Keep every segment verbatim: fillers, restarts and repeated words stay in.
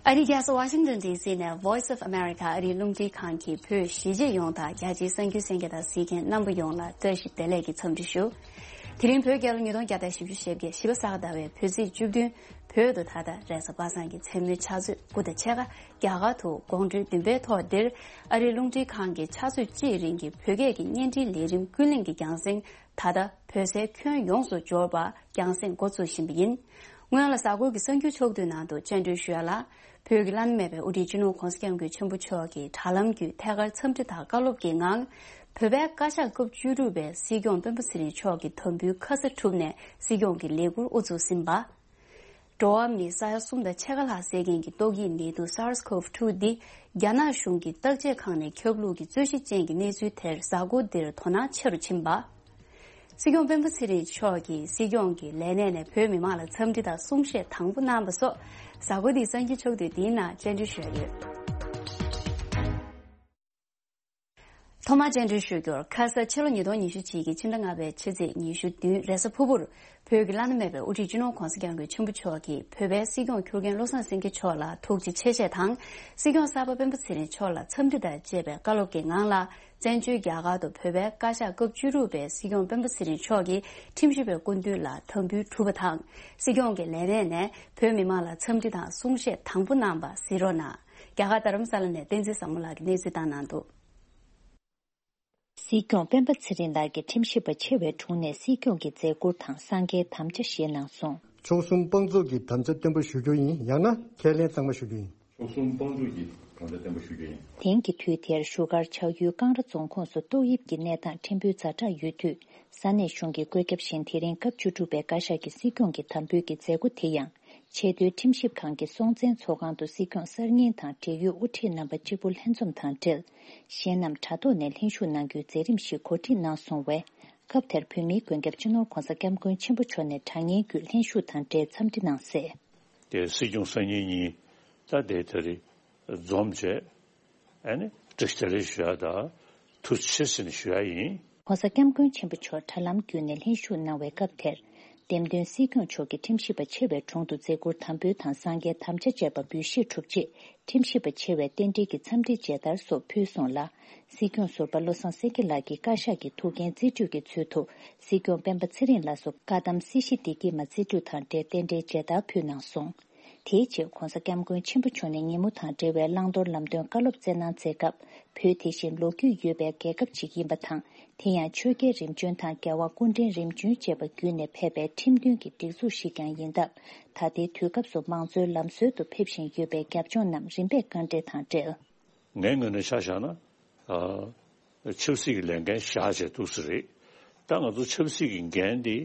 ཨ་རིའི་རྒྱལ་ས་ཝ་ཤིང་ཏོན་ཌི་སི་ནས་Voice of America ཨ་རིའི་རླུང་འཕྲིན་ཁང་གི་བོད་གཞིས་བྱེས་ཡོངས་དང་རྒྱ་ཆེའི་གསར་འགྱུར་གསན་མཁན་དང་གཟིགས་མཁན་རྣམ་པ་ཡོངས་ལ་བཀྲ་ཤིས་བདེ་ལེགས་ཀྱི་འཚམས་འདྲི་ཞུ། དེ་རིང་བོད་རྒྱལ་ལོ་ཉིས་སྟོང་བརྒྱ་དང་བཞི་བཅུ་ཞེ་བརྒྱད་བཞི་པ་ས་ག་ཟླ་བའི་བོད་ཚེས་བཅུ་བདུན། བོད་དུ་ད་ལྟ་རེས་གཟའ་པ་སངས་ཀྱི་མཚན་མོའི་ཆུ་ཚོད་དགུ་དང་ཕྱེད་ཀ། རྒྱ་གར་དུ་དགོང་དྲོའི་བདུན་པའི་ཐོག་འདིར། ཨ་རིའི་རླུང་འཕྲིན་ཁང་གི་ཆུ་ཚོད་གཅིག་རིང་གི་བོད་སྐད་ཀྱི་བརྙན་འཕྲིན་ལས་རིམ་ཀུན་གླེང་གི་རྒྱང་སྲིང་། ད་ལྟ་བོད་སའི་ཁྱོན་ཡོངས་སུ་འབྱོར་བར་རྒྱང་སྲིང་འགོ་བཙུགས་བཞིན་པ་ཡིན། སྔོན་ལ་གཟའ་འཁོར་གྱི་གསར་འགྱུར་ཕྱོགས་བསྡུས་ནང་དུ་སྤྱན་འབུལ་ཞུ་ཡ་ལ། བོད་ཀྱི་བླ་ན་མེད་པའི་དབུ་ཁྲིད་སྤྱི་ནོར་༧གོང་ས་༧སྐྱབས་མགོན་ཆེན་པོ་མཆོག་གིས་དྲ་ལམ་བརྒྱུད་ཐད་ཀར་འཚམས་འདྲི་དང་བཀའ་སློབ་ཀྱི་ངང་། བོད་པའི་བཀའ་ཤག་སྐབས་བཅུ་དྲུག་པའི་སྲིད་སྐྱོང་སྤེན་པ་ཚེ་རིང་མཆོག་གི་དམ་འབུལ་ཁ་ས་གྲུབ་ནས་སྲིད་སྐྱོང་གི་ལས་འཁུར་དབུ་བཙུགས་ཟིན་པ། འགྲོ་བ་མི་ས་ཡ་གསུམ་དང་ཕྱེད་ཀ་ལྷག་བསད་མཁན་གྱི་ཏོག་དབྱིབས་ནད་དུག་SARS-CoV two འདི་རྒྱ་ནག་གཞུང་གི་བརྟག་དཔྱད་ཁང་ནས་ཁྱབ་ལུགས་ཀྱི་རྩོད་གཞི་ཅན་གྱི་གནས་ཚུལ་དེར་གཟའ་འཁོར་འདིར་དོ་སྣང་ཆེ་རུ་ཕྱིན་པ། སྲིད་སྐྱོང་སྤེན་པ་ཚེ་རིང་མཆོག་གིས་སྲིད་སྐྱོང་གི་ལས་གནས་ནས་བོད་མི་མང་ལ་འཚམས་འདྲི་དང་གསུང་བཤད་དང་པོ་གནང་བ་སོགས་གཟའ་འཁོར་འདིའི་གསར་འགྱུར་ཕྱོགས་བསྡུས་འདིའི་ནང་སྤྱན་འབུལ་ཞུས་ཡོད། ཐོག་མར་སྤྱན་འབུལ་ཞུ་རྒྱུར། ཁ་ས་ཕྱི་ལོ་ཉིས་སྟོང་ཉི་ཤུ་གཅིག་གི་ཕྱི་ཟླ་ལྔ་པའི་ཕྱི་ཚེས་ཉི་ཤུ་བདུན་རེས་གཟའ་ཕུར་བུར། བོད་ཀྱི་བླ་ན་མེད་པའི་དབུ་ཁྲིད་སྤྱི་ནོར་༧གོང་ས་༧སྐྱབས་མགོན་ཆེན་པོ་མཆོག་གིས་བོད་པའི་སྲིད་སྐྱོང་ཁྱུར་མཁན་བློ་བཟང་སེང་གེ་མཆོག་ལ་ཐུགས་རྗེ་ཆེ་ཞེས་དང་། སྲིད་སྐྱོང་གསར་པ་སྤེན་པ་ཚེ་རིང་མཆོག་ལ་འཚམས་འདྲི་དང་བཅས་པའི་བཀའ་སློབ་ཀྱི་ངང་ལ། བཙན་བྱོལ་རྒྱ་གར་དུ་བོད་པའི་བཀའ་ཤག་སྐབས་བཅུ་དྲུག་པའི་སྲིད་སྐྱོང་སྤེན་པ་ཚེ་རིང་མཆོག་གིས་ཁྲིམས་ཞིབ་པའི་སྐུ་མདུན་ལ་དམ་འབུལ་གྲུབ་པ་དང་། སྲིད་སྐྱོང་གི་ལས་གནས་ནས་བོད་མི་མང་ལ་འཚམས་འདྲི་དང་གསུང་བཤད་དང་པོ་གནང་བ་གཟིགས་རོགས་གནང་། རྒྱ་གར་རྡ་རམ་ས་ལ་ནས་བསྟན་འཛིན་བཟང་མོ་ལགས་ཀྱིས་གནས་ཚུལ་བཏང་གནང་འདུག། སྲིད་སྐྱོང་སྤེན་པ་ཚེ་རིང་ལགས་ཀྱི་ཁྲིམས་ཞིབ་པ་ཆེ་བའི་དྲུང་ནས་སྲིད་སྐྱོང་གི་མཛད་ཁུར་དང་གསང་རྒྱའི་དམ་བཅའ་བཞེས་གནང་སོང་། མཆོག་གསུམ་དཔང་བཙུགས་ཀྱི་དམ་བཅའ་བརྟན་པོ་ཞུ་རྒྱུ་ཡིན། ཡང་ན་ཁས་ལེན་གཙང་མ་ཞུ་རྒྱུ་ཡིན། མཆོག་གསུམ་དཔང་བཙུགས་ཀྱི་དམ་བཅའ་བརྟན་པོ་ཞུ་རྒྱུ་ཡིན། དེང་གི་དུས་དེར་བཞུགས་སྒར་ཆགས་ཡུལ་ཀང་ར་རྫོང་ཁོངས་སུ་ཏོག་དབྱིབས་ཀྱི་གནས་སྟངས་ཕྲན་བུ་ཛ་དྲག་ཡོད་དུས། ས་གནས་གཞུང་གི་བཀོད་ཁྱབ་བཞིན་དེ་རིང་སྐབས་བཅུ་དྲུག་པའི་བཀའ་ཤག་གི་སྲིད་སྐྱོང་གི་དམ་འབུལ་གྱི་མཛད་སྒོ་དེ་ཡང་། ཆེས་མཐོའི་ཁྲིམས་ཞིབ་ཁང་གི་སྲོང་བཙན་ཚོགས་ཁང་དུ་སྲིད་སྐྱོང་གསར་རྙིང་དང་འབྲེལ་ཡོད་དབུ་ཁྲིད་རྣམ་པ་གཅིག་པུ་ལྷན་འཛོམས་དང་འབྲེལ། གཞན་རྣམས་དྲ་ཐོག་ནས་ལྷན་ཞུགས་གནང་རྒྱུའི་མཛད་རིམ་ཞིག་གོ་སྒྲིག་གནང་སོང་བས། སྐབས་དེར་བོད་མིའི་མགོན་སྐྱབས་སྤྱི་ནོར་༧གོང་ས་༧སྐྱབས་མགོན་ཆེན་པོ་མཆོག་ནས་དྲ་བརྙན་བརྒྱུད་ལྷན་ཞུགས་དང་འབྲེལ་འཚམས་འདྲི་གནང་གསལ། དེ་སྲིད་སྐྱོང་གསར་རྙིང་གཉིས་ད་དེ་ད་རེས་འཛོམས་བྱས། ཨ་ནི་བཀྲ་ཤིས་བདེ་ལེགས་ཞུ་ཡ་དང་ཐུགས་རྗེ་ཆེ་ཟེར་ནས་ཞུ་ཡ་ཡིན། ༸གོང་ས་༸སྐྱབས་མགོན་ཆེན་པོ་མཆོག་དྲ་ལམ་བརྒྱུད་ནས་ལྷན་ཞུགས་གནང་བའི་སྐབས་དེར། འདེམས་ཐོན་སྲིད་སྐྱོང་མཆོག་གིས་ཁྲིམས་ཞིབ་པ་ཆེ་བའི་དྲུང་དུ་མཛད་ཁུར་དམ་འབུལ་དང་གསང་རྒྱའི་དམ་བཅའ་བཅས་པ་འབུལ་བཞེས་གྲུབ་རྗེས། ཁྲིམས་ཞིབ་པ་ཆེ་བས་རྟེན་འབྲེལ་གྱི་འཚམས་འདྲིའི་མཇལ་དར་སོགས་ཕུལ་སོང་ལ། སྲིད་སྐྱོང་ཟུར་པ་བློ་བཟང་སེང་གེ་ལགས་ཀྱིས་བཀའ་ཤག་གི་ཐུགས་འགན་རྩིས་སྤྲོད་ཀྱི་ཚུལ་དུ། སྲིད་སྐྱོང་སྤེན་པ་ཚེ་རིང་ལགས་སུ་བཀའ་གདམས་སྲིད་ཞི་བདེ་སྐྱིད་མ་རྩིས་སྤྲོད་དང་འབྲེལ་རྟེན་འབྲེལ་མཇལ་དར་ཕུལ་གནང་སོང་། དེའི་རྗེས་༸གོང་ས་༸སྐྱབས་མགོན་ཆེན་པོ་མཆོག་ནས་ཉིན་མོ་དང་འབྲེལ་བའི་བླང་དོར་ལམ་སྟོན་བཀའ་སློབ་སྩལ་གནང་མཛད་སྐབས། བོད་དེ་བཞིན་ལོ་རྒྱུས་ཡོད་པའི་རྒྱལ་ཁབ་ཅིག་ཡིན་པ་དང་། དེ་ཡང་ཆོས་རྒྱལ་རིམ་བྱོན་དང་རྒྱལ་བ་སྐུ་ཕྲེང་རིམ་བྱོན་བཅས་པ་བརྒྱུད་ནས་ཕེབས་པའི་ཁྲིམས་མཐུན་གྱི་སྒྲིག་འཛུགས་ཤིག་ཀྱང་ཡིན་སྟབས། ད་ལྟའི་དུས་སྐབས་སུ་མང་གཙོའི་ལམ་སྲོལ་དུ་ཕེབས་བཞིན་ཡོད་པའི་རྒྱབ་ལྗོངས་རྣམས་རིམ་པས་བཀའ་འགྲེལ་དང་འབྲེལ། ངའི་ངོས་ནས་ཆ་བཞག་ན། ཨ། ཆབ་སྲིད་ཀྱི་ལས་འགན་བཞག་བྱས་འདུག་ས་རེད། ད་ང་ཚོ་ཆབ་སྲིད་ཀྱི་འགན་འདི།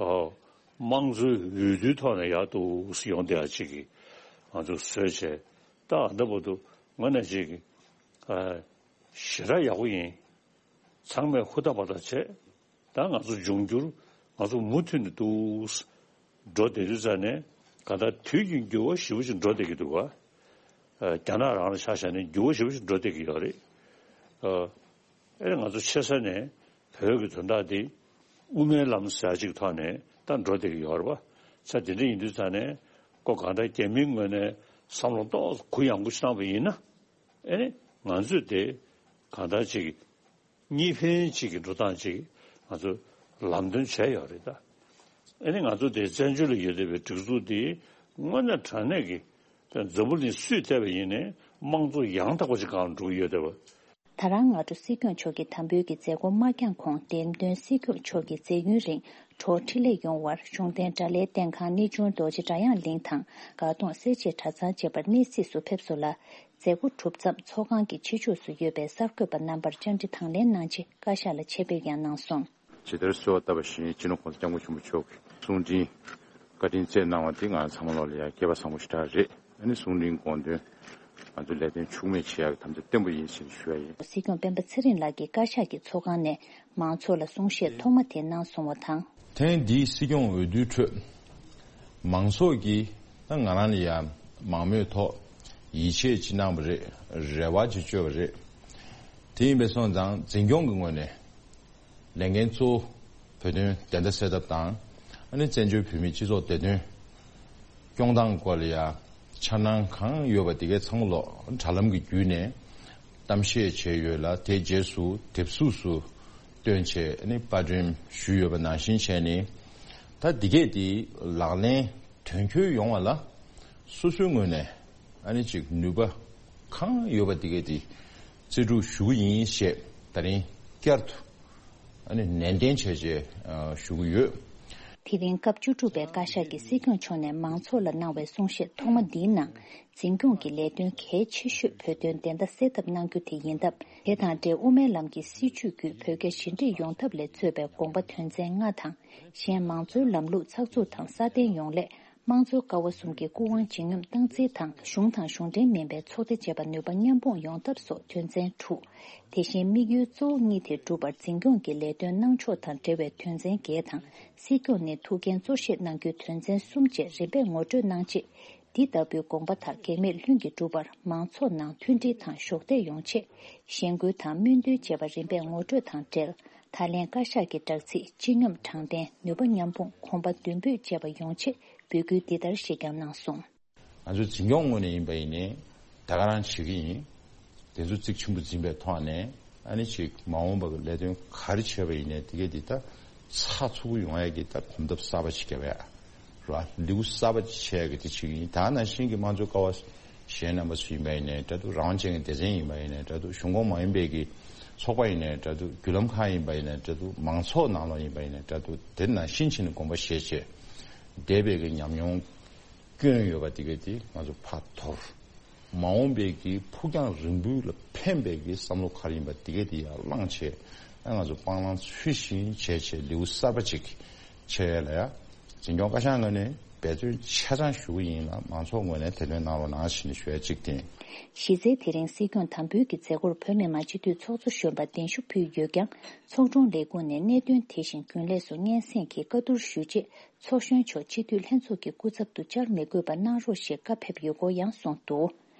ཨ། དམངས་གཙོའི་འོས་བསྡུའི་ཐོག་ནས་ཡར་འདུག་སེ་ཡོང་བསྡད་ཡ་ཅིག་གིས་ང་ཚོ་བཟོས་བྱས། ད་ཨ་ད་བར་དུ་ངོས་ནས་ཅིག་གིས། ཨ། ཞེ་དྲག་ཡག་པོ་ཡིན། ཚང་མས་ཧུར་ཐག་འབད་ཐག་བྱས། ད་ང་ཚོ་འབྱུང་འགྱུར་ང་ཚོ་མུ་མཐུད་ནས་འདུག་སེ་འགྲོ་བསྡད་དུས་ཙང་ནས། གང་ལྟར་དུས་ཀྱི་འགྱུར་བ་ཞེ་པོ་ཅིག་འགྲོ་བསྡད་ཀྱི་འདུག་ག། ཨ། རྒྱ་ནག་རང་ལ་ཆ་བཞག་ན་འགྱུར་བ་ཞེ་པོ་ཅིག་འགྲོ་བསྡད་ཀྱི་ཡོད་རེད། ཨ། ཨེ་ང་ཚོ་ཆེ་ས་ནས་བོད་ཀྱི་དོན་དག་འདི་དབུ་མའི་ལམ་ཟེར་ཡ་ཅིག་ཐོག་ནས་ད་འགྲོ་བསྡད་ཀྱི་ཡོད་རེད་པ། ས་དེ་འདྲ་ཡིན་དུས་ཙང་ནས་ཁོ་གང་ལྟར་རྒྱ་མིའི་ངོས་ནས་བསམ་བློ་ཏོག་ཙམ་གུ་ཡངས་པོ་ཞིག་བཏང་བ་ཡིན་ན། ཨེ་ནི་ང་ཚོས་དེ་གང་ལྟར་ཅིག་གཉིས་ཕན་ཅིག་གི་འགྲོ་སྟངས་ཅིག་ང་ཚོ་ལམ་སྟོན་བྱས་ཡོད་རེད་ད། ཨེ་ནི་ང་ཚོ་དེ་བཙན་བྱོལ་ལ་ཡོད་བསྡད་པའི་སྒྲིག་འཛུགས་འདི་དངོས་གནས་དྲང་གནས་ཀྱི་འཛམ་བུ་གླིང་སུས་བལྟས་པ་ཡིན་ནའི་དམངས་གཙོ་ཡང་དག་པ་ཅིག་སྒང་ལ་འགྲོ་གི་ཡོད་བསྡད་པ། ད་རང་སྔ་དྲོ་སྲིད་སྐྱོང་མཆོག་གི་དམ་འབུལ་གྱི་མཛད་སྒོ་མ་བསྐྱངས་གོང་འདེམས་ཐོན་སྲིད་སྐྱོང་མཆོག་གི་མཛད་ཡུན་རིང་གྲོགས་འཕྲིན་ལས་ཡོང་བར་གཞུང་བསྟེན་དགྲ་ལྷའི་བསྟེན་ཁང་གནས་ཆུང་རྡོ་རྗེ་སྒྲ་དབྱངས་གླིང་དང་དགའ་གདོང་སེར་བྱེས་གྲྭ་ཚང་བཅས་པར་གནས་གཟིགས་སུ་ཕེབས་སོང་ལ། མཛད་སྒོ་གྲུབ་མཚམས་ཚོགས་ཁང་གི་ཕྱི་ཕྱོགས་སུ་ཡོད་པའི་གསར་འགོད་པ་རྣམ་པར་བཅར་འདྲི་དང་ལེན་གནང་རྗེས་བཀའ་ཤག་ལ་ཆེད་ཕེབས་ཡང་གནང་སོང་། ཇི་ལྟར་གསོལ་བ་བཏབ་པ་བཞིན་སྤྱི་ནོར་༸གོང་ས་༸སྐྱབས་མགོན་ཆེན་པོ་མཆོག་གིས་གསུང་འཕྲིན་བཀའ་དྲིན་སྩལ་གནང་བ་འདི་ང་ཚང་མ་ལོག་ལ་ཡང་སྐལ་པ་བཟང་པོ་ཞེ་དྲག་རེད། ཨ་ནི་གསུང་འཕྲིན་དགོངས་དོན་ང་ཚོ་ལས་དོན་འཕྱུགས་མེད་བྱེད་ཡག་གི་དམ་བཅའ་བརྟན་པོ་ཡིན་ཞེས་ཞུ་ཡ་ཡིན། སྲིད་སྐྱོང་སྤེན་པ་ཚེ་རིང་ལགས་ཀྱིས་བཀའ་ཤག་གི་ཚོགས་ཁང་ནས་མང་ཚོགས་ལ་གསུང་བཤད་ཐོག་མ་དེ་གནང་སོང་བ་དང་། ཐེངས་འདིའི་སྲིད་སྐྱོང་འོས་བསྡུའི་ཁྲོད། མང་ཚོགས་ཀྱིས་ད་ང་རང་ལ་ཡང་མང་མོས་ཐོག་ཡིད་ཆེས་ཅིག་གནང་བ་རེད། རེ་བ་ཅིག་བཅོལ་བ་རེད། དེ་ཡིན་པས་སོང་ཙང་འཛིན་སྐྱོང་གི་ངོས་ནས་ལས་འགན་གཙོ་བོ་བོད་དོན་བདེན་མཐའ་གསལ་ཐབས་དང་། ཨ་ནི་བཙན་བྱོལ་བོད་མིའི་སྤྱི་ཚོགས་བདེ་དོན་སྐྱོང་སྟངས་སྐོར་ལ་ཡང་ འཆར་སྣང་གང་ཡོད་པ་དེ་གའི་ཚང་མ་ལོ་དྲ་ལམ་གྱི་བརྒྱུད་ནས་གཏམ་བཤད་བྱས་ཡོད་ལ། དེའི་རྗེས་སུ་དེབ་གཟུགས་སུ་བཏོན་བྱས་ནི་པར་སྐྲུན་ཞུས་ཡོད་པ་ནང་བཞིན་བྱས་ནས། ད་འདི་གས་དེ་ལག་ལེན་དོན་འཁྱོལ་ཡོང་བ་ལ་སོ་སོའི་ངོས་ནས་ཨ་ནི་ཅིག་ནུས་པ་གང་ཡོད་པ་འདི་གས་དེ་རྩལ་སྤྲུགས་ཞུ་གི་ཡིན་ཞེས་ད་རིང་བསྐྱར་དུ་ཨ་ནི་ནན་ཏན་བྱས་བྱས་ཞུ་གི་ཡོད། དེ་རིང་སྐབས་བཅུ་དྲུག་པའི་བཀའ་ཤག་གིས་སྲིད་སྐྱོང་མཆོག་ནས་མང་ཚོགས་ལ་གནང་བའི་གསུང་བཤད་ཐོག་མ་འདིའི་ནང་། འཛིན་སྐྱོང་གི་ལས་དོན་གལ་ཆེ་ཤོས་བོད་དོན་བདེན་མཐའ་གསལ་ཐབས་གནང་རྒྱུ་དེ་ཡིན་སྟབས། དེ་དང་འབྲེལ་དབུ་མའི་ལམ་གྱི་སྲིད་བྱུས་བརྒྱུད་བོད་རྒྱ་ཞི་འགྲིག་ཡོང་ཐབས་ལ་གཙོས་པའི་དགོངས་པ་དོན་ཚན་ལྔ་དང་། གཞན་མང་གཙོའི་ལམ་ལུགས་ཚགས་ཚུད་དང་སྲ་བརྟན་ཡོང་སླད། དམངས་གཙོའི་ཀ་བ་གསུམ་གྱི་སྐུ་དབང་ཇི་སྙོམས་སྟངས་འཛིན་དང་། གཞུང་དང་གཞུང་འབྲེལ་མིན་པའི་ཚོགས་སྡེ་བཅས་པ་ནུས་པ་མཉམ་སྤུངས་ཡོང་ཐབས་སོགས་དོན་ཚན་དྲུག་དེ་བཞིན་དམིགས་ཡུལ་གཙོ་བོ་གཉིས་དེ་སྒྲུབ་པར་འཛིན་སྐྱོང་གི་ལས་དོན་གནང་ཕྱོགས་དང་འབྲེལ་བའི་དོན་ཚན་བརྒྱད་དང་། སྲིད་སྐྱོང་ནས་ཐུགས་འགན་གཙོ་བཞེས་གནང་རྒྱུའི་དོན་ཚན་གསུམ་བཅས་རིམ་པས་ངོ་སྤྲོད་གནང་རྗེས། འདི་ལྟ་བུའི་དགོངས་པ་དག་གེགས་མེད་ལྷུན་གྱིས་འགྲུབ་པར་མང་ཚོགས་ནང་མཐུན་སྒྲིལ་དང་གཞོགས་འདེགས་ཡོང་ཆེད། གཞེན་སྐུལ་དང་སྨོན་འདུན་བཅས་པ་རིམ་པས་ངོ་སྤྲོད་དང་འབྲེལ། ད་ལན་བཀའ་ཤག་གི་བསྒྲགས་ཚིག་སྤྱི་སྙོམས་དྲང་བདེན། ནུས་པ་མཉམ་སྤུངས། གོམ་པ་མདུན་སྤོས་བཅས་པ་ཡོང་ཆེད་འབོད་སྐུལ་འདི་ལྟར་ཞིག་ཀྱང་གནང་སོང་། ང་ཚོའི་འཛིན་སྐྱོང་ངོས་ནས་ཡིན་པ་ཡིན་ནའི་ད་ག་རང་བྱེད་ཀྱི་ཡིན། དེ་ཚོ་གཙིགས་ཆེན་པོ་འཛིན་པའི་ཐོག་ནས་ཨ་ནི་ཅིག་མ་འོངས་པ་གི་ལས་དོན་ག་རེ་བྱས་པ་ཡིན་ནའི་དེ་གས་དེ་ད་ཚགས་ཚུད་པོ་ཡོང་ཡ་གི་ད་གོམ་སྟབས་གསར་པ་ཅིག་རྒྱབ་ཡ་ར་ལེའུ་གསར་པ་ཅིག་ཕྱེ་ཡ་གི་དེ་བྱེད་ཀྱི་ཡིན། ད་ནང་བཞིན་གྱི་དམངས་གཙོའི་ཀ་བ་གཞན་རྣམ་པ་ཚོ་ཡིན་པ་ཡིན་ནའི་འདྲ་འདུག་རང་དབང་ཅན་གྱི་སྡེ་ཚན་ཡིན་པ་ཡིན་ནའི་འདྲ་འདུག་གཞུང་ཁོངས་མ་ཡིན་པའི་གི་ཚོགས་པ་ཡིན་ནའི་འདྲ་འདུག་བརྒྱུད་ལམ་ཁག་ཡིན་པ་ཡིན་ནའི་འདྲ་འདུག་མང་ཚོགས་ནང་ལོགས་ཡིན་པ་ཡིན་ནའི་འདྲ་འདུག་དེ་ནང་བཞིན་བྱས་ནས་དགོངས་པ་བཞེས་བྱས་འདས་པའི་གི་ཉམས་མྱོང་སྐྱོན་ཡོད་པ་དེ་གས་དེ་ང་ཚོ་ཕར་དོར། མ་འོངས་པའི་གི་ཕུགས་རྒྱང་རིང་པོའི་ལ་ཕན་པའི་གི་བསམ་བློ་ག་རེ་ཡིན་པ་དེ་གས་དེ་ཡར་བླངས་བྱས། ཨ་ང་ཚོ་སྤང་བླང་ཚུལ་བཞིན་བྱས་བྱས་ལེའུ་གསར་པ་ཅིག་ཕྱེ་ཡ་ལ་ཡ། འཛིན་སྐྱོང་བཀའ་ཤག་ངོས་ནས་འབད་བརྩོན་ཆ་ཚང་ཞུ་གི་ཡིན་ལ་མང་ཚོགས་ངོས་ནས་དེ་དོན་གནང་རོགས་གནང་ཞེས་ནས་ཞུ་ཡ་གཅིག་བསྟན། གཞི་རྩའི་དེ་རིང་སྲིད་སྐྱོང་དམ་འབུལ་གྱི་མཛད་སྒོར་བོད་མི་མང་སྤྱི་འཐུས་ཚོགས་གཙོ་གཞོན་པ་གདན་ཞུ་ཕུལ་ཡོད་ཀྱང་། ཚོགས་དྲུང་ལས་ཁུངས་ནས་གནད་དོན་དེ་བཞིན་རྒྱུན་ལས་སུ་སྙན་སེང་གིས་བཀའ་བསྡུར་ཞུས་རྗེས། ཚོགས་གཞོན་མཆོག་སྤྱི་འཐུས་ལྷན་ཚོགས་ཀྱི་སྐུ་ཚབ་ཏུ་བཅར་མི་དགོས་པ་གནང་རོགས་ཞེས་བཀའ་ཕེབས་ཡོད་སྐོར་ཡང་གསུངས་འདུག་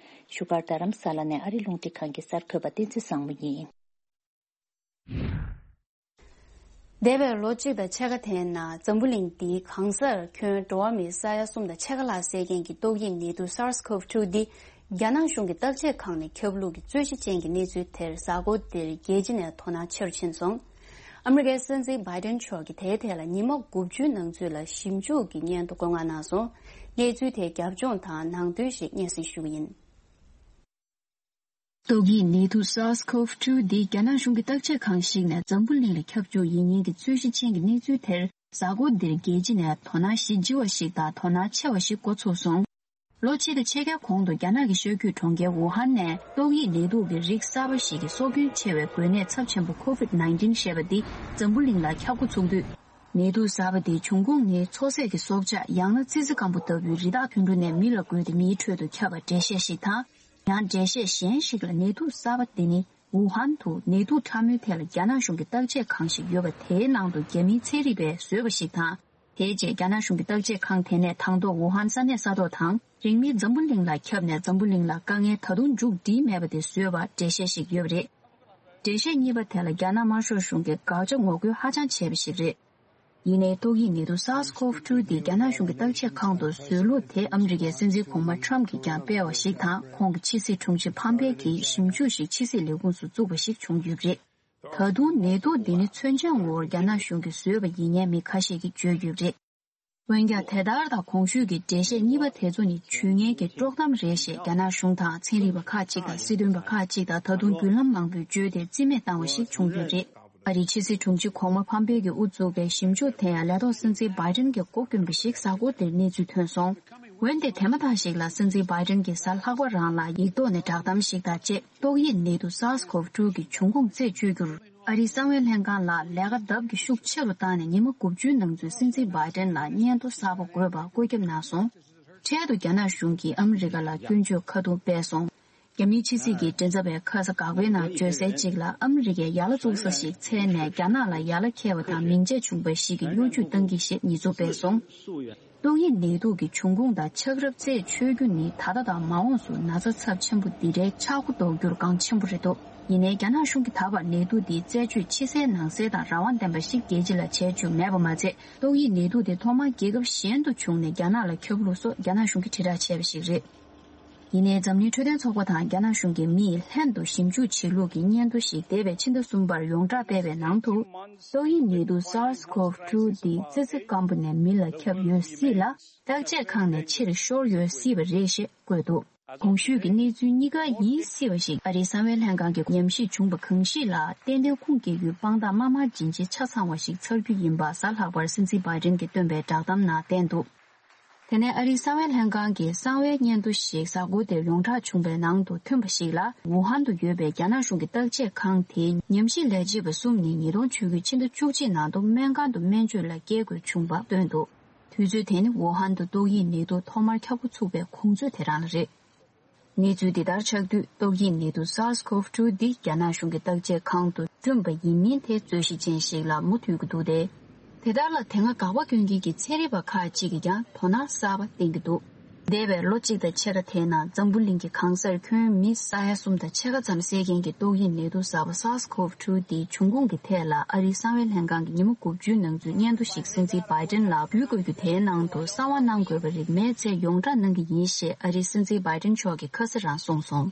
བཞུགས་སྒར་རྡ་རམ་ས་ལ་ནས་ཨ་རི་རླུང་འཕྲིན་ཁང་གི་གསར་འགོད་པ་བསྟན་འཛིན་བཟང་མོ་ཡིན། འདས་པའི་ལོ་གཅིག་དང་ཕྱེད་ཀ་དེའི་ནང་འཛམ་བུ་གླིང་འདིའི་གང་སར་ཁྱོན་འགྲོ་བ་མིའི་ས་ཡ་གསུམ་དང་ཕྱེད་ཀ་ལྷག་བསད་མཁན་གྱི་ཏོག་དབྱིབས་ནད་དུག་SARS-CoV two འདི་རྒྱ་ནག་གཞུང་གི་བརྟག་དཔྱད་ཁང་ནས་ཁྱབ་ལུགས་ཀྱི་རྩོད་གཞི་ཅན་གྱི་གནས་ཚུལ་དེར་གཟའ་འཁོར་འདིར་རྒྱལ་སྤྱི་ནས་དོ་སྣང་ཆེ་རུ་ཕྱིན་སོང་། ཨ་མི་རི་ཀའི་སྲིད་འཛིན་བྷའི་ཏན་མཆོག་གིས་དེའི་ཐད་ལ་ཉི་མ་དགུ་བཅུའི་ནང་ཚུད་ལ་ཞིབ་འཇུག་གི་སྙན་ཐོ་བཀོད་མངགས་གནང་སོང་། གནས་ཚུལ་དེའི་རྒྱབ་ལྗོངས་དང་ནང་དོན་ཞིག་སྙན་སེང་ཞུ་གི་ཡིན། ཏོག་དབྱིབས་ནད་དུག་SARS-CoV two འདི་རྒྱ་ནག་གཞུང་གི་བརྟག་དཔྱད་ཁང་ཞིག་ནས་འཛམ་བུ་གླིང་ལ་ཁྱབ་འཇུག་ཡིན་མིན་གྱི་རྩོད་གཞི་ཅན་གྱི་གནས་ཚུལ་དེར་གཟའ་འཁོར་འདིར་རྒྱལ་སྤྱི་ནས་དོ་སྣང་གཞི་ལྗི་བ་ཞིག་དང་དོ་སྣང་ཆེ་བ་ཞིག་འགོ་ཚུགས་སོང་། ལོ་གཅིག་དང་ཕྱེད་ཀའི་གོང་དུ་རྒྱ་ནག་གི་ཤར་རྒྱུད་གྲོང་ཁྱེར་ཝུ་ཧན་ནས་ཏོག་དབྱིབས་ནད་དུག་གི་རིགས་གསར་པ་ཞིག་གི་སྲོག་སྐྱོན་ཆེ་བའི་འགོས་ནད་ཚབས་ཆེན་པོ་COVID nineteen ཞེས་པ་འདི་འཛམ་བུ་གླིང་ལ་ཁྱབ་འགོ་ཚུགས་དུས། ནད་དུག་གསར་པ་འདིའི་འབྱུང་ཁུངས་ནི་མཚོ་ཟས་ཀྱི་སྲོག་ཆགས་ཡང་ན་ཙི་ཙི་སྐམ་པོ་ལྟ་བུའི་རི་དྭགས་དུད་འགྲོ་ནས་མི་ལ་འགོས་ཏེ་མིའི་ཁྲོད་དུ་ཁྱབ་པ་འགྲེལ་བཤད་ཞིག་དང་། ཡང་འགྲེལ་བཤད་གཞན་ཞིག་ལ་ནད་དུག་གསར་པ་འདི་ནི་ཝུ་ཧན་དུ་ནད་དུག་ཕྲ་མོའི་ཐད་ལ་རྒྱ་ནག་གཞུང་གི་བརྟག་དཔྱད་ཁང་ཞིག་ཡོད་པ་དེའི་ནང་དུ་རྒྱ་མིའི་ཚན་རིག་པས་བཟོས་པ་ཞིག་དང་། དེའི་རྗེས་རྒྱ་ནག་གཞུང་གི་བརྟག་དཔྱད་ཁང་དེ་ནས་དང་ཐོག་ཝུ་ཧན་ས་གནས་ས་ཐོག་དང་རིང་མིན་འཛམ་བུ་གླིང་ལ་ཁྱབ་ནས་འཛམ་བུ་གླིང་ལ་དཀའ་ངལ་ད་དུང་མཇུག་སྒྲིལ་མེད་པ་དེ་བཟོས་པ་འགྲེལ་བཤད་ཞིག་ཡོད་པ་རེད། འགྲེལ་བཤད་གཉིས་པ་དེ་ལ་རྒྱ་ནག་དམར་ཤོག་གཞུང་གིས་དགག་བྱ་ངོ་རྒོལ་ཧ་ཅང་བྱས་པ་ཞིག་རེད། ཡིན་ནའི་ཏོག་དབྱིབས་ནད་དུག་SARS-CoV two འདི་རྒྱ་ནག་གཞུང་གི་བརྟག་དཔྱད་ཁང་དུ་བཟོས་ལུགས་དེ་ཨ་མི་རི་ཀའི་སྲིད་འཛིན་གོང་མ་ཊམ་གྱིས་ཀྱང་སྤེལ་བ་ཞིག་དང་ཁོང་གི་ཕྱི་སྲིད་དྲུང་ཆེ་ཕམ་པེ་གྱིས་ཞིབ་འཇུག་ཞིག་ཕྱི་སྲིད་ལས་ཁུངས་སུ་བཙུགས་པ་ཞིག་བྱུང་ཡོད་པ་རེད། ད་དུང་ནད་དུག་འདི་ནི་མཚོན་ཆ་ངོར་རྒྱ་ནག་གཞུང་གིས་བཟོས་པ་ཡིན་སྙམ་མི་ཁ་ཤས་ཀྱིས་བརྗོད་ཡོད་པ་རེད། འོན་ཀྱང་དེ་ལྟར་དང་གོང་ཞུས་ཀྱི་འགྲེལ་བཤད་གཉིས་པ་དེ་ཚོ་ནི་ཇུས་ངན་གྱི་དཀྲོག་གཏམ་རེད་ཞེས་རྒྱ་ནག་གཞུང་དང་ཚན་རིག་པ་ཁག་ཅིག་དང་སྲིད་དོན་པ་ཁག་ཅིག་དང་ད་དུང་བརྒྱུད་ལམ་མང་པོས་བརྗོད་དེ་རྩིས་མེད་བཏང་བ་ཞིག་བྱུང་ཡོད་པ་རེད། ཨ་རིའི་ཕྱི་སྲིད་དྲུང་ཆེ་གོང་མ་ཕམ་པེ་གིས་དབུ་བཙུགས་པའི་ཞིབ་འཇུག་དེ་ཡང་ལས་ཐོག་སྲིད་འཛིན་བྷའི་ཏན་གྱིས་འགོ་བསྐྱོན་པ་ཞིག་གཟའ་འཁོར་འདིར་གནས་ཚུལ་ཐོན་སོང་། འོན་ཏེ་དེ་མ་ཐག་ཞིག་ལ་སྲིད་འཛིན་བྷའི་ཏན་གྱིས་གཟའ་ལྷག་པ་རང་ལ་ཡིག་ཐོག་ནས་བསྒྲགས་གཏམ་ཞིག་དང་བཅས་ཏོག་དབྱིབས་ནད་དུག་SARS-CoV two གི་འབྱུང་ཁུངས་རྩད་གཅོད་རྒྱུར་ཨ་རིའི་གསང་བའི་ལྷན་ཁང་ལ་ལས་ཀ་ལྡབ་ཀྱིས་ཤུགས་ཆེ་རུ་བཏང་ནས་ཉི་མ་དགུ་བཅུའི་ནང་ཚུད་སྲིད་འཛིན་བྷའི་ཏན་ལ་སྙན་ཐོ་གསར་པ་དགོས་པ་བཀོད་ཁྱབ་གནང་སོང་། འཕྲལ་དུ་རྒྱ་ནག་གཞུང་གིས་ཨ་མི་རི་ཀ་ལ་སྐྱོན་བརྗོད་ཁ་རྡུང་སྤེལ་སོང་། རྒྱ་མིའི་ཕྱི་སྲིད་ཀྱི་མགྲིན་ཚབ་པས་ཁ་ས་འགག་པའི་ནང་བརྗོད་གསལ་གཅིག་ལ་ཨ་མི་རི་ཀས་ཡ་ལ་བཙུགས་ས་ཞིག་འཚོལ་ནས་རྒྱ་ནག་ལ་ཡ་ལ་འཁེལ་བ་དང་མིང་ཆད་བྱུང་བ་ཞིག་གི་གཡོ་ཇུས་བཏང་གི་ཞེས་ཉེས་འཛུགས་སྤེལ་སོང་། ཏོག་དབྱིབས་ནད་དུག་གི་འབྱུང་ཁུངས་དང་ཆགས་རབས་རྩད་ཆོད་རྒྱུ་ནི་ད་ལྟ་དང་མ་འོངས་སུ་ན་ཚ་ཚབས་ཆེན་པོ་འདི་འདྲའི་ཆག་སྒོ་ཟློག་རྒྱུར་འགངས་ཆེན་པོ་རེད་འདུག་ཡིན་ནའི་རྒྱ་ནག་གཞུང་གིས་ད་བར་ནད་དུག་འདིའི་རྩད་གཅོད་ཕྱི་གསལ་ནང་གསལ་དང་རང་དབང་ལྡན་པ་ཞིག་རྒྱལ་སྤྱི་ལ་བྱས་བཅུག་མེད་པ་མ་ཚད། ཏོག་དབྱིབས་ནད་དུག་དེ་ཐོག་མར་རྒྱལ་ཁབ་གཞན་དུ་བྱུང་ནས་རྒྱ་ནག་ལ་ཁྱབ་ལུགས་སོགས་རྒྱ་ནག་གཞུང་གིས་དྲིལ་བསྒྲགས་བྱས་པ་ཞིག་རེད། ཡིན་ནའི་འཛམ་གླིང་འཕྲོད་བསྟེན་ཚོགས་པ་དང་རྒྱ་ནག་གཞུང་གི་མིས་ལྷན་དུ་ཞིབ་འཇུག་བྱེད་ལུགས་ཀྱི་སྙན་ཐོ་ཞིག་འདས་པའི་ཕྱི་ཟླ་གསུམ་པར་ཡོངས་གྲགས་སྤེལ་བའི་ནང་དུ། ཏོག་དབྱིབས་ནད་དུག་SARS-CoV two འདི་ཙི་ཙི་སྐམ་པོ་ནས་མི་ལ་ཁྱབ་ཡོད་སྲིད་ལ། བརྟག་དཔྱད་ཁང་ནས་ཕྱིར་ཤོར་ཡོད་སྲིད་པ་རེད་ཞེས་བཀོད་འདུག་གོང་ཞུས་ཀྱི་གནས་ཚུལ་གཉིས་ཀ་ཡིན་སྲིད་པ་ཞིག་ཨ་རིའི་གསང་བའི་ལྷན་ཁང་གིས་ཉམས་ཞིབ་བྱུང་བ་གང་ཞིག་ལ་ཏན་ཏན་ཁུངས་སྐྱེལ་རྒྱུའི་དཔང་རྟགས་དམར་དམར་རྗེན་རྗེན་ཆ་ཚང་བ་ཞིག་ཚར་རྒྱུ་ཡིན་པ་གཟའ་ལྷག་པར་སྲིད་འཛིན་བྷའི་ཌེན་གྱིས་བཏོན་པའི་བསྒྲགས་གཏམ་ནང་བསྟན་འདུག་དེ་ནས་ཨ་རིའི་གསང་བའི་ལྷན་ཁང་གིས་གསང་བའི་སྙན་ཐོ་ཞིག་གཟའ་འཁོར་འདིར་ཡོངས་གྲགས་བྱུང་བའི་ནང་དུ་ཐོན་པ་ཞིག་ལ། ཝུ་ཧན་དུ་ཡོད་པའི་རྒྱ་ནག་གཞུང་གི་བརྟག་དཔྱད་ཁང་དེའི་ཉམས་ཞིབ་ལས་བྱེད་པ་གསུམ་ནི་ཉིས་སྟོང་བཅུ་དགུ་ཕྱི་ཟླ་བཅུ་གཅིག་ནང་དུ་སྨན་ཁང་དུ་སྨན་བཅོས་ལ་བསྐྱལ་དགོས་བྱུང་བ་བཏོན་འདུག་དུས་ཚོད་དེ་ནི་ཝུ་ཧན་དུ་ཏོག་དབྱིབས་ནད་དུག་ཐོག་མར་ཁྱབ་འགོ་ཚུགས་པའི་གོང་ཚོད་དེ་རང་ལ་རེད། གནས་ཚུལ་འདི་ལྟར་ཆགས་དུས་ཏོག་དབྱིབས་ནད་དུག་SARS-CoV two འདི་རྒྱ་ནག་གཞུང་གི་བརྟག་དཔྱད་ཁང་དུ་བསྐྲུན་པ་ཡིན་མིན་དེ་རྩོད་གཞི་ཅན་ཞིག་ལ་མུ་མཐུད་ཀྱི་འདུག་སྟེ། དེ་ལྟར་ལ་དེ་སྔ་དགག་པ་སྐྱོན་མཁན་གྱི་ཚན་རིག་པ་ཁག་ཅིག་གིས་ཀྱང་དོ་སྣང་གསར་པ་བསྟན་གྱི་འདུག་འདས་པའི་ལོ་གཅིག་དང་ཕྱེད་ཀ་དེའི་ནང་འཛམ་བུ་གླིང་གི་གང་སར་ཁྱོན་མི་ས་ཡ་གསུམ་དང་ཕྱེད་ཀ་ཙམ་བསད་མཁན་གྱི་ཏོག་དབྱིབས་ནད་དུག་གསར་པ་SARS-CoV two འདིའི་འབྱུང་ཁུངས་ཀྱི་ཐད་ལ་ཨ་རིའི་གསང་བའི་ལྷན་ཁང་གིས་ཉིན་མོ་དགུ་བཅུའི་ནང་ཚུད་སྙན་ཐོ་ཞིག་སྲིད་འཛིན་བྷའི་ཌེན་ལ་ཕུལ་དགོས་རྒྱུ་དེའི་ནང་དུ་གསང་བ་གནང་དགོས་པ་རིགས་མེད་ཚེ་ཡོངས་བསྒྲགས་གནང་གི་ཡིན་ཞེས་ཨ་རིའི་སྲིད་འཛིན་བྷའི་ཌེན་མཆོག་གིས་ཁ་སང་རང་གསུངས་སོང་།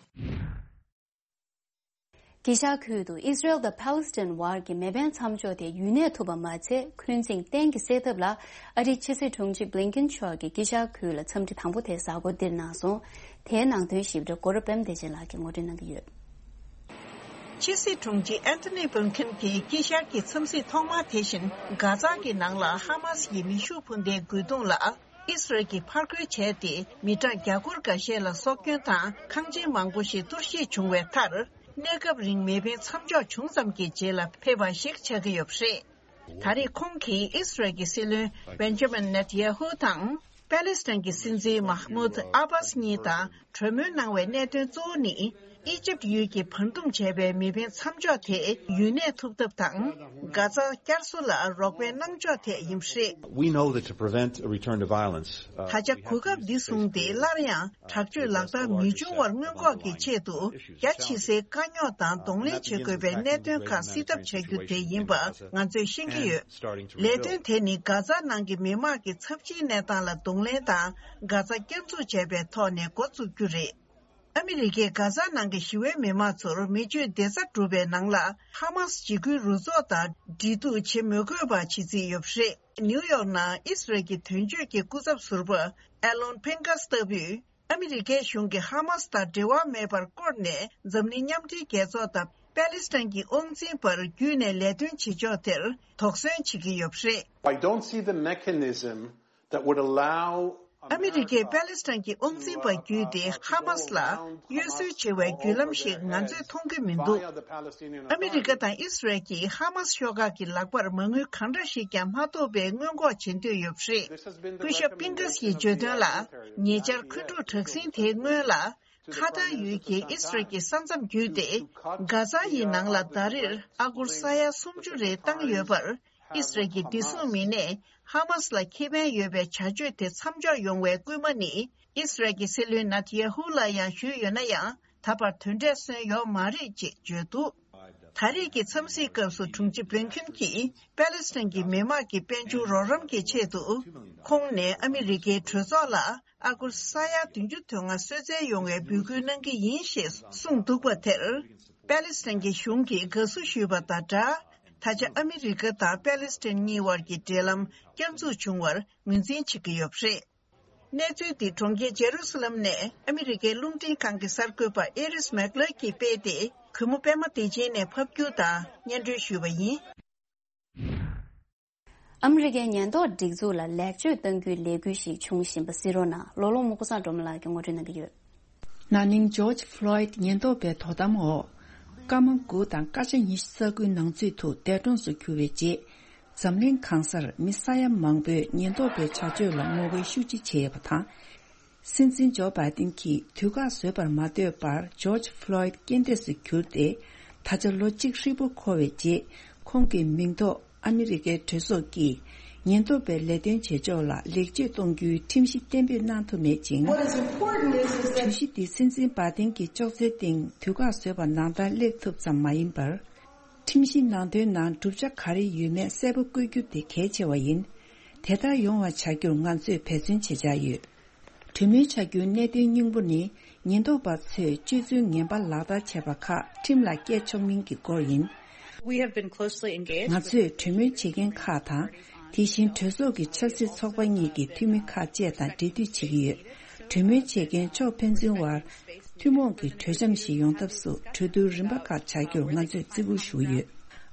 དཀྱིལ་ཤར་ཁུལ་དུ་ཨི་སི་རེལ་དང་ཕཱ་ལི་སི་ཐན་བར་གྱི་མེ་འཕེན་མཚམས་འཇོག་དེ་ཡུན་གནས་ཐུབ་པ་མ་ཚད། འཁོན་འཛིང་གཏན་གྱི་སེལ་ཐབས་ལ་ཨ་རིའི་ཕྱི་སྲིད་དྲུང་ཆེ་བྷི་ལིན་ཀིན་མཆོག་གིས་དཀྱིལ་ཤར་ཁུལ་ལ་འཚམས་འདྲི་དང་པོ་དེ་གཟའ་འཁོར་འདིར་གནང་སོང་། དེའི་ནང་དོན་ཞིབ་ཕྲ་གོ་ར་པད་མ་བདེ་ཆེན་ལགས་ཀྱིས་ངོ་སྤྲོད་གནང་གི་ཡོད། ཕྱི་སྲིད་དྲུང་ཆེ་ཨན་ཐོ་ནི་བྷི་ལིན་ཀིན་གྱིས་དཀྱིལ་ཤར་གྱི་འཚམས་གཟིགས་ཐོག་མ་དེ་བཞིན་གྷ་ཛ་གི་ནང་ལ་ཧ་མ་སི་ཡི་མེ་ཤུགས་འཕུར་མདའི་རྒོལ་རྡུང་ལ། ཨི་སི་རལ་གྱིས་ཕར་རྒོལ་བྱས་ཏེ། མི་གྲངས་བརྒྱ་སྐོར་འགའ་ཤས་ལ་སྲོག་སྐྱོན་དང་། ཁང་ཆེན་མང་པོ་ཞིག་གཏོར་བཤིག་བྱུང་བའི་མཐར། གནས་སྐབས་རིང་མེ་འཕེན་མཚམས་འཇོག་བྱུང་ཙམ་གྱི་རྗེས་ལ་ཕེབས་པ་ཞིག་ཆགས་ཀྱི་ཡོད་པ་རེད། ད་རེས་ཁོང་གིས་ཨི་སི་རལ་གྱི་སྲིད་བློན་བེན་ཇ་མིན་ནེ་ཐན་ཡ་ཧུ་དང་། པེ་ལི་སི་ཐན་གྱི་སྲིད་འཛིན་མཱ་ཧ་མུད་ཨ་བྷ་སི་གཉིས་དང་གྲོས་མོལ་གནང་བའི་གནད་དོན་གཙོ་བོ་ནི། ཨི་ཇིབ་ཡུལ་གྱིས་བར་འདུམ་བྱས་པའི་མེ་འཕེན་མཚམས་འཇོག་དེ་ཡུན་གནས་ཐུབ་ཐབས་དང་། གྷ་ཛ་བསྐྱར་གསོ་ལ་རོགས་པའི་གནང་ཕྱོགས་ཐད་ཡིན་པ་རེད། We know that to prevent a return to violence, uh, ད་ཆ་གོ་སྐབས་འདི་བཟུང་སྟེ་སླར་ཡང་དྲག་སྤྱོད་ལག་བསྟར་མི་འབྱུང་བར་སྔོན་འགོག་གི་ཆེད་དུ། རྒྱ་ཆེ་སའི་དཀའ་རྙོག་དང་གདོང་ལེན་བྱེད་དགོས་པའི་གནད་དོན་ཁག་སེལ་ཐབས་བྱ་རྒྱུ་དེ་ཡིན་པ་ང་ཚོས་ཤེས་ཀྱི་ཡོད། ལས་དོན་དེ་ནི་གྷ་ཛ་ནང་གི་མི་དམངས་ཀྱི་ཚབས་ཆེའི་གནས་སྟངས་ལ་གདོང་ལེན་དང་། གྷ་ཛ་བསྐྱར་འཛུགས་བྱས་པའི་ཐོག་ནས་འགོ་བཙུགས་རྒྱུ་རེད། ཨ་མི་རི་ཀས་གྷ་ཛ་ནང་གི་ཞི་བའི་མི་མང་ཚོར་མི་སྤྱོད་བདེ་རྩ་སྒྲུབ་པའི་ནང་ལ་ཧ་མ་སི་འཇིགས་སྐུལ་རུ་ཚོགས་དང་འབྲེལ་གཏུག་བྱེད་མི་དགོས་པ་བྱེད་རྩིས་ཡོད་པ་རེད། ནིའུ་ཡོག་ནང་ཨི་སི་རལ་གྱི་དོན་གཅོད་ཀྱི་སྐུ་ཚབ་ཟུར་པ་ཨེ་ལོན་ཕིན་ཀཱས་ལྟ་བུས། ཨ་མི་རི་ཀའི་གཞུང་གིས་ཧ་མ་སི་དང་འབྲེལ་བ་མེད་པར་བསྐོར་ནས། འཛམ་གླིང་མཉམ་འབྲེལ་རྒྱལ་ཚོགས་དང་པེ་ལི་སི་ཐན་གྱི་དབང་འཛིན་པར་བརྒྱུད་ནས་ལས་དོན་བྱེད་ཕྱོགས་དེར་དོགས་ཟོན་བྱེད་ཀྱི་ཡོད་པ་རེད། I don't see the mechanism that would allow ཨ་མི་རི་ཀས་པེ་ལི་སི་ཐན་གྱི་དབང་འཛིན་པ་བརྒྱུད་དེ་ཧ་མ་སི་ལ་གཡོ་ཟོལ་བྱེད་པའི་བརྒྱུད་ལམ་ཞིག་ང་ཚོས་མཐོང་གི་མི་འདུག་ཨ་མི་རི་ཀ་དང་ཨི་སི་རལ་གྱིས་ཧ་མ་སི་ཤོག་ཁག་གི་ལག་པར་མ་དངུལ་གང་འདྲ་ཞིག་ཀྱང་མ་ཐོབ་པའི་སྔོན་འགོག་བྱེད་འདོད་ཡོད་པ་རེད། སྐུ་ཞབས་པིན་ཀཱས་ཀྱིས་བརྗོད་དོན་ལ། ཉེ་ཆར་འཁོན་འཁྲུག་དྲག་ཟིང་དེའི་སྔོན་ལ། ཁ་ཐར་ཡུལ་གྱི་ཨི་སི་རལ་གྱི་ས་མཚམས་བརྒྱུད་དེ། གྷ་ཛ་ཡི་ནང་ལ་ཟླ་རེར་ཨ་སྒོར་ས་ཡ་སུམ་ཅུ་རེ་བཏང་ཡོད་པར། ཨི་སི་རལ་གྱི་བདེ་སྲུང་མི་སྣས་ཧ་མ་སི་ལ་ཁེ་ཕན་ཡོད་པའི་བྱ་སྤྱོད་དེ་མཚམས་འཇོག་ཡོང་བའི་སྐུལ་མ་ནི། ཨི་སི་རལ་གྱི་སྲིད་བློན་ནེ་ཐན་ཡ་ཧུ་ལ་ཡང་ཞུས་ཡོད་ན་ཡང་། ད་བར་དོན་འབྲས་སོན་ཡོད་མ་རེད་ཅེས་བརྗོད་འདུག་ད་རེས་ཀྱི་འཚམས་གཟིགས་སྐབས་སུ་དྲུང་ཆེ་བྷི་ལིན་ཀིན་གྱིས་པེ་ལི་སི་ཐན་གྱི་མི་དམངས་ཀྱི་དཔལ་འབྱོར་རོགས་རམ་གྱི་ཆེད་དུ། ཁོང་ནས་ཨ་མི་རི་ཀའི་གྲོས་ཚོགས་ལ་ཨ་སྒོར་ས་ཡ་བདུན་ཅུ་དོན་ལྔ་གསོལ་སྩལ་ཡོང་བའི་འབོད་སྐུལ་གནང་གི་ཡིན་ཞེས་གསུངས་འདུག་པ་དེར། པེ་ལི་སི་ཐན་གྱི་གཞུང་གིས་དགའ་བསུ་ཞུས་པ་དང་སྦྲགས། ད་ཆ་ཨ་མི་རི་ཀ་དང་པེ་ལི་སི་ཐན་གཉིས་དབར་གྱི་འབྲེལ་ལམ་བསྐྱར་འཛུགས་བྱུང་བར་ངོས་འཛིན་བྱེད་ཀྱི་ཡོད་པ་རེད། གནས་ཚུལ་འདི་གྲོང་ཁྱེར་ཇེ་རུ་སཱ་ལམ་ནས་ཨ་མི་རི་ཀའི་རླུང་འཕྲིན་ཁང་གི་གསར་འགོད་པ་ཨེ་རིས་མེག་ལར་གྱིས་སྤེལ་ཏེ། གུས་མོ་པད་མ་བདེ་ཆེན་ནས་ཕབ་སྒྱུར་དང་སྙན་སྒྲོན་ཞུས་པ་ཡིན། ཨ་མི་རི་ཀའི་ཉེན་རྟོག་སྒྲིག་འཛུགས་ལ་ལེགས་བཅོས་གཏང་རྒྱུའི་ལས་འགུལ་ཞིག་འབྱུང་བཞིན་པ་གཟིགས་རོགས་གནང་། ལོ་ལོ་མུ་ཀུ་སང་སྒྲོལ་མ་ལགས་ཀྱིས་ངོ་སྤྲོད་གནང་གི་ཡོད། ན་ནིང་ཇོརྗ་ཕློའིད་ཉེན་རྟོག་པའི་དོ་དམ་འོག་སྐར་མ་དགུ་དང་སྐར་ཆ་ཉི་ཤུ་རྩ་དགུའི་ནང་ཚུད་དུ་འདས་གྲོངས་སུ་གྱུར་བའི་རྗེས། འཛམ་གླིང་གང་སར་མི་ས་ཡ་མང་པོས་ཉེན་རྟོག་པའི་བྱ་སྤྱོད་ལ་ངོ་རྒོལ་ཤུགས་ཆེ་བྱས་ཡོད་པ་དང་། སྲིད་འཛིན་ཇོ་བྷའི་ཏིན་གྱིས་དུས་བཀག་བཟོས་པར་མ་ལྟོས་པར་ཇོརྗ་ཕློའིད་རྐྱེན་འདས་སུ་གྱུར་ཏེ། ད་ཆ་ལོ་གཅིག་ཧྲིལ་པོ་འཁོར་བའི་རྗེས། ཁོང་གི་མིང་ཐོག་ཨ་མི་རི་ཀའི་གྲོས་ཚོགས་ཀྱིས་ཉེན་རྟོག་པའི་ལས་དོན་བྱེད་ཕྱོགས་ལ་ལེགས་བཅོས་གཏོང་རྒྱུའི་ཁྲིམས་གཞི་གཏན་འབེབས་གནང་ཐུབ་མེད་ཅིང་། གྲོས་གཞི་འདི་སྲིད་འཛིན་བྷའི་ཏིན་གྱི་ཅོག་ཙེའི་སྟེང་དུས་བཀག་བཟོས་པ་ནང་ལྟར་སླེབས་ཐུབ་ཙམ་མ་ཡིན་པར། ཁྲིམས་གཞི་ནང་དོན་ནང་བསྒྲུབ་བྱ་ག་རེ་ཡོད་མེད་གསལ་པོ་བཀོད་རྒྱུ་དེ་གལ་ཆེ་བ་ཡིན། དེ་ལྟར་ཡོང་བ་བྱ་རྒྱུར་ང་ཚོས་འབད་བརྩོན་བྱེད་འཆར་ཡོད། གྲོས་མོལ་བྱ་རྒྱུའི་གནད་དོན་སྙིང་པོ་ནི། ཉེན་རྟོག་པ་ཚོས་སྤྱོད་ཚུལ་ངན་པ་ལག་བསྟར་བྱས་པ་ཁག་ཁྲིམས་ལ་བཀལ་ཆོག་མིན་གྱི་སྐོར་ཡིན། We have been closely engaged. ང་ཚོས་གྲོས་མོལ་བྱེད་མཁན་ཁག་དང་། དེ་བཞིན་གྲོས་ཚོགས་ཀྱི་ཆབ་སྲིད་ཚོགས་པ་གཉིས་ཀྱི་འཐུས་མི་ཁག་བཅས་དང་འབྲེལ་མཐུད་བྱེད་ཀྱི་ཡོད། གྲོས་མོལ་བྱེད་མཁན་ཕྱོགས་ཕན་ཚུན་དབར་ཐུན་མོང་གི་གྲོས་འཆམ་ཞིག་ཡོང་ཐབས་སུ་གྲོས་བསྡུར་རིམ་པ་ཁག་བྱ་རྒྱུར་ང་ཚོས་བརྩི་བཀུར་ཞུ་གི་ཡོད།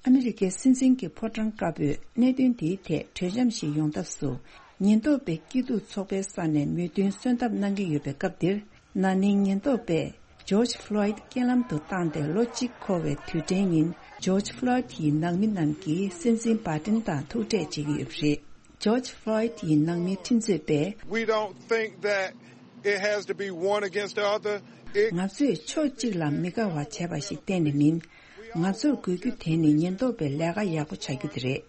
ཨ་མི་རི་ཀའི་སྲིད་འཛིན་གྱི་ཕོ་བྲང་དཀར་པོས་གནད་དོན་འདིའི་ཐད་གྲོས་འཆམ་ཞིག་ཡོང་ཐབས་སུ། ཉེན་རྟོག་པའི་སྐྱིད་སྡུག་ཚོགས་པའི་ས་ནས་མོས་མཐུན་སོན་ཐབས་གནང་གི་ཡོད་པའི་སྐབས་འདིར། ན་ནིང་ཉེན་རྟོག་པས་ཇོརྗ་ཕློའིད་རྐྱེན་ལམ་དུ་བཏང་སྟེ་ལོ་གཅིག་འཁོར་བའི་དུས་དྲན་ཉིན། ཇོརྗ་ཕློའིད་ཡི་ནང་མི་རྣམས་ཀྱིས་སྲིད་འཛིན་བྷའི་ཌེན་དང་ཐུག་འཕྲད་བྱེད་ཀྱི་ཡོད་པ་རེད། ཇོརྗ་ཕློའིད་ཡི་ནང་མི་ཁྲིམས་རྩོད་པས། We don't think that it has to be one against the other. It ང་ཚོས་ཕྱོགས་གཅིག་ལ་མི་དགའ་བ་བྱས་པ་ཞིག་གཏན་ནས་མིན། ང་ཚོར་དགོས་རྒྱུ་དེ་ནི་ཉེན་རྟོག་པའི་ལས་ཀ་ཡག་པོ་བྱ་རྒྱུ་དེ་རེད།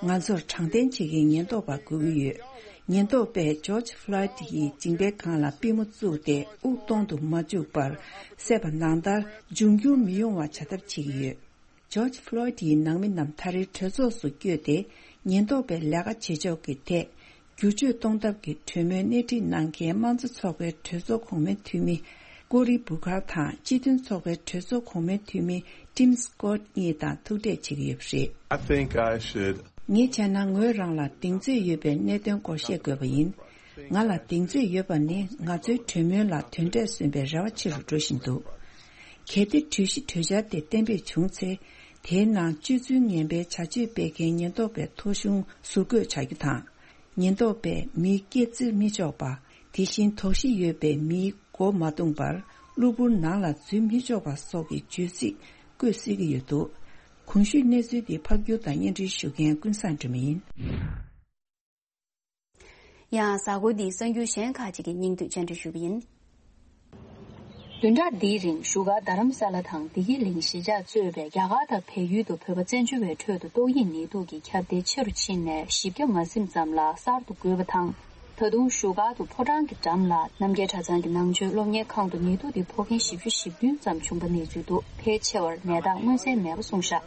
ང་ཚོར་དྲང་བདེན་བྱེད་མཁན་ཉེན་རྟོག་པ་དགོས་ཀྱི་ཡོད། ཉེན་རྟོག་པས་ཇོརྗ་ཕློའིད་ཡི་མཇིང་པའི་སྒང་ལ་པུས་མོ་བཙུགས་ཏེ་དབུགས་གཏོང་དུ་མ་བཅུག་པར་བསད་པ་ནང་ལྟར་འབྱུང་འགྱུར་མི་ཡོང་བ་བྱ་ཐབས་བྱེད་ཀྱི་ཡོད། ཇོརྗ་ཕློའིད་ཡི་ནང་མི་རྣམས་ད་རེས་གྲོས་ཚོགས་སུ་བསྐྱོད་དེ། ཉེན་རྟོག་པའི་ལས་ཀ་བྱེད་ཕྱོགས་ཀྱི་ཐད། བསྒྱུར་བཅོས་གཏོང་ཐབས་ཀྱི་གྲོས་མོལ་སྣེ་ཁྲིད་གནང་མཁན་དམངས་གཙོ་ཚོགས་པའི་གྲོས་ཚོགས་གོང་མའི་འཐུས་མི་ཀོ་རི་བུ་ཁར་དང་སྤྱི་མཐུན་ཚོགས་པའི་གྲོས་ཚོགས་གོང་མའི་འཐུས་མི་ཊིམ་སི་ཀོཊ་གཉིས་དང་ཐུག་འཕྲད་བྱེད་ཀྱི་ཡོད་པ་རེད། I think I should. ངས་བྱས་ན་ངོས་རང་ལ་གདེང་ཚོད་ཡོད་པའི་གནད་དོན་སྐོར་བཤད་དགོས་པ་ཡིན། ང་ལ་གདེང་ཚོད་ཡོད་པ་ནི་ང་ཚོའི་གྲོས་མོལ་ལ་དོན་འབྲས་སོན་པའི་རེ་བ་ཆེ་རུ་འགྲོ་བཞིན་འདུག་གལ་ཏེ་གྲོས་གཞི་གྲོས་འཆར་དེ་གཏན་འབེབས་བྱུང་ཚེ། དེའི་ནང་སྤྱོད་ཚུལ་ངན་པའི་བྱ་སྤྱོད་སྤེལ་མཁན་ཉེན་རྟོག་པའི་ཐོ་གཞུང་ཟུར་བཀོད་བྱ་རྒྱུ་དང་། ཉེན་རྟོག་པས་མིའི་སྐེ་བཙིར་མི་ཆོག་པ། དེ་བཞིན་དོགས་གཞི་ཡོད་པའི་མིའི་མགོ་མ་བརྡུངས་པར་གློ་བུར་ནང་ལ་འཛུལ་མི་ཆོག་པ་སོགས་ཀྱི་བརྗོད་ཚིག་བཀོད་སྲིད་ཀྱི་ཡོད་འདུག་གོང་ཞུས་གནས་ཚུལ་འདི་ཕབ་སྒྱུར་དང་སྙན་སྒྲོན་ཞུ་མཁན་ཀུན་བཟང་སྒྲོལ་མ་ཡིན། ཡང་གཟའ་འཁོར་འདིའི་གསར་འགྱུར་གཞན་ཁག་ཅིག་གི་སྙིང་བསྡུས་བཅར་འདྲི་ཞུ་གི་ཡིན། བདུན་ཕྲག་འདིའི་རིང་བཞུགས་སྒར་རྡ་རམ་ས་ལ་དང་བདེ་སྐྱིད་གླིང་གཞིས་ཆགས་གཙོས་པའི་རྒྱ་གར་དང་བལ་ཡུལ་དུ་བོད་པ་བཙན་བྱོལ་བའི་ཁྲོད་དུ་ཏོག་དབྱིབས་ནད་དུག་གི་ཁྱབ་གདལ་ཆེ་རུ་ཕྱིན་ནས་བཞི་བརྒྱ་མ་ཟིན་ཙམ་ལ་གསར་དུ་འགོས་པ་དང་། ད་དུང་བཞུགས་སྒར་དུ་ཕོ་བྲང་གི་འགྲམ་ལ་རྣམ་རྒྱལ་གྲྭ་ཚང་གི་ནང་ཆོས་སློབ་གཉེར་ཁང་དུ་ནད་དུག་དེ་ཕོག་མཁན་བཞི་བཅུ་ཞེ་བདུན་ཙམ་བྱུང་པ་གནས་ཚུལ་འདུག་ཕལ་ཆེ་བར་ནད་རྟགས་མངོན་གསལ་མེད་པ་གསུངས་བཞག་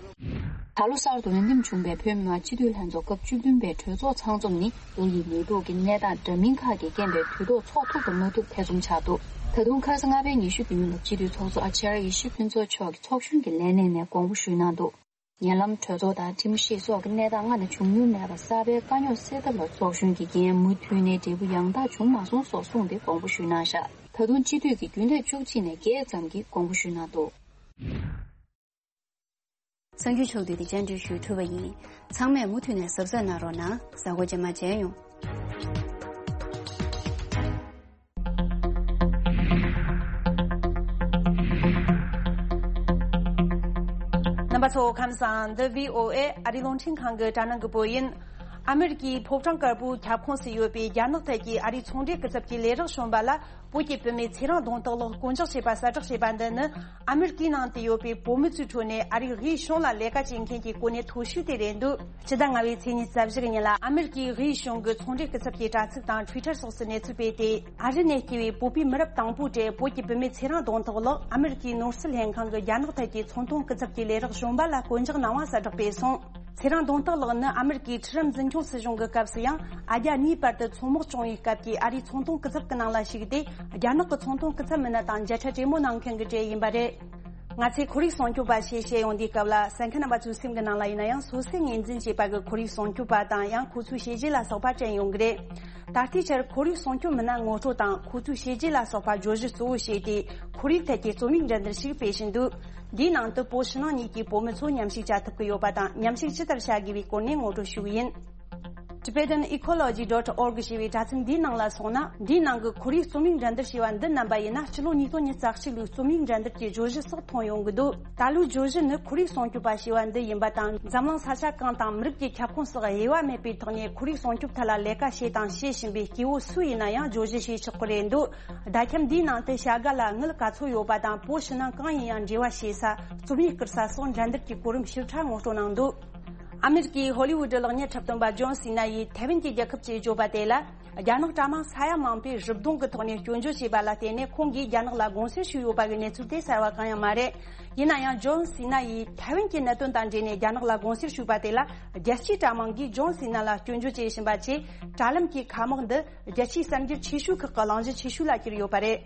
ད་ལོ་གསར་དུ་འོས་འདེམས་བྱུང་པའི་བོད་མི་མང་སྤྱི་འཐུས་ལྷན་ཚོགས་སྐབས་བཅུ་བདུན་པའི་གྲོས་ཚོགས་ཚང་འཛོམས་ནི་ཏོག་དབྱིབས་ནད་དུག་གི་གནས་སྟངས་འདྲ་མིན་ཁག་གི་རྐྱེན་པས་དུས་ཐོག་ཚོགས་ཐུབ་དང་མ་ཐུབ་ཐེ་ཚོམ་ཆགས་འདུག་ད་དུང་ཁ་སང་ལྔ་པའི་ཉི་ཤུ་བདུན་ལ་སྤྱི་འཐུས་ཚོགས་གཙོ་ཨ་ཅཱརྱ་ཡེ་ཤེས་ཕུན་ཚོགས་མཆོག་གིས་ཚོགས་གཞོན་གྱི་ལས་གནས་ནས་དགོངས་པ་ཞུས་གནང་འདུག་ཉེ་ལམ་གྲོས་ཚོགས་དང་ཁྲིམས་ཞིབ་སོགས་ཀྱི་གནས་སྟངས་སྔར་ནས་བྱུང་མྱོང་མེད་པར་གསར་པའི་དཀའ་རྙོག་སེལ་ཐབས་ལ་ཚོགས་གཞོན་གྱི་འགན་མུ་མཐུད་ནས་འབྲས་བུ་ཡང་དག་བྱུང་མ་སོང་སོགས་གསུངས་ཏེ་དགོངས་པ་ཞུས་གནང་བཞག་ད་དུང་སྤྱི་འཐུས་ཀྱི་རྒྱུན་ལས་བཅུ་གཅིག་ནས་བརྒྱད་ཙམ་གྱིས་དགོངས་པ་ཞུས་གནང་འདུག་གསར་འགྱུར་ཕྱོགས་བསྡུས་དེ་བཅར་འདྲི་ཞུས་གྲུབ་པ་ཡིན། ཚང་མས་མུ་མཐུད་ནས་གཟབ་གཟབ་གནང་རོགས་གནང་། གཟའ་འཁོར་རྗེས་མ་མཇལ་ཡོང་། རྣམ་པ་ཚོ་ཁམས་བཟང་། འདི་བྷི་ཨོ་ཨེ་ཨ་རིའི་རླུང་འཕྲིན་ཁང་གི་དྲ་སྣང་གི་པོ་ཡིན། ཨ་མེ་རི་ཀའི་ཕོ་བྲང་དཀར་པོའི་ཁྱབ་ཁོངས་སུ་ཡོད་པའི་རྒྱ་ནག་ཐད་ཀྱི་ཨ་རིའི་ཚོང་འབྲེལ་སྐུ་ཚབ་ཀྱི་ལས་རོགས་གཞོན་པ་ལ་བོད་ཀྱི་བུད་མེད་ཚེ་རིང་གདོང་ཐག་ལགས་བསྐོ་འཇོག་བྱས་པ་གསལ་བསྒྲགས་བྱས་པ་འདི་ནི། ཨ་མེ་རི་ཀའི་ནང་དུ་ཡོད་པའི་བོད་མི་ཚོའི་ཁྲོད་ནས་ཨ་རིའི་དབུས་གཞུང་ལ་ལས་ཀ་བྱེད་མཁན་གྱི་གོ་གནས་མཐོ་ཤོས་དེ་རེད་འདུག་སྤྱི་ཟླ་ལྔ་པའི་ཚེས་ཉི་ཤུ་རྩ་བཞི་གི་ཉིན་ལ་ཨ་མེ་རི་ཀའི་དབུས་གཞུང་གི་ཚོང་འབྲེལ་སྐུ་ཚབ་ཀྱི་དྲ་ཚིགས་དང་ཊུའི་ཊར་སོགས་སུ་གནས་ཚུལ་སྤེལ་ཏེ། ཨ་རི་ནས་སྐྱེས་པའི་བོད་པའི་མི་རབས་དང་པོའི་གྲས་བོད་ཀྱི་བུད་མེད་ཚེ་རིང་གདོང་ཐག་ལགས་ཨ་མེ་རི་ཀའི་ནོར་སྲིད་ལྷན་ཁང་གི་རྒྱ་ནག་ཐད་ཀྱི་ཚོང་དོན་སྐུ་ཚབ་ཀྱི་ལས་རོགས་གཞོན་པ་ལ་བསྐོ་འཇོག་གནང་བ་གསལ་བསྒྲགས་སྤེལ་སོང་། ཚེ་རིང་གདོང་ཐག་ལགས་ནི་ཨ་མེ་རི་ཀའི་ཁྲི་རབས་འཛིན་སྐྱོང་སྲིད་གཞུང་གི་སྐབས་སུ་ཡང་ཨ་རྒྱ་གཉིས་བར་དུ་མཚོ་དམག་བྱུང་བའི་སྐབས་ཀྱི་ཨ་རིའི་ཚོང་དོན་སྐུ་ཚབ་ཀྱི་ནང་ལ་ཞུགས་ཏེ། རྒྱ་ནག་གི་ཚོང་དོན་སྐུ་ཚབ་མི་སྣ་དང་མཇལ་འཕྲད་གྲོས་མོལ་གནང་མཁན་གྱི་གྲས་ཡིན་པ་རེད། ང་ཚོས་ཁོར་ཡུག་སྲུང་སྐྱོབ་པ་ཞེས་བཤད་ཡོང་དུས་སྐབས་ལ་གསན་མཁན་རྣམ་པ་ཚོའི་སེམས་ཀྱི་ནང་ལ་ཡིན་ན་ཡང་སོ་སོས་ངོས་འཛིན་བྱས་པ་གི་ཁོར་ཡུག་སྲུང་སྐྱོབ་པ་དང་ཡང་ཁོ་ཚོའི་བྱས་རྗེས་ལ་སོགས་པ་དྲན་ཡོང་གི་རེད། ད་ལྟའི་ཆར་ཁོར་ཡུག་སྲུང་སྐྱོབ་མི་སྣ་ངོ་སྤྲོད་དང་ཁོ་ཚོའི་བྱས་རྗེས་ལ་སོགས་པ་བརྗོད་གཞི་གཙོ་བོ་བྱས་ཏེ་ཁོར་ཡུག་ཐད་ཀྱི་རྩོམ་ཡིག་འགྲན་བསྡུར་ཞིག་སྤེལ་བཞིན་འདུག་འདིའི་ནང་དུ་བོད་ཕྱི་ནང་གཉིས་ཀྱི་བོད་མི་ཚོ་མཉམ་ཞུགས་བྱ་ཐུབ་ཀྱི་ཡོད་པ་དང་མཉམ་ཞུགས་ཇི་ལྟར་བྱ་དགོས་པའི་སྐོར་ནས་ངོ་སྤྲོད་ཞུ་གི་ཡིན། Tibetan Ecology dot org ཞེས་པའི་དྲ་ཚིགས་འདིའི་ནང་ལ་སོང་ན། འདིའི་ནང་གི་ཁོར་ཡུག་རྩོམ་ཡིག་འགྲན་བསྡུར་ཞེས་པ་འདི་རྣམ་པ་ཡིན་ན་ཕྱི་ལོ་ཉིས་སྟོང་ཉི་ཤུ་རྩ་གཅིག་ལོའི་རྩོམ་ཡིག་འགྲན་བསྡུར་གྱི་བརྗོད་གཞི་སོགས་མཐོང་ཡོང་གི་འདུག་ད་ལོའི་བརྗོད་གཞི་ནི་ཁོར་ཡུག་སྲུང་སྐྱོབ་པ་ཞེས་པ་འདི་ཡིན་པ་དང་། འཛམ་གླིང་ས་ཆ་གང་དང་མི་རིགས་ཀྱི་ཁྱབ་ཁོངས་སུ་དབྱེ་བ་མེད་པའི་ཐོག་ནས་ཁོར་ཡུག་སྲུང་སྐྱོབ་ཐད་ལ་ལས་ཀ་བྱས་དང་བྱེད་བཞིན་པའི་སྐྱེ་བོ་སུ་ཡིན་ན་ཡང་བརྗོད་གཞི་བྱེད་ཆོག་གི་རེད་འདུག་བརྡ་ཁྱབ་འདིའི་ནང་དུ་བྱ་དགའ་ལ་དངུལ་ག་ཚོད་ཡོད་པ་དང་བོད་ཕྱི་ནང་གང་ཡིན་ཡང་འབྲེལ་བ་བྱེད་ས། རྩོམ་ཡིག་བསྐུར་ས་སོགས་འགྲན་བསྡུར་གྱི་གོ་རིམ་ཞིབ་ཕྲ་ངོ་སྤྲོད་གནང་འདུག་ཨ་མེ་རི་ཀའི་ཧོ་ལི་ཝུ་ཌི་གློག་བརྙན་འཁྲབ་སྟོན་པ་ཇོན་སི་ན་ཡིས་ཐའེ་ཝན་གྱི་རྒྱལ་ཁབ་ཅེས་བརྗོད་པ་དེ་ལ། རྒྱ་ནག་དྲ་དམངས་ས་ཡ་མང་པོས་རུབ་རྡུང་གི་ཐོག་ནས་སྐྱོན་བརྗོད་བྱས་པ་ལ་བརྟེན་ནས་ཁོང་གིས་རྒྱ་ནག་ལ་དགོངས་སེལ་ཞུས་ཡོད་པ་གི་གནས་ཚུལ་དེ་གསར་བ་གང་ཡང་མ་རེད། ཡིན་ན་ཡང་ཇོན་སི་ན་ཡིས་ཐའེ་ཝན་གྱི་གནད་དོན་དང་འབྲེལ་ནས་རྒྱ་ནག་ལ་དགོངས་སེལ་ཞུས་པ་དེ་ལ་རྒྱལ་སྤྱིའི་དྲ་དམངས་ཀྱིས་ཇོན་སི་ན་ལ་སྐྱོན་བརྗོད་བྱེད་བཞིན་པ་བཅས་དྲ་ལམ་གྱི་ཁ་དམག་འདི་རྒྱལ་སྤྱིའི་གསར་འགྱུར་ཆེ་ཤོས་ཁག་གི་གླེང་གཞི་ཆེ་ཤོས་ལ་གྱུར་ཡོད་པ་རེད།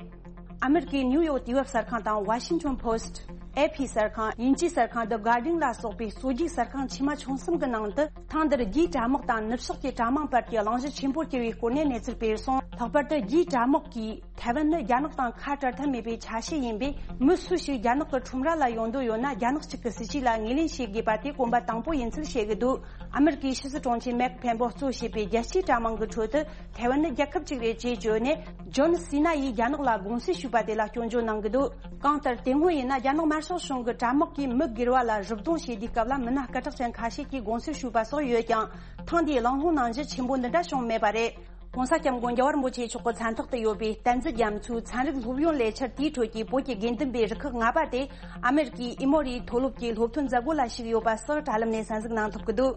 ཨ་མེ་རི་ཀའི་ནིའུ་ཡོག་དུས་བབ་གསར་ཁང་དང་ཝ་ཤིང་ཊོན་པོ་སི་ཊི། ཨེ་ཕི་གསར་ཁང་། དབྱིན་ཇིའི་གསར་ཁང་The Guardian ལ་སོགས་པའི་སོ་བརྒྱུགས་གསར་ཁང་ཆེ་མ་ཆུང་གསུམ་གྱི་ནང་དུ། ཐེངས་འདིར་རྒྱའི་དྲ་དམག་དང་ནུབ་ཕྱོགས་ཀྱི་དྲ་དམངས་བར་གྱི་གླེང་གཞི་ཆེན་པོར་གྱུར་བའི་སྐོར་ནས་གནས་ཚུལ་སྤེལ་སོང་། ལྷག་པར་དུ་རྒྱའི་དྲ་དམག་གིས། ཐའེ་ཝན་ནི་རྒྱ་ནག་དང་ཁ་བྲལ་ཐབས་མེད་པའི་ཆ་ཤས་ཡིན་པས། མི་སུ་ཞིག་རྒྱ་ནག་གི་ཁྲོམ་ར་ལ་ཡོང་འདོད་ཡོད་ན། རྒྱ་ནག་གཅིག་གི་སྲིད་ཇུས་ལ་ངོས་ལེན་བྱེད་དགོས་པ་དེ་གོམ་པ་དང་པོ་ཡིན་ཚུལ་བཤད་ཀྱི་འདུག་ཨ་མེ་རི་ཀའི་ཕྱི་སྲིད་དྲུང་ཆེ་མེག་ཕེམ་པོ་གཙོ་བྱས་པའི་རྒྱལ་སྤྱིའི་དྲ་དམངས་ཀྱི་ཁྲོད་དུ། ཐའེ་ཝན་ནི་རྒྱལ་ཁབ་ཅིག་རེད་ཅེས་བརྗོད་ནས། ཇོན་སི་ན་ཡིས་རྒྱ་ནག་ལ་དགོངས་སེལ་ཞུས་པ་དེ་ལ་སྐྱོན་བརྗོད་གནང་གི་འདུག་གང་ལྟར། དེ་སྔོན་ཡིན་ན། རྒྱ་ནག་དམར་ཤོག་གཞུང་གི་དྲ་དམག་གིས་མི་སྒེར་བ་ལ་རུབ་རྡུང་བྱེད་དུས་སྐབས་ལ། མི་སྣ་སྐད་གྲགས་ཅན་ཁ་ཤས་ཀྱིས་དགོངས་སེལ་ཞུས་པ་སོགས་ཡོད་ཀྱང་། ཐེངས་འདིའི་གླེང་སློང་ནང་གཞི་ཆེན་པོ་འདི་འདྲ་བྱུང་མེད་པ་རེད། ༸གོང་ས་༸སྐྱབས་མགོན་རྒྱལ་བ་རིན་པོ་ཆེ་མཆོག་གི་མཚན་ཐོག་ཏུ་ཡོད་པའི་བསྟན་འཛིན་རྒྱ་མཚོའི་ཚན་རིག་སློབ་ཡོན་ལས་འཆར་དེའི་ཁྲོད་ཀྱི་བོད་ཀྱི་དགེ་འདུན་པའི་རུ་ཁག་ལྔ་པ་དེ། ཨ་མེ་རི་ཀའི་ཨི་མོ་རི་མཐོ་སློབ་ཀྱི་སློབ་ཐོན་མཛད་སྒོ་ལ་ཞུགས་ཡོད་པ་སོགས་དྲ་ལམ་ནས་གསན་གཟིགས་གནང་ཐུབ་ཀྱི་འདུག་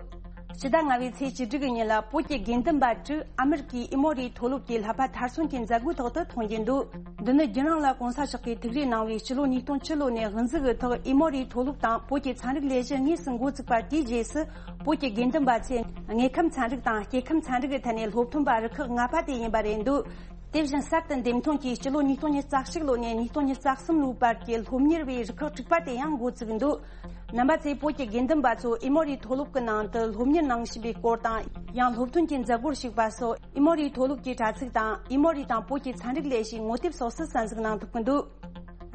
སྤྱི་ཟླ་ལྔ་པའི་ཚེས་བཅུ་དྲུག་གི་ཉིན་ལ། བོད་ཀྱི་དགེ་འདུན་པ་དྲུག་ཨ་མེ་རི་ཀའི་ཨི་མོ་རི་མཐོ་སློབ་ཀྱི་བསླབ་པ་མཐར་སོན་གྱི་མཛད་སྒོའི་ཐོག་ཏུ་མཐོང་རྒྱུ་འདུག་འདི་ནི་རྒྱུན་རིང་ལ་༸གོང་ས་མཆོག་གིས་ཐུགས་རེ་གནང་བའི་སྤྱི་ལོ་ཉིས་སྟོང་བཅུ་ལོ་ནས་དབུ་འཛུགས་ཀྱི་ཐོག་ཨི་མོ་རི་མཐོ་སློབ་དང་བོད་ཀྱི་ཚན་རིག་ལས་གཞི་དངོས་སུ་འགོ་བཙུགས་པ་དེའི་རྗེས་སུ། བོད་ཀྱི་དགེ་འདུན་པ་ཚོས་དངོས་ཁམས་ཚན་རིག་དང་སྐྱེ་ཁམས་ཚན་རིག་གི་ཐད་ནས་སློབ་ཐོན་པ་རུ་ཁག་ལྔ་པ་དེ་ཡིན་པ་རེད་འདུག་དེ་བཞིན་གསར་དུ་འདེམས་ཐོན་གྱིས་སྤྱི་ལོ་ཉིས་སྟོང་ཉི་ཤུ་རྩ་གཅིག་ལོ་ནས་ཉིས་སྟོང་ཉི་ཤུ་རྩ་གསུམ་ལོའི་བར་གྱི་སློབ་གཉེར་བའི་རུ་ཁག་དྲུག་པ་དེ་ཡང་འགོ་བཙུགས་འདུག་རྣམ་པ་ཚོས་བོད་ཀྱི་དགེ་འདུན་པ་ཚོ་ཨི་མོ་རི་མཐོ་སློབ་ཀྱི་ནང་དུ་སློབ་གཉེར་གནང་བཞིན་པའི་སྐོར་དང་། ཡང་སློབ་ཐོན་གྱི་མཛད་སྒོར་ཞུགས་པ་སོགས། ཨི་མོ་རི་མཐོ་སློབ་ཀྱི་དྲ་ཚིགས་དང་། ཨི་མོ་རི་དང་བོད་ཀྱི་ཚན་རིག་ལས་གཞིའི་ངོ་དེབ་སོགས་སུ་གསན་གཟིགས་གནང་ཐུབ་ཀྱི་འདུག་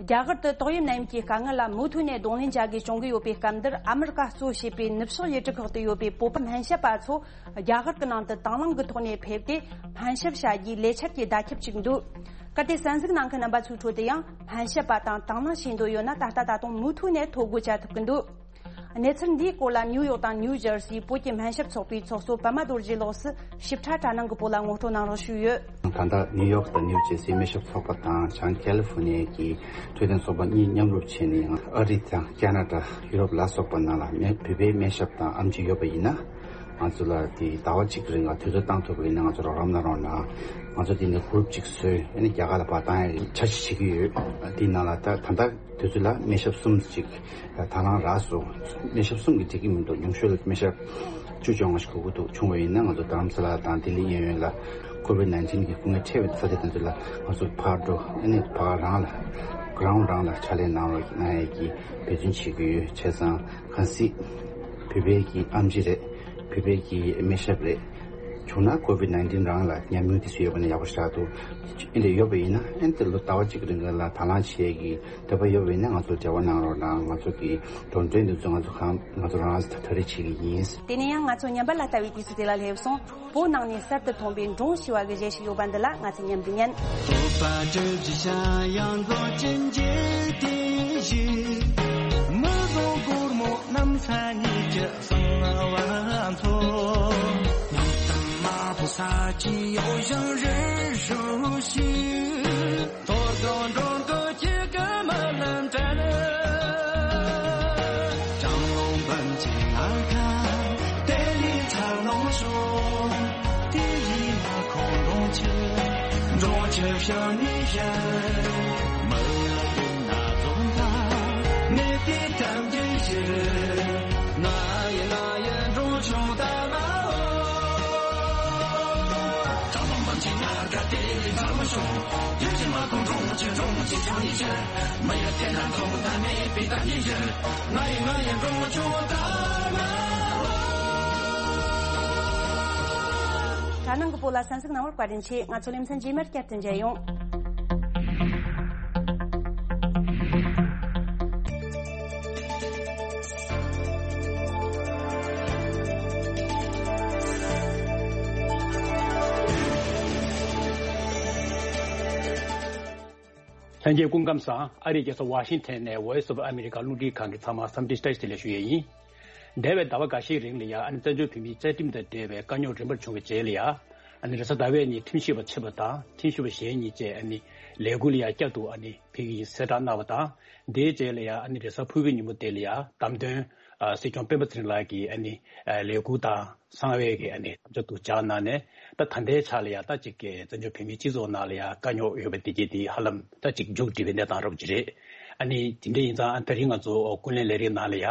རྒྱ་གར་དུ་ཏོག་དབྱིབས་ནད་ཡམས་ཀྱི་དཀའ་ངལ་ལ་མུ་མཐུད་ནས་གདོང་ལེན་བྱ་དགོས་བྱུང་གི་ཡོད་པའི་སྐབས་འདིར། ཨ་མི་རི་ཀ་གཙོ་བྱས་པའི་ནུབ་ཕྱོགས་ཡུལ་གྲུ་ཁག་ཏུ་ཡོད་པའི་བོད་པ་སྨན་ཞབས་པ་ཚོ་རྒྱ་གར་གྱི་ནང་དུ་དང་བླངས་ཀྱི་ཐོག་ནས་ཕེབས་ཏེ། སྨན་ཞབས་བྱ་རྒྱུའི་ལས་འཆར་གྱི་བརྡ་ཁྱབ་ཅིག་འདུག་གལ་ཏེ་གསན་གཟིགས་གནང་མཁན་རྣམ་པ་ཚོའི་ཁྲོད་དུ་ཡང་སྨན་ཞབས་པ་དང་དང་བླངས་བྱེད་འདོད་ཡོད་ན། ད་ལྟ་ད་དུང་མུ་མཐུད་ནས་ཐོ་འགོད་བྱ་ཐུབ་ཀྱི་འདུག་གནས་ཚུལ་འདིའི་སྐོར་ལ་ནིའུ་ཡོག་དང་ནིའུ་ཇར་སིའི་བོད་ཀྱི་སྨན་ཞབས་ཚོགས་པའི་ཚོགས་གཙོ་པདྨ་རྡོ་རྗེ་ལགས་སུ་ཞིབ་ཕྲ་དྲ་ནང་གི་སྤོ་ལགས་ངོ་སྤྲོད་གནང་རོགས་ཞུས་ཡོད། ད་ལྟ་ནིའུ་ཡོག་དང་ནིའུ་ཇར་སིའི་སྨན་ཞབས་ཚོགས་པ་དང་། བྱང་ཀེ་ལི་ཧྥོ་ནི་ཡའི་འཕྲོད་བསྟེན་ཚོགས་པ་གཉིས་མཉམ་རུབ་བྱས་ནས། ཡང་ཨ་རི་དང་ཁ་ན་ཌ། ཡུ་རོབ་ལ་སོགས་པ་ནང་ལ་སྨན་བོད་པའི་སྨན་ཞབས་དང་ཨེམ་ཆི་ཡོད་པ་ཡིན་ན། ང་ཚོ་ལ་དེ་ཟླ་བ་གཅིག་རིང་ལ་དུས་ཚོད་བཏང་ཐུབ་པ་ཡིན་ན། ང་ཚོ་རོགས་རམ་གནང་རོགས་གནང་། ང་ཚོ་དེ་ནས་གུ་རུབ་གཅིག་བཟོས། ཨ་ནི་རྒྱ་གར་ལ་ཕར་བཏང་ཡག་འཆར་གཞི་བྱེད་ཀྱི་ཡོད། དེའི་ནང་ལ་ད་ད་ལྟ་དུས་ཚོད་ལ་སྨན་ཞབས་གསུམ་ཅིག་དང་བླངས་རག་སོང་། སྨན་ཞབས་གསུམ་གྱིས་འགྲིག་གི་མི་འདུག་ཉུང་ཤོས་ལ་སྨན་ཞབས་བཅུ་བཅོ་ལྔ་ཞིག་དགོས་ཀྱི་འདུག་བྱུང་བ་ཡིན་ན། ང་ཚོ་རྡ་རམ་ས་ལ་དང་ལྡི་ལི་གཡས་གཡོན་ལ་ཀོ་ཝིད་ནའིན་ཊིན་གྱི་སྐུ་ངལ་འཕྲད་པའི་ས་ཆ་དེ་ཚོ་ལ་ང་ཚོ་ཕར་འགྲོ། ཨ་ནི་ཕར་རང་ལ་གྷི་རའུན་ཌི་རང་ལ་ཕྱག་ལས་གནང་རོགས་གནང་ཡག་གི་འབད་བརྩོན་བྱེད་ཀྱི་ཡོད། བྱས་ཙང་གལ་སྲིད་བོད་པའི་གི་ཨེམ་ཆི་རེད། བོད་པའི་གི་སྨན་ཞབས་རེད། བྱུང་ན་ཀོ་ཝིད་ནའིན་ཊིན་རང་ལ་ཉམས་མྱོང་དེ་ཚོ་ཡོད་པ་ན་ཡག་པོ་ཞིག་འདུག་ཨེ་འདྲ་ཡོད་པ་ཡིན་ན། ཨེ་འདྲ་ལོ་ཟླ་བ་གཅིག་རིང་ལ་དང་བླངས་བྱེད་ཀྱི་འདོད་པ་ཡོད་པ་ཡིན་ན། ང་ཚོ་འབྲེལ་བ་གནང་རོགས་གནང་། ང་ཚོ་གི་འགྲོ་གྲོན་དེ་ཚོ་ང་ཚོ་གང་ང་ཚོ་རང་ལ་ཐག་རིང་བྱེད་ཀྱི་ཡིན། དེ་ནས་ཡང་ང་ཚོ་ཉམས་པ་ལ་ལྟ་བའི་དུས་ཚོད་དེ་ལ་སླེབས་སོང་། བོད་ནང་ནས་གསར་དུ་ཐོན་པའི་འབྲོང་ཞེས་པ་གི་གཞས་ཤིག་ཡོད་པ་འདི་ལ་ང་ཚོས་མཉམ་དུ་ཉན། དྲ་ནང་གི་སྤོ་ལགས་གསན་གཟིགས་གནང་བར་བཀའ་དྲིན་ཆེ། ང་ཚོ་ལེ་ཚན་རྗེས་མར་བསྐྱར་དུ་མཇལ་ཡོང་། ལྷན་རྒྱས་སྐུ་ཁམས་བཟང་། ཨ་རིའི་རྒྱལ་ས་ཝ་ཤིང་ཐན་ནས་Voice of America རླུང་འཕྲིན་ཁང་གི་ཚང་མ་འཚམས་འདྲི་བཀྲ་ཤིས་བདེ་ལེགས་ཞུ་ཡས་ཡིན། འདས་པའི་ཟླ་བ་འགའ་ཤས་རིང་ལ་ཡ། ཨ་ནི་བཙན་བྱོལ་བོད་མིའི་རྩ་ཁྲིམས་དང་འབྲེལ་བའི་དཀའ་རྙོག་རིམ་པར་བྱུང་བའི་རྗེས་ལ་ཡ། ཨ་ནི་རེས་གཟའ་ཟླ་བའི་ཉིན་ཁྲིམས་ཞིབ་པ་ཕྱི་པ་དང་ཁྲིམས་ཞིབ་པ་གཞན་གཉིས་བཅས་ཨ་ནི་ལས་འགུལ་ལ་ཡ་བསྐྱར་དུ་ཨ་ནི་ཕེབས་ཀྱི་ཡིན་གསལ་བསྒྲགས་གནང་བ་དང་། དེའི་རྗེས་ལ་ཡ་ཨ་ནི་རེས་གཟའ་ཕུར་བུའི་ཉིན་མོ་དེ་ལ་ཡ་བདམས་ཐོན་ཨ་སྲིད་སྐྱོང་སྤེན་པ་ཚེ་རིང་ལགས་ཀྱིས་ཨ་ནི་ཨ་ལས་འགུལ་དང་གསང་བའི་གི་ཨ་ནི་ཐབས་ཇུས་དུ་སྦྱར་གནང་ནས། ད་ད་ལྟའི་ཆ་ལ་ཡ་ད་ཅིག་གི་བཙན་བྱོལ་བོད་མིའི་སྤྱི་ཚོགས་ནང་ལ་ཡ་དཀའ་རྙོག་ཡོད་པ་དེ་གྱད་དེ་ཧ་ལམ་ད་ཅིག་མཇུག་སྒྲིལ་བའི་གནས་སྟངས་རབ་ཅིག་རེད། ཨ་ནི་དེ་འདྲ་ཡིན་ཙང་ཨ་ད་རིང་ང་ཚོ་ཀུན་གླེང་ལས་རིམ་ནང་ལ་ཡ།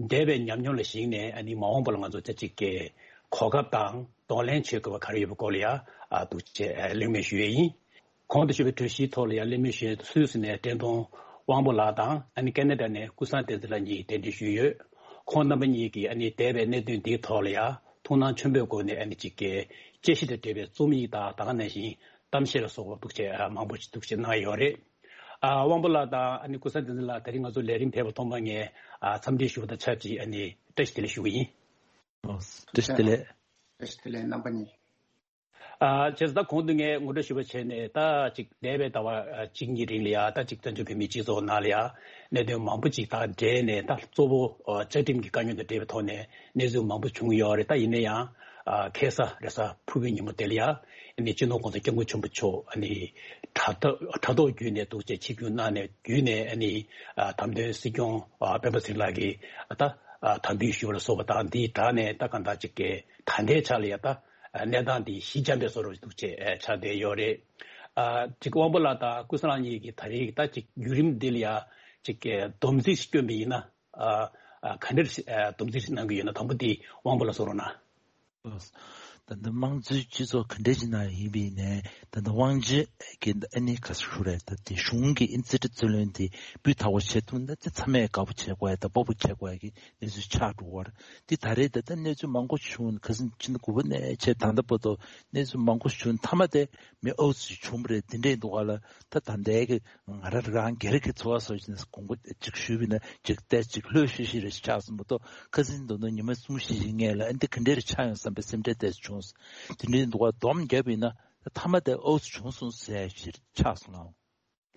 འདས་པའི་ཉམས་མྱོང་ལ་གཞིགས་ནས་ཨ་ནི་མ་འོངས་པ་ལ་ང་ཚོ་ད་ཅིག་གི་གོ་སྐབས་དང་གདོང་ལེན་བྱེད་དགོས་པ་ག་རེ་ཡོད་པའི་སྐོར་ལ་ཡ་ཨ་འདུག་ཅེས་གླེང་མོལ་ཞུ་ཡས་ཡིན། གོང་དུ་ཞུས་པའི་གྲོས་གཞིའི་ཐོག་ལ་ཡང་གླེང་མོལ་ཞུ་ཡས་སུད་སི་ནས་བཀྲས་མཐོང་དབང་པོ་ལགས་དང་ཨ་ནི་ཀེ་ན་ཌ་ནས་ཀུན་བཟང་བསྟན་འཛིན་ལགས་གཉིས་གདན་འདྲེན་ཞུས་ཡོད། ཁོང་རྣམ་པ་གཉིས་ཀྱིས་ཨ་ནི་འདས་པའི་གནད་དོན་འདིའི་ཐོག་ལ་ཡང་ཐུགས་སྣང་ཆེན་པོའི་སྒོ་ནས་ཨ་ནི་ཅིག་གི་དཔྱད་གཞི་དང་འབྲེལ་བའི་རྩོམ་ཡིག་དང་ད་ག་ནང་བཞིན་གཏམ་བཤད་ལ་སོགས་པ་འདུག་ཅེས་མང་པོ་ཞིག་འདུག་ཅེས་གནང་ཡོད་རེད། ཨ་དབང་པོ་ལགས་དང་ཨ་ནི་ཀུན་བཟང་བསྟན་འཛིན་ལགས་ད་རིང་ང་ཚོ་ལས་རིམ་ཕེབས་པ་ཐོག་མ་ངས་ཨ་འཚམས་འདྲི་ཞུ་བ་དང་ཆབས་ཅིག་ཨ་ནི་བཀྲ་ཤིས་བདེ་ལེགས་ཞུ་གི་ཡིན། ཨོ། བཀྲ་ཤིས་བདེ་ལེགས། བཀྲ་ཤིས་བདེ་ལེགས་རྣམ་པ་གཉིས། ཨ་བྱས་ཙང་ད་གོང་དུ་ངས་ངོ་སྤྲོད་ཞུས་པ་བྱས་ནས་ད་ཅིག་འདས་པའི་ཟླ་བ་ཨ་གཅིག་གཉིས་རིང་ལ་ཡ་ད་ཅིག་བཙན་བྱོལ་བོད་མིའི་སྤྱི་ཚོགས་ནང་ལ་ཡ་གནད་དོན་མང་པོ་ཅིག་དང་འབྲེལ་ནས་ད་གཙོ་བོ་ཨ་བཅའ་ཁྲིམས་ཀྱི་དཀའ་རྙོག་དང་འབྲེལ་བའི་ཐོག་ནས་གནས་ཚུལ་མང་པོ་བྱུང་ཡོད་རེད། ད་ཡིན་ན་ཡང་ཨ་ཁ་སང་རེས་གཟའ་ཕུར་བུའི་ཉིན་མོ་དེ་ལ་ཡ་ཨ་ནི་སྤྱི་ནོར་༸གོང་ས་༸སྐྱབས་མགོན་ཆེན་པོ་མཆོག་ཨ་ནི་དྲ་ཐོག་དྲ་ཐོག་བརྒྱུད་ནས་འདུག་ཅེས་ཆིབས་བསྒྱུར་གནང་ནས་བརྒྱུད་ནས་ཨ་ནི་ཨ་དམ་དོན་སྲིད་སྐྱོང་ཨ་སྤེན་པ་ཚེ་རིང་ལགས་ཀྱིས་ཨ་ད་ཨ་དམ་འབུལ་ཞུས་པ་ལ་སོགས་པ་དང་འདིའི་སྦྲགས་ནས་ད་གང་ལྟར་ཅིག་གི་ད་ལྟའི་ཆ་ལ་ཡ་ད་གནས་སྟངས་འདི་ཞི་འཇམ་པའི་བཟོ་འདྲ་འདུག་ཅེས་ཆགས་བསྡད་ཡོད་རེད། ཨ་ཅིག་དབང་པོ་ལགས་དང་ཀུན་བཟང་ལགས་གཉིས་ཀྱིས་ད་རེས་ད་ཅིག་བརྒྱུད་རིམ་འདི་ལ་ཡ་ཅིག་སྡོམ་རྩིས་ཤིག་བསྐྱོན་པ་ཡིན་ན་ཨ་ཨ་ག་འདྲ་ཞིག་ཨ་སྡོམ་རྩིས་ཤིག་གནང་གི་ཡོད་ན་དང་པོ་འདི་དབང་པོ་ལགས་གསུང་རོགས་གནང་། ད་ལྟ་དམངས་གཙོའི་སྤྱི་ཚོགས་ག་འདྲ་ཞིག་ནང་ཡིན་པ་ཡིན་ནའི་ད་ལྟ་དབང་ཆ་གི་ཨ་ནི་ག་ཟེར་རེད། ད་དེ་གཞུང་གི་ཨིན་རྩིས་ཁྲ་རྩིས་ལེན་དེ་སྤུས་དག་པོ་བྱེད་ཐུབ་ན་ཅི་ཚང་མས་དགའ་པོ་བྱེད་དགོས་ཡ་ད་སྤོབས་པོ་བྱེད་དགོས་ཡ་གི་གནས་ཚུལ་ཆགས་འགྲོ་བར་དེ་ད་རེས་ད་ལྟ་གནས་ཚུལ་མང་པོ་བྱུང་ཁ་སང་ཕྱི་ཟླ་དགུ་པ་ནས་བྱས་ད་ལྟ་བར་དུ་གནས་ཚུལ་མང་པོ་བྱུང་མཐའ་མ་དེ་མི་ཨོ་ཙི་བྱུང་བ་རེད། དེ་འདྲས་འདུག་ག་ལ་ད་ད་ལྟའི་གི་ང་རང་རང་སྒེར་གྱི་འཚོ་བ་སོགས་ཀྱི་དགོངས་པ་གཅིག་ཞུས་པ་ཡིན་ན་གཅིག་བལྟས་གཅིག་ལྷོད་ཤིག་ཤིག་རེ་ཆགས་སོང་མ་གཏོགས་ཁ་སང་མདོར་ན་ཉི་མ་གསུམ་བཞི་ཞིག་སྔོན་ལ་ཨ་འདི་ག་འདྲས་རེ་ཆགས་ཡོང་བསམ་པའི་སེམས་ཁྲལ་ཏོག་ཙམ་བྱུང་སོང་། དེ་འདྲའི་འདུག་ག་སྡོམ་བརྒྱབ་པ་ཡིན་ན་མཐའ་མ་དེ་ཨོ་ཙི་བྱུང་སོང་ཟེར་ཞིག་ཆགས་སོང་ལགས།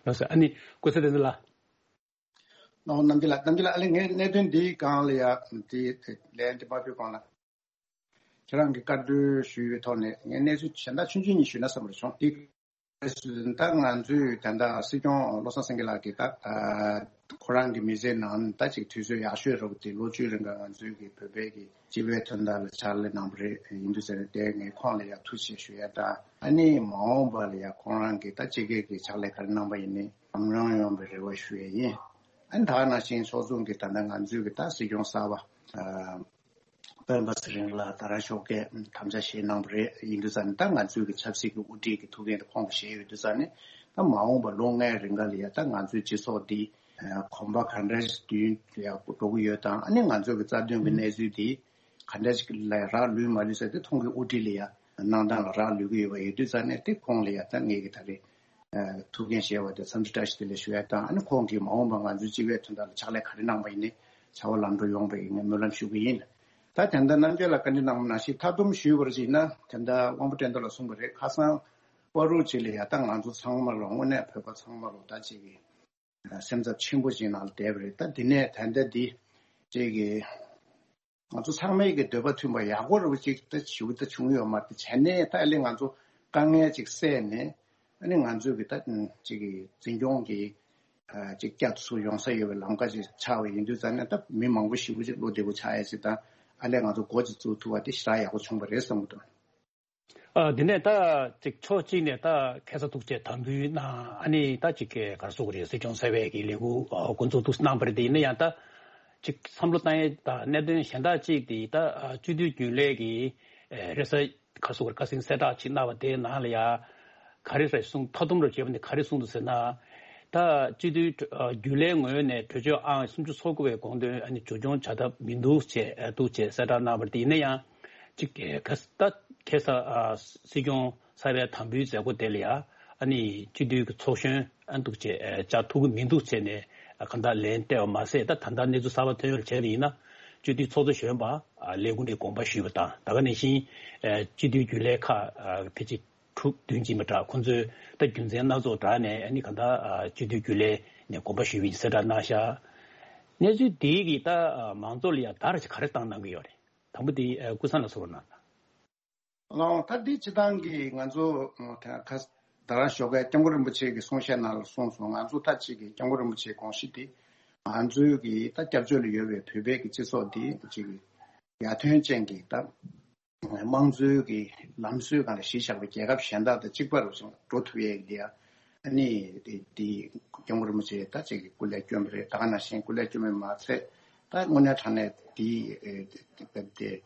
ལགས་སོ། ཨ་ནི་ཀུན་བཟང་བསྟན་འཛིན་ལགས། ཨོ་རྣམ་རྒྱལ་ལགས། རྣམ་རྒྱལ་ལགས་ཨ་ནི་ངས་གནད་དོན་འདིའི་སྒང་ལ་ཡ་འདི་ལན་འདི་མ་ཕུལ་གོང་ལ་ཁྱེད་རང་གི་བཀའ་འཁྲོལ་ཞུས་པའི་ཐོག་ནས་ངས་གནས་ཚུལ་གཞན་དག་ཆུང་ཆུང་གཉིས་ཞུས་ན་བསམ་པར་བྱུང་། འདི་ད་ང་ཚོས་ད་ལྟ་སྲིད་སྐྱོང་བློ་བཟང་སེང་གེ་ལགས་ཀྱིས་ད་ཁོ་རང་གི་མི་ཚེའི་ནང་ད་ཅིག་དུས་ཚོད་ཡག་ཤོས་རབ་དེ་ལོ་བཅུའི་རིང་ག་ང་ཚོའི་གི་བོད་པའི་གི་སྤྱི་པའི་དོན་དག་ལ་ཕྱག་ལས་གནང་བ་རེད། ཡིན་དུས་ཟེར་ནས་དེ་ངས་ཁོང་ལ་ཡང་ཐུགས་རྗེ་ཆེ་ཞུ་ཡ་དང་ཨ་ནི་མ་འོངས་པ་ལ་ཡང་ཁོང་རང་གི་ད་སྤྱི་སྒེར་གི་ཕྱག་ལས་ག་རེ་གནང་པ་ཡིན་ནའི་ཉམས་མྱོང་ཡོང་བའི་རེ་བ་ཞུ་ཡ་ཡིན། ཨ་ནི་ད་ག་ནང་བཞིན་ཕྱོགས་མཚུངས་ཀྱི་ད་ལྟ་ང་ཚོའི་གི་ད་སྲིད་སྐྱོང་གསར་པ་སྤེན་པ་ཚེ་རིང་ལགས་ད་རང་ཤོག་ཁག་དམ་བཅའ་བཞེས་གནང་བ་རེད། ཡིན་དུས་ཙང་ནས་ད་ང་ཚོའི་གི་ཆབ་སྲིད་ཀྱི་དབུ་ཁྲིད་ཀྱི་ཐུགས་འགན་དེ་ཁོང་གིས་བཞེས་ཡོད་དུས་ཙང་ནས་ད་མ་འོངས་པ་ལོ་ལྔའི་རིང་ག་ལ་ཡ་ད་ང་ཚོའི་སྤྱི་ཚོགས་འདི་གོམ་པ་ག་འདྲ་ཞིག་མདུན་ལ་ཡ་འགྲོ་གི་ཡོད་དང་ཨ་ནི་ང་ཚོའི་གི་རྩ་དོན་གྱི་གནས་ཚུལ་འདི་ག་འདྲ་ཞིག་ལ་རག་ལུས་མ་ལུས་ཟེར་དེ་ཁོང་གི་དབུ་ཁྲིད་ལ་ཡ་གནང་སྟངས་ལ་རག་ལུས་ཀྱི་ཡོད་པ་ཡིན་དུས་ཙང་ནས་དེ་ཁོང་ལ་ཡ་ད་ངེད་ཀྱི་ད་རེས་ཐུགས་འགན་བཞེས་པ་དེ་འཚམས་འདྲི་བཀྲ་ཤིས་བདེ་ལེགས་ཞུ་ཡ་དང་ཨ་ནི་ཁོང་གིས་མ་འོངས་པ་ང་ཚོའི་སྤྱི་པའི་དོན་དག་ལ་ཕྱག་ལས་ག་རེ་གནང་པ་ཡིན་ནའི་བྱ་བ་ལམ་འགྲོ་ཡོང་བའི་ངས་སྨོན་ལམ་ཞུ་གི་ཡིན། ད་དེ་འདྲ་རྣམ་རྒྱལ་ལགས་བཀའ་འདྲི་གནང་བ་ནང་བཞིན་མཐའ་སྡོམ་ཞུས་པར་བྱས་ན་དེ་འདྲ་དབང་པོ་བཀྲས་མཐོང་ལགས་གསུངས་པ་རེད། ཁ་སང་བར་དུ་ཅིག་ལ་ཡ་ད་ང་ཚོ་ཚང་མ་ལོ་དངོས་གནས་བོད་པ་ཚང་མ་ལོ་ད་ཅིག་གི་སེམས་འཚབ་ཆེན་པོ་ཅིག་ནང་ལ་བསྡད་པ་རེད། ད་འདི་ནས་ད་ལྟ་འདི་ཅིག་གི་ང་ཚོ་ཚང་མའི་གི་འདོད་པ་མཐུན་པ་ཡག་པོ་རུ་ཅིག་ད་ཞུ་ད་བྱུང་ཡོད་མ་རེད། དེ་བྱས་ནས་ད་ཨ་ལས་ང་ཚོ་དཀའ་ངལ་ཅིག་སེལ་ནས་ཨ་ནི་ང་ཚོའི་གི་ད་ཅིག་གི་འཛིན་སྐྱོང་གི་ཅིག་བསྐྱར་དུ་ཚུར་ཡོང་ས་ཡོད་པའི་ལམ་ཁ་ཅིག་ཆགས་པ་ཡིན་དུས་ཙང་ནས་ད་མི་མང་པོ་ཞེ་པོ་ཅིག་བློ་བདེ་པོ་ཆགས་ཡ་ཅིག་དང་ཨ་ལས་ང་ཚོ་འགོ་ཅིག་བཙུགས་ཐུབ་པ་དེ་ཞེ་དྲག་ཡག་པོ་བྱུང་བ་རེད་བསམ་གི་འདུག་ཨ། དེ་ནས་ད་ཅིག་ཕྱོགས་གཅིག་ནས་ད་ཁ་སང་ཐུག་བྱས་དམ་འབུལ་གནང་ཨ་ནི་ད་ཅིག་ག་རེ་ཟེར་དགོས་རེད། སྲིད་སྐྱོང་གསར་པའི་གི་ལས་འགུལ་འགོ་འཛུགས་འདུག་གནང་བ་རེད། དེ་ཡིན་ན་ཡང་ད་ཅིག་བསམ་བློ་བཏང་ཡས་ད་གནད་དོན་གཞན་དག་ཅིག་དེ་ད་སྤྱི་འཐུས་རྒྱུན་ལས་ཀྱི་རེས་གཟའ་ག་རེ་ཟེར་དགོས་རེད། བཀའ་གསལ་གསལ་བསྒྲགས་ཅིག་གནང་བ་དེའི་ནང་ལ་ཡ་ག་རེ་རེད་གསུངས། མཐའ་སྡོམ་རུ་བྱས་པ་ནི་ག་རེ་གསུངས་འདུག་ཟེར་ན། ད་སྤྱི་འཐུས་རྒྱུན་ལས་ངོས་ནས་གྲོས་ཆོད་ཨང་སུམ་ཅུ་སོ་དགུ་པའི་དགོངས་དོན་ཨ་ནི་མཇུག་སྐྱོང་བྱ་ཐབས་མི་འདུག་ཅེས་འདུག་ཅེས་གསལ་བསྒྲགས་གནང་བ་རེད། དེ་ཡིན་ན་ཡང་ཅིག་ཁ་ད་ཁ་སང་སྲིད་སྐྱོང་གསར་པའི་དམ་འབུལ་མཛད་སྒོ་དེ་ལ་ཡ་ཨ་ནི་སྤྱི་འཐུས་ཀྱི་ཚོགས་གཞོན་ཨ་འདུག་ཅེས་བཅར་ཐུབ་ཀྱི་མི་འདུག་ཅེས་ནས་གང་ལྟར་ལན་སྤྲད་པ་མ་ཟད། ད་ད་ལྟ་གནས་ཚུལ་གསར་པ་ཐོན་ཡོད་བྱས་པ་ཡིན་ན་སྤྱི་འཐུས་ཚོགས་གཙོ་གཞོན་པ་ལས་ཁུངས་ནས་དགོངས་པ་ཞུས་པ་དང་ད་ག་ནང་བཞིན་སྤྱི་འཐུས་རྒྱུན་ལས་ཁག་ཕལ་ཆེར་དྲུག་བདུན་ཅིག་མ་དྲག་ཁོང་ཚོས་ད་རྒྱུ་མཚན་སྣ་ཚོགས་དྲངས་ནས་ཨ་ནི་གང་ལྟར་སྤྱི་འཐུས་རྒྱུན་ལས་ནས་དགོངས་པ་ཞུས་པ་ཡིན་གསལ་བསྒྲགས་གནང་ཤག་གནས་ཚུལ་འདི་གིས་ད་མང་ཚོགས་ལ་ཡང་བརྡ་ཅིག་ག་རེ་བཏང་གནང་གི་ཡོད་རེད། དང་པོ་དེ་ཀུན་བཟང་ལགས་གསུང་རོགས་གནང་། ཨ་ད་འདི་སྤྱི་བཏང་གི་ང་ཚོ་ད་ཁ་ད་རང་ཞོགས་ཀས་སྐྱབས་མགོན་རིན་པོ་ཆེ་གི་གསུང་བཤད་ནང་ལ་གསུངས་སོང་། ང་ཚོ་ད་ཅིག་གི་སྐྱབས་མགོན་རིན་པོ་ཆེའི་དགོངས་གཞི་དེ་ང་ཚོའི་གི་ད་སྐྱབས་བཅོལ་ལ་ཡོད་པའི་བོད་པའི་གི་སྤྱི་ཚོགས་འདི་ཅིག་གི་ཡར་ཐོན་ཅན་གྱི་ད་དམངས་གཙོའི་གི་ལམ་སྲོལ་སྒང་ལ་གཞི་བཞག་པའི་རྒྱལ་ཁབ་གཞན་དག་དང་གཅིག་པ་རུ་ཞིག་འགྲོ་ཐུབ་ཡས་ཀྱི་ཨ་ནི་དེ་དེ་སྐྱབས་མགོན་རིན་པོ་ཆེ་ད་ཅིག་གི་སྐུ་ལས་བསྐྱོན་པ་རེད། ད་ག་ནང་བཞིན་སྐུ་ལས་བསྐྱོན་པ་མ་ཚད་ད་དངོས་གནས་དྲང་གནས་དེ་དེ་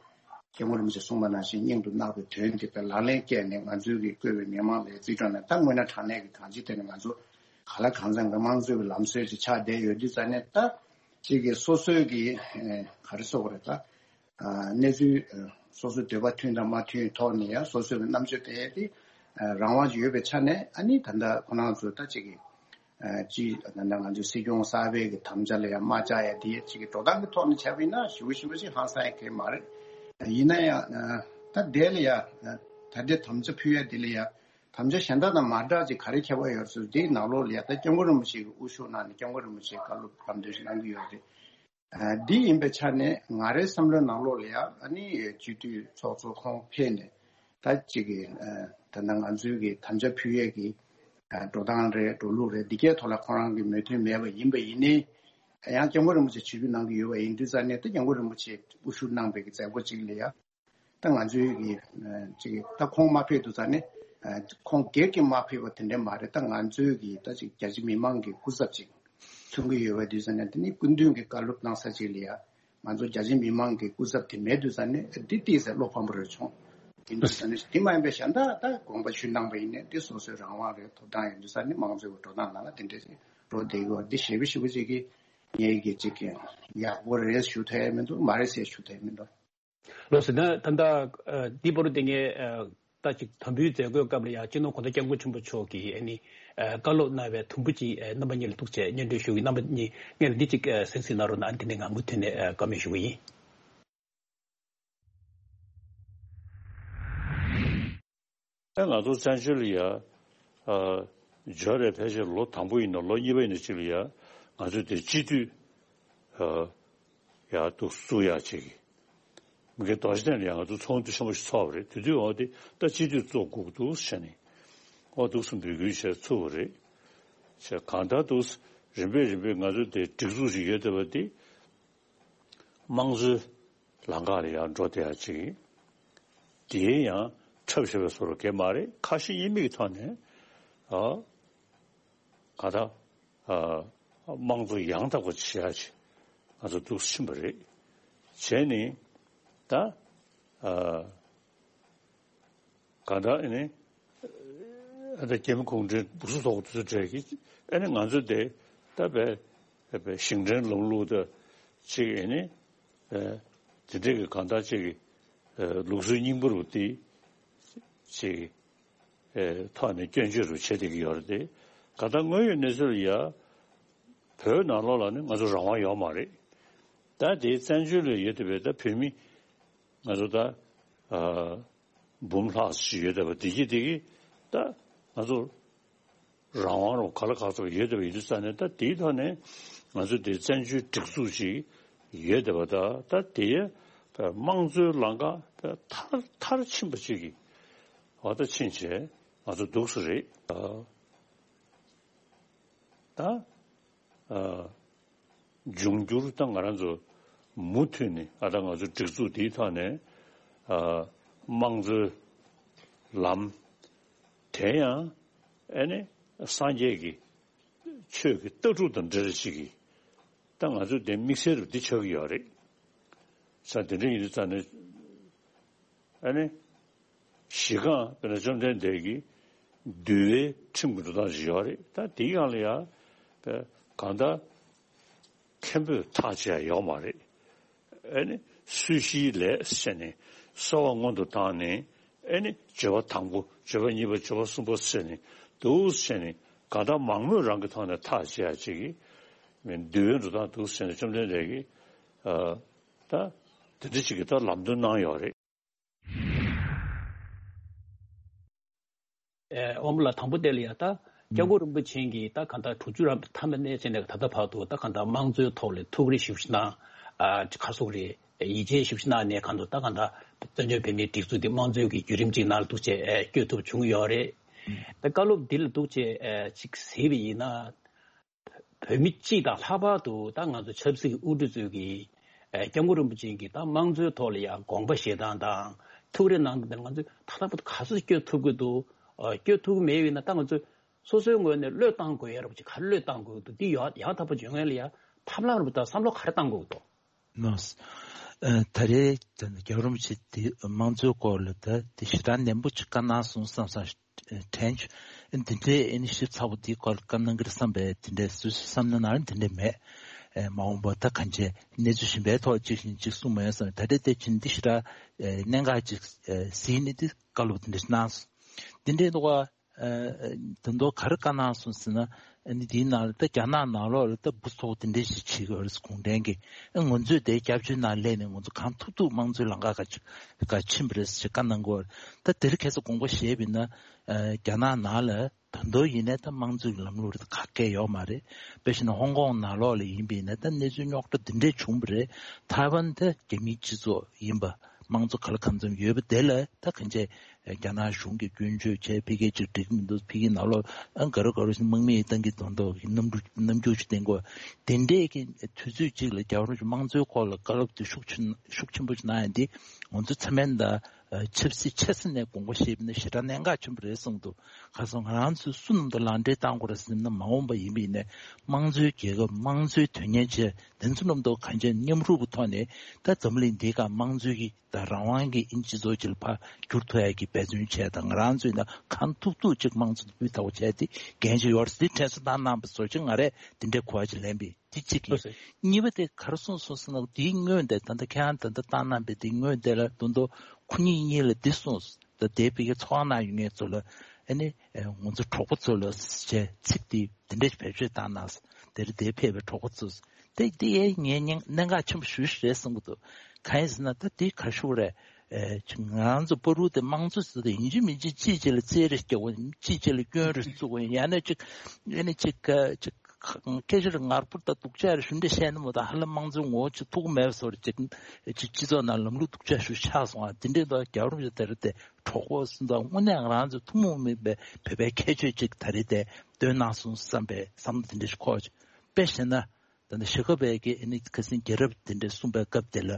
སྐྱབས་མགོན་རིན་པོ་ཆེས་གསུངས་པ་ནང་བཞིན་སྙིང་དུ་བརྣག་པའི་དོན་དེ་དཔེ་ལག་ལེན་བཀལ་ནས་ང་ཚོའི་གི་བསྐོས་པའི་མི་མང་ལ་རྩིས་སྤྲོད་ནས། ད་དངོས་གནས་དྲང་གནས་ཀྱི་གང་ཅི་དེ་ནི་ང་ཚོ་ག་ལ་གང་འཚམ་གྱི་དམངས་གཙོའི་གི་ལམ་སྲོལ་ཅིག་ཆགས་བསྡད་ཡོད་དུས་ཙང་ནས། ད་ཅིག་གི་སོ་སོའི་གི་ཨེ་ག་རེ་ཟེར་དགོས་རེད། ད་ཨ་གནས་ཚུལ་ཨ་སོ་སོའི་འདོད་པ་མཐུན་དང་མ་མཐུན་ཐོག་ནས་ཡང་སོ་སོའི་གི་རྣམ་དཔྱོད་སྤེལ་ཡས་དེ་ཨ་རང་དབང་ཅིག་ཡོད་པའི་ཆ་ནས། ཨ་ནི་ད་ལྟ་ཁོ་རང་ཚོ་ད་ཅིག་གི་ཨ་ཅིག་ད་ལྟ་ང་ཚོའི་སྲིད་སྐྱོང་གསར་པའི་གི་དམ་བཅའ་ལ་ཡང་དམག་རྒྱག་ཡ་དེ་ཅིག་གི་འགྲོ་སྟངས་ཀྱི་ཐོག་ནས་བྱས་པ་ཡིན་ན་ཞེ་པོ་ཞེ་པོ་ཅིག་ཧང་སང་ཡ་གང་ཡང་མ་རེད། ཡིན་ན་ཡང་ཨ་ད་དེ་ལ་ཡང་ཨ་ད་ལྟའི་དམ་བཅའ་ཕུལ་ཡ་དེ་ལ་ཡང་དམ་བཅའ་གཞན་དག་དང་མ་འདྲ་ཅིག་ག་རེ་ཁྱད་པར་ཡོད་ཟེར། དེའི་ནང་ལོགས་ལ་ཡང་ད་སྐྱབས་མགོན་རིན་པོ་ཆེ་གིས་དབུ་བཞུགས་གནང་ནས་སྐྱབས་མགོན་རིན་པོ་ཆེས་བཀའ་སློབ་ལམ་སྟོན་ཞིག་གནང་གི་ཡོད་རེད། ཨ་འདི་ཡིན་པའི་ཆ་ནས་ང་རའི་བསམ་བློའི་ནང་ལོགས་ལ་ཡང་ཨ་ནི་སྤྱི་འཐུས་ཚོགས་གཙོ་ཁོང་ཕེབས་ནས། ད་ཅིག་གི་ཨ་ད་ལྟ་ང་ཚོའི་གི་དམ་བཅའ་ཕུལ་ཡས་ཀྱི་ཨ་འགྲོ་སྟངས་རེད། འགྲོ་ལུགས་རེད། འདི་གའི་ཐོག་ལ་ཁོང་རང་གི་མོས་མཐུན་མེད་པ་ཡིན་པ་ཡིན་ནའི། ཡང་སྐྱབས་མགོན་རིན་པོ་ཆེས་ཆིབས་བསྒྱུར་གནང་གི་ཡོད་པ་ཡིན་དུས་ཙང་ནས། ད་སྐྱབས་མགོན་རིན་པོ་ཆེས་དབུ་བཞུགས་གནང་པའི་གི་མཛད་སྒོ་ཅིག་ལ་ཡང་། ད་ང་ཚོའི་གི་ཨ་ཅིག་ད་ཁོང་མ་ཕེབས་དུས་ཙང་ནས་ཨ་ཁོང་སྒེར་གྱིས་མ་ཕེབས་པ་དེ་འདྲ་མ་རེད། ད་ང་ཚོའི་གི་ད་ཅིག་རྒྱ་ཆེ་མི་མང་གི་སྐུ་ཚབ་ཅིག་མཚོན་གྱི་ཡོད་པ་དུས་ཙང་ནས། དེ་ནི་སྐུ་མདུན་གྱི་བཀའ་སློབ་གནང་ས་ཅིག་ལ་ཡང་ང་ཚོ་རྒྱ་ཆེ་མི་མང་གི་སྐུ་ཚབ་དེ་མེད་དུས་ཙང་ནས། འདི་ཏོག་ཙམ་བློ་ཕམ་པོ་རེ་བྱུང་། དེ་འདུག་ས་ནས་དེ་མ་ཡིན་པའི་གཞན་དག་ད་དགོངས་པ་ཞུས་གནང་པ་ཡིན་ནའི། དེ་སོ་སོའི་རང་དབང་རེད། ཐོབ་ཐང་ཡོད་དུས་ཙང་ནས་དམངས་གཙོའི་འགྲོ་སྟངས་ནང་ལ་དེ་འདྲ་ཞིག་འགྲོ་བསྡད་ཀྱི་ཡོད་རེད། དེ་ཞེ་པོ་ཞེ་པོ་ཅིག་གིས་ངས་ཀྱི་ཅིག་གི་ཡག་པོ་རེད་ཞུ་ཐུབ་ཡ་མི་འདུག་མ་རེད་ཟེར་ཞུ་ཐུབ་ཡ་མི་འདུག་ལགས་སོ། ད་ད་ལྟ་ཨ་འདི་བར་དུ་དེ་ངས་ཨ་ད་ཅིག་དམ་འབུལ་མཛད་སྒོའི་སྐབས་ལ་ཡང་སྤྱི་ནོར་གོང་ས་སྐྱབས་མགོན་ཆེན་པོ་མཆོག་གིས་ཨ་ནི་ཨ་བཀའ་སློབ་གནང་བའི་དུམ་བུ་ཅིག་ཨ་རྣམ་པ་གཉིས་ལ་ཐུགས་རྗེ་ཆེ་སྙན་སྒྲོན་ཞུ་གི། རྣམ་པ་གཉིས་སྔོན་ལ་འདི་ཅིག་ཨ་གསན་གཟིགས་གནང་རོགས་གནང་། ཨ་ནི་དེ་ནས་ང་མུ་མཐུད་ནས་ཨ་བཀའ་མོལ་ཞུ་གི་ཡིན། ཨེ་ང་ཚོ་བཙན་བྱོལ་ལ་ཡ་ཨ་འབྱོར་རེ་ཕལ་ཆེར་ལོ་དང་པོ་ཡིན་ན་ལོ་གཉིས་པ་ཡིན་ན་ཅིག་ལ་ཡ་ང་ཚོས་དེ་སྤྱི་འཐུས་ཨ་ཡ་འདུག་བཙུགས་ཡ་ཅིག་མི་སྒེར་རྡོ་རྗེ་གདན་ལ་ཡང་ང་ཚོ་ཚོགས་འདུ་ཆེན་པོ་ཞིག་ཚོགས་པ་རེད། དེ་དུས་འོ་དེ་ད་སྤྱི་འཐུས་བཙུགས་དགོས་འདུག་ཟེར་ནས་འོ་འདུག་སེ་འབོད་སྐུལ་བྱས་ཚུགས་པ་རེད། བྱས་གང་ལྟར་འདུག་སེ་རིམ་པས་རིམ་པས་ང་ཚོ་དེ་སྒྲིག་འཛུགས་ཅིག་ཡོད་བསྡད་པ་དེ་དམངས་གཙོའི་ལམ་ཁ་ལ་ཡང་འགྲོ་བསྡད་ཡ་ཅིག་དེའི་ཡང་འཁྲབ་བཞག་པའི་བཟོ་འདྲ་གང་ཡང་མ་རེད། ཁ་ཞེ་གཉིས་མེད་ཀྱི་ཐོག་ནས་ཨ་གང་ལྟར་ཨ་དམངས་གཙོ་ཡང་དག་པ་བྱེད་ཡ་ཅིག་ང་ཚོ་འདུག་སེ་ཕྱིན་པ་རེད། བྱས་ནས་ད་ཨ་གང་ལྟར་ཨ་ནི་ཨ་ད་རྒྱ་མི་གུང་ཁྲན་སྦུག་སུ་ཐོག་དུ་གྲས་ཀྱི་ཨ་ནི་ང་ཚོ་དེ་ད་བས་བས་ཞིང་བྲན་ལམ་ལུགས་དང་ཅིག་ཨ་ནི་ཨ་དེ་འདྲས་ཀྱི་གང་ལྟར་ཅིག་གི་ཨ་ལུགས་སྲོལ་རྙིང་པ་རུ་དེ་ཅིག་ཨ་ཐོག་ནས་སྐྱོན་བརྗོད་རུ་བྱེད་བསྡད་ཀྱི་ཡོད་རེད་དེ། གང་ལྟར་དངོས་ཡོད་གནས་ཚུལ་ལ་ཡ་བོད་ནང་ལོགས་ལ་ནི་ང་ཚོ་རང་དབང་ཡོད་མ་རེད། ད་དེ་བཙན་བྱོལ་ལ་ཡོད་བསྡད་པའི་ད་བོད་མི་ང་ཚོ་ད་ཨ་འབུམ་ལྷག་ཅིག་ཡོད་བསྡད་པ་དེ་གི་དེ་གི་ད་ང་ཚོ་རང་དབང་རུ་ག་ལ་ག་ཚོད་ཡོད་བསྡད་པ་ཡིན་དུས་ཙང་ནས། ད་དེའི་ཐོག་ནས་ང་ཚོ་དེ་བཙན་བྱོལ་སྒྲིག་འཛུགས་ཅིག་ཡོད་བསྡད་པ། ད་ད་དེ་དམངས་གཙོའི་ལམ་ཁ་མཐར་མཐར་ཕྱིན་པ་ཅིག་གི་འོ་ད་ཕྱིན་བྱས་ང་ཚོ་འདུག་སེ་རེད། ད་ཨ་འབྱུང་འགྱུར་ད་ང་རང་ཚོ་མུ་མཐུད་ནས་ཨ་ད་ང་ཚོ་སྒྲིག་འཛུགས་འདིའི་ཐོག་ནས་ཨ་དམངས་གཙོའི་ལམ་དེ་ཡང་ཨ་ནི་སངས་རྒྱས་ཀྱི་ཆོས་ཀྱི་ལྟ་གྲུབ་དང་འབྲེལ་བ་ཅིག་གིས་ད་ང་ཚོ་དེ་དམིགས་བསལ་རུ་འདི་ཆགས་ཀྱི་ཡོད་རེད། ས་དེ་འདྲ་ཡིན་དུས་ཙང་ནས་ཨ་ནི་གཞི་རྐང་དཔེར་ན་བཅོམ་ལྡན་འདས་ཀྱིས་འདུལ་བའི་ཁྲིམས་ཀྱི་འགྲོ་སྟངས་ཤིག་ཡོད་རེད། ད་དེའི་སྒང་ལ་ཡང་གང་ལྟར་མཁན་པོས་ཐག་བཅད་ཡ་ཡོད་མ་རེད། ཨ་ནི་སྲོད་ཞིའི་ལས་ཟེར་ནས་གསོལ་བ་སྔོན་དུ་བཏང་ནས། ཨ་ནི་འབྱོར་པ་དང་པོ། འབྱོར་པ་གཉིས་པ། འབྱོར་པ་གསུམ་པ་ཟེར་ནས་འདུག་ཟེར་ནས་གང་ལྟར་མང་མོས་རང་གི་ཐོག་ནས་ཐག་བཅད་ཡ་ཅིག་གི་མི་འདུལ་བའི་འགྲོ་སྟངས་འདུག་ཟེར་ནས་བཅོམ་ལྡན་འདས་ཀྱིས་ཨ་ད་དེ་འདྲ་ཅིག་གི་ད་ལམ་སྟོན་གནང་ཡོད་རེད། ཨེ་དབང་པོ་ལགས། དང་པོ་དེ་ལ་ཡ་ད་སྐྱབས་མགོན་རིན་པོ་ཆེ་གིས་ད་གང་ལྟར་དྲུག་ཅུ་རེ་ཐམ་པའི་གནས་ཚད་ནས་ད་ལྟ་བར་དུ་ད་གང་ལྟར་དམངས་གཙོའི་ཐོག་ལ་ཐུགས་རེ་ཞེ་པོ་ཅིག་གནང་། ཨ་ཁ་སོག་རེ་ཡིད་ཆེས་ཞེ་པོ་ཅིག་གནང་ནས་གང་ལྟར་ད་གང་ལྟར་བཙན་བྱོལ་བོད་མིའི་སྒྲིག་འཛུགས་འདི་དམངས་གཙོའི་གི་བརྒྱུད་རིམ་ཅིག་ནང་ལ་འདུག་བྱས་ཨེ་བསྐྱོད་ཐུབ་བྱུང་ཡོད་རེད། ད་བཀའ་སློབ་འདི་ལ་འདུག་བྱས་ཨེ་ཅིག་གཟིགས་པ་ཡིན་ན། བོད་མི་སྤྱི་དང་ལྷག་པར་དུ་ད་ང་ཚོ་ཆབ་སྲིད་ཀྱི་དབུ་ཁྲིད་ཚོས་ཀྱིས་ཨ་སྐྱབས་མགོན་རིན་པོ་ཆེ་གིས་ད་དམངས་གཙོའི་ཐོག་ལ་ཡང་དགོངས་པ་བཞེས་སྟངས་དང་ཐུགས་རེ་གནང་སྟངས་དེ་ང་ཚོས་ད་ལྟ་བར་དུ་ག་ཚོད་བསྐྱོད་ཐུབ་ཀྱི་འདུག་ཨ་བསྐྱོད་ཐུབ་ཀྱི་མེད་པ་ཡིན་ན་ད་ང་ཚོས་སོ་སོའི་ངོས་ནས་བློས་བཏང་དགོས་ཡ་ར་བ་ཅིག་ག་རེ་བློས་བཏང་དགོས་ཀྱི་འདུག་འདི་ཡང་ཡང་དག་པ་བྱུང་ཡ་ལ་ཡ་ཐབས་ལམ་ར་བ་དང་བསམ་བློ་ག་རེ་བཏང་དགོས་ཀྱི་འདུག་ལགས། ཨ། ད་རེས་ད་རྒྱལ་བ་རིན་པོ་ཆེ་དེ་དམངས་གཙོའི་སྐོར་ལ་ད་དེ་ཞེ་དྲག་ནན་པོ་ཅིག་བཀའ་གནང་སོང་བསམ་བསམ་དྲན་བྱུང་། འདི་འདྲའི་ཨ་ནི་ཞིབ་ཚགས་པོ་དེའི་སྐོར་ལ་བཀའ་གནང་གི་རེད་བསམ་པས། དེ་འདྲའི་སོ་སོའི་བསམ་མནོ་ནང་ལ་དེ་འདྲའི་མེད། ཨ། མ་འོངས་པ་ད་གང་བྱས་གནས་ཚུལ་གཞན་པའི་ཐོག་ཅིག་བཞིན་ཅིག་གསུང་མ་ཡོང་བསམ། ད་རེས་དེ་ཕྱིན་འདི་ཞེ་དྲག་ཨ་གནད་འགག་ཅིག་ཨ་གཟིགས་ནས་དེ་བཀའ་སློབ་དེ་འདྲ་གནང་སོང་། དེ་འདྲའི་འདུག་བ། ཨ། ད་དུང་ག་རེ་བཀའ་གནང་སོང་ཟེར་ན། ཨ་ནི་དེའི་ནང་ལ་ད་རྒྱ་ནག་ནང་ལོགས་ལ་ད་འབུ་ཚོགས་དེ་འདྲ་ཞིག་བྱེད་ཀྱི་ཡོད་རེད། གུང་ཁྲན་གྱིས། ཨ། ང་ཚོས་དེ་སྐྱབས་བཅོལ་ནང་སླེབས་ནས་ང་ཚོ་གང་ཐུབ་ཐུབ་དམངས་གཙོའི་ལམ་ཁ་ག་ཅིག་ག་ཕྱིན་པ་རེད་ཟེར་བཀའ་གནང་གི་ཡོད་རེད། ད་དེ་རིང་ཁ་སང་དགོངས་པ་བཞེས་པ་ཡིན་ན། ཨ། རྒྱ་ནག་ནང་ལ་ད་དུང་ཡིན་ནའི་ད་དམངས་གཙོའི་ལམ་ལུགས་རེད། ད་ག་གེ་ཡོད་མ་རེད། དཔེ་བཞག་ན་ཧོང་ཀོང་ནང་ལོགས་ལ་ཡིན་པ་ཡིན་ན་ད་གནས་ཚུལ་རྙོག་དྲ་འདི་འདྲས་བྱུང་བ་རེད། ཐའེ་ཝན་ད་རྒྱ་མིའི་སྤྱི་ཚོགས་ཡིན་པ། དམངས་གཙོ་ག་ལ་གང་འཚམ་ཡོད་པ་དེ་ལ་ད་གང་བྱས་རྒྱ་ནག་གཞུང་གིས་སྐྱོན་བརྗོད་བྱས། ཕ་གི་ཅིག་འགྲིག་མི་འདུག་ཕ་གི་ནང་ལོགས་ཨ་ག་རེ་ག་རེ་ཞིག་དམག་མི་བཏང་གི་འདུག་འདུག་གི་རྣམ་འགྱུར་རྣམ་འགྱུར་ཞིག་བསྟན་གོ། དེ་འདྲས་ཀྱི་དུས་ཚོད་ཅིག་ལ་རྒྱལ་བ་རིན་པོ་ཆེ་དམངས་གཙོའི་སྐོར་ལ་བཀའ་སློབ་དེ་ཤུགས་ཆེན་ཤུགས་ཆེན་པོ་ཞིག་གནང་ཡ་འདི་ང་ཚོ་ཚང་མས་ད་ཆབ་སྲིད་ཆེ་ས་ནས་དགོངས་པ་བཞེས་པ་ཡིན་ན་ཞེ་དྲག་གནད་འགག་ཆེན་པོ་རེད་གསུངས་འདུག་ཁ་སང་ང་རང་ཚོས་སུ་ནམ་དུ་ལག་འབྲེལ་བཏང་དགོས་རེད་ཟེར་ན། མ་འོངས་པ་ཡིན་པ་ཡིན་ན་དམངས་གཙོའི་རྒྱལ་ཁབ་དམངས་གཙོའི་དོན་གཉེར་བྱས། དེ་ཚོ་རྣམས་དང་གང་ཅི་མཉམ་རུབ་ཀྱི་ཐོག་ནས་ད་འཛམ་གླིང་འདིའི་སྒང་དམངས་གཙོའི་གི་ད་རང་དབང་གི་ཨིན་སྤྱི་ཚོགས་ཅིག་ལ་ཕར་བསྒྱུར་ཐུབ་ཡ་གི་འབད་བརྩོན་བྱས། ད་ང་རང་ཚོས་ད་གང་ཐུབ་ཐུབ་ཅིག་དམངས་གཙོ་སྤུས་དག་པོ་བྱས་ཏེ་འགན་ཅིག་ཡོད་རེད་ཟེར་དྲན་གསོ་བཏང་གནང་བ་བཟོ་ཅིག་ང་རས་དེ་འདྲའི་གོ་བ་ཅིག་ལེན་པས། དེ་གཅིག་གིས། ལགས་སོ། གཉིས་པ་དེ་ག་རེ་གསུངས་སོང་ཟེར་ན། དེའི་སྔོན་དེ་ད་ལྟ་ཁྱེད་རང་ད་ལྟ་བཏང་གནང་པའི་དེའི་སྔོན་དེ་ལ་ད་དུང་ཁོ་གཉིས་གཉིས་ལ་འདི་གསུངས། ད་དེ་ཕ་གིའི་ཚོགས་ཁང་ནང་ཡོད་མཁན་ཚོ་ལ་ཨ་ནི་ང་ཚོ་གྲོགས་པོ་ཚོ་ལ་ཞེས་ཚིག་དེ་དེ་འདྲ་ཞིག་བེད་སྤྱོད་བཏང་གནང་། དེར་དེ་ཕེབས་པའི་གྲོགས་པོ་ཚོ། དེ་དེ་ཡས་ངས་གནད་འགག་ཆེན་པོ་ཞེ་པོ་ཞིག་རེད་བསམ་གྱི་འདུག་གང་ཡིན་ཟེར་ན་ད་དེ་ག་རེ་ཞུ་དགོས་རེད། ཨེ། ང་རང་ཚོ་བར་དུ་དེ་དམངས་གཙོ་ཟེར་དེ་ཡིན་གཅིག་མིན་གཅིག་གཅིག་གཅིག་ལ་རྩེད་རེ་རྒྱག་དགོས། གཅིག་གཅིག་ལ་སྐྱོན་རེ་བཙུགས་དགོས། ཡང་ན་གཅིག་ཨེ་ནི་གཅིག་གཅིག་སྐད་ཆ་རེ་ངར་པོ་དང་སྡུག་ཅག་རེ་ཞུ་འདྲ་བཤད་ན་མོ་ད་ཧ་ལམ་དམངས་གཙོའི་ངོ་བོ་ཅིག་ཐུག་གི་མེད་པ་བཟོ་རེ་ཅིག་ཅིག་སྤྱི་ཚོགས་ནང་ལམ་ལུགས་སྡུག་ཅག་ཞིག་ཆགས་སོང་བ། དེ་འདྲའི་ཐོག་རྒྱལ་བ་རིན་པོ་ཆེ་དེ་རེད་དེ། གྲོགས་པོ་སུ་དང་དངོས་གནས་ང་རང་ཚོའི་ཐུན་མོང་མིན་པའི་བོད་པའི་ཁྱད་ཆོས་ཅིག་ད་རེས་དེ་སྟོན་གནང་སོང་བསམ་པའི་བསམ་བློ་དེ་འདྲ་ཞིག་འཁོར། དཔེ་བཞག་ན། ད་ནི་ཞྭ་སྒབ་པའི་གི་ཨ་ནི་ཁ་སང་རྒྱལ་རབས་དེ་འདྲ་གསུངས་པའི་སྐབས་དེ་ལ་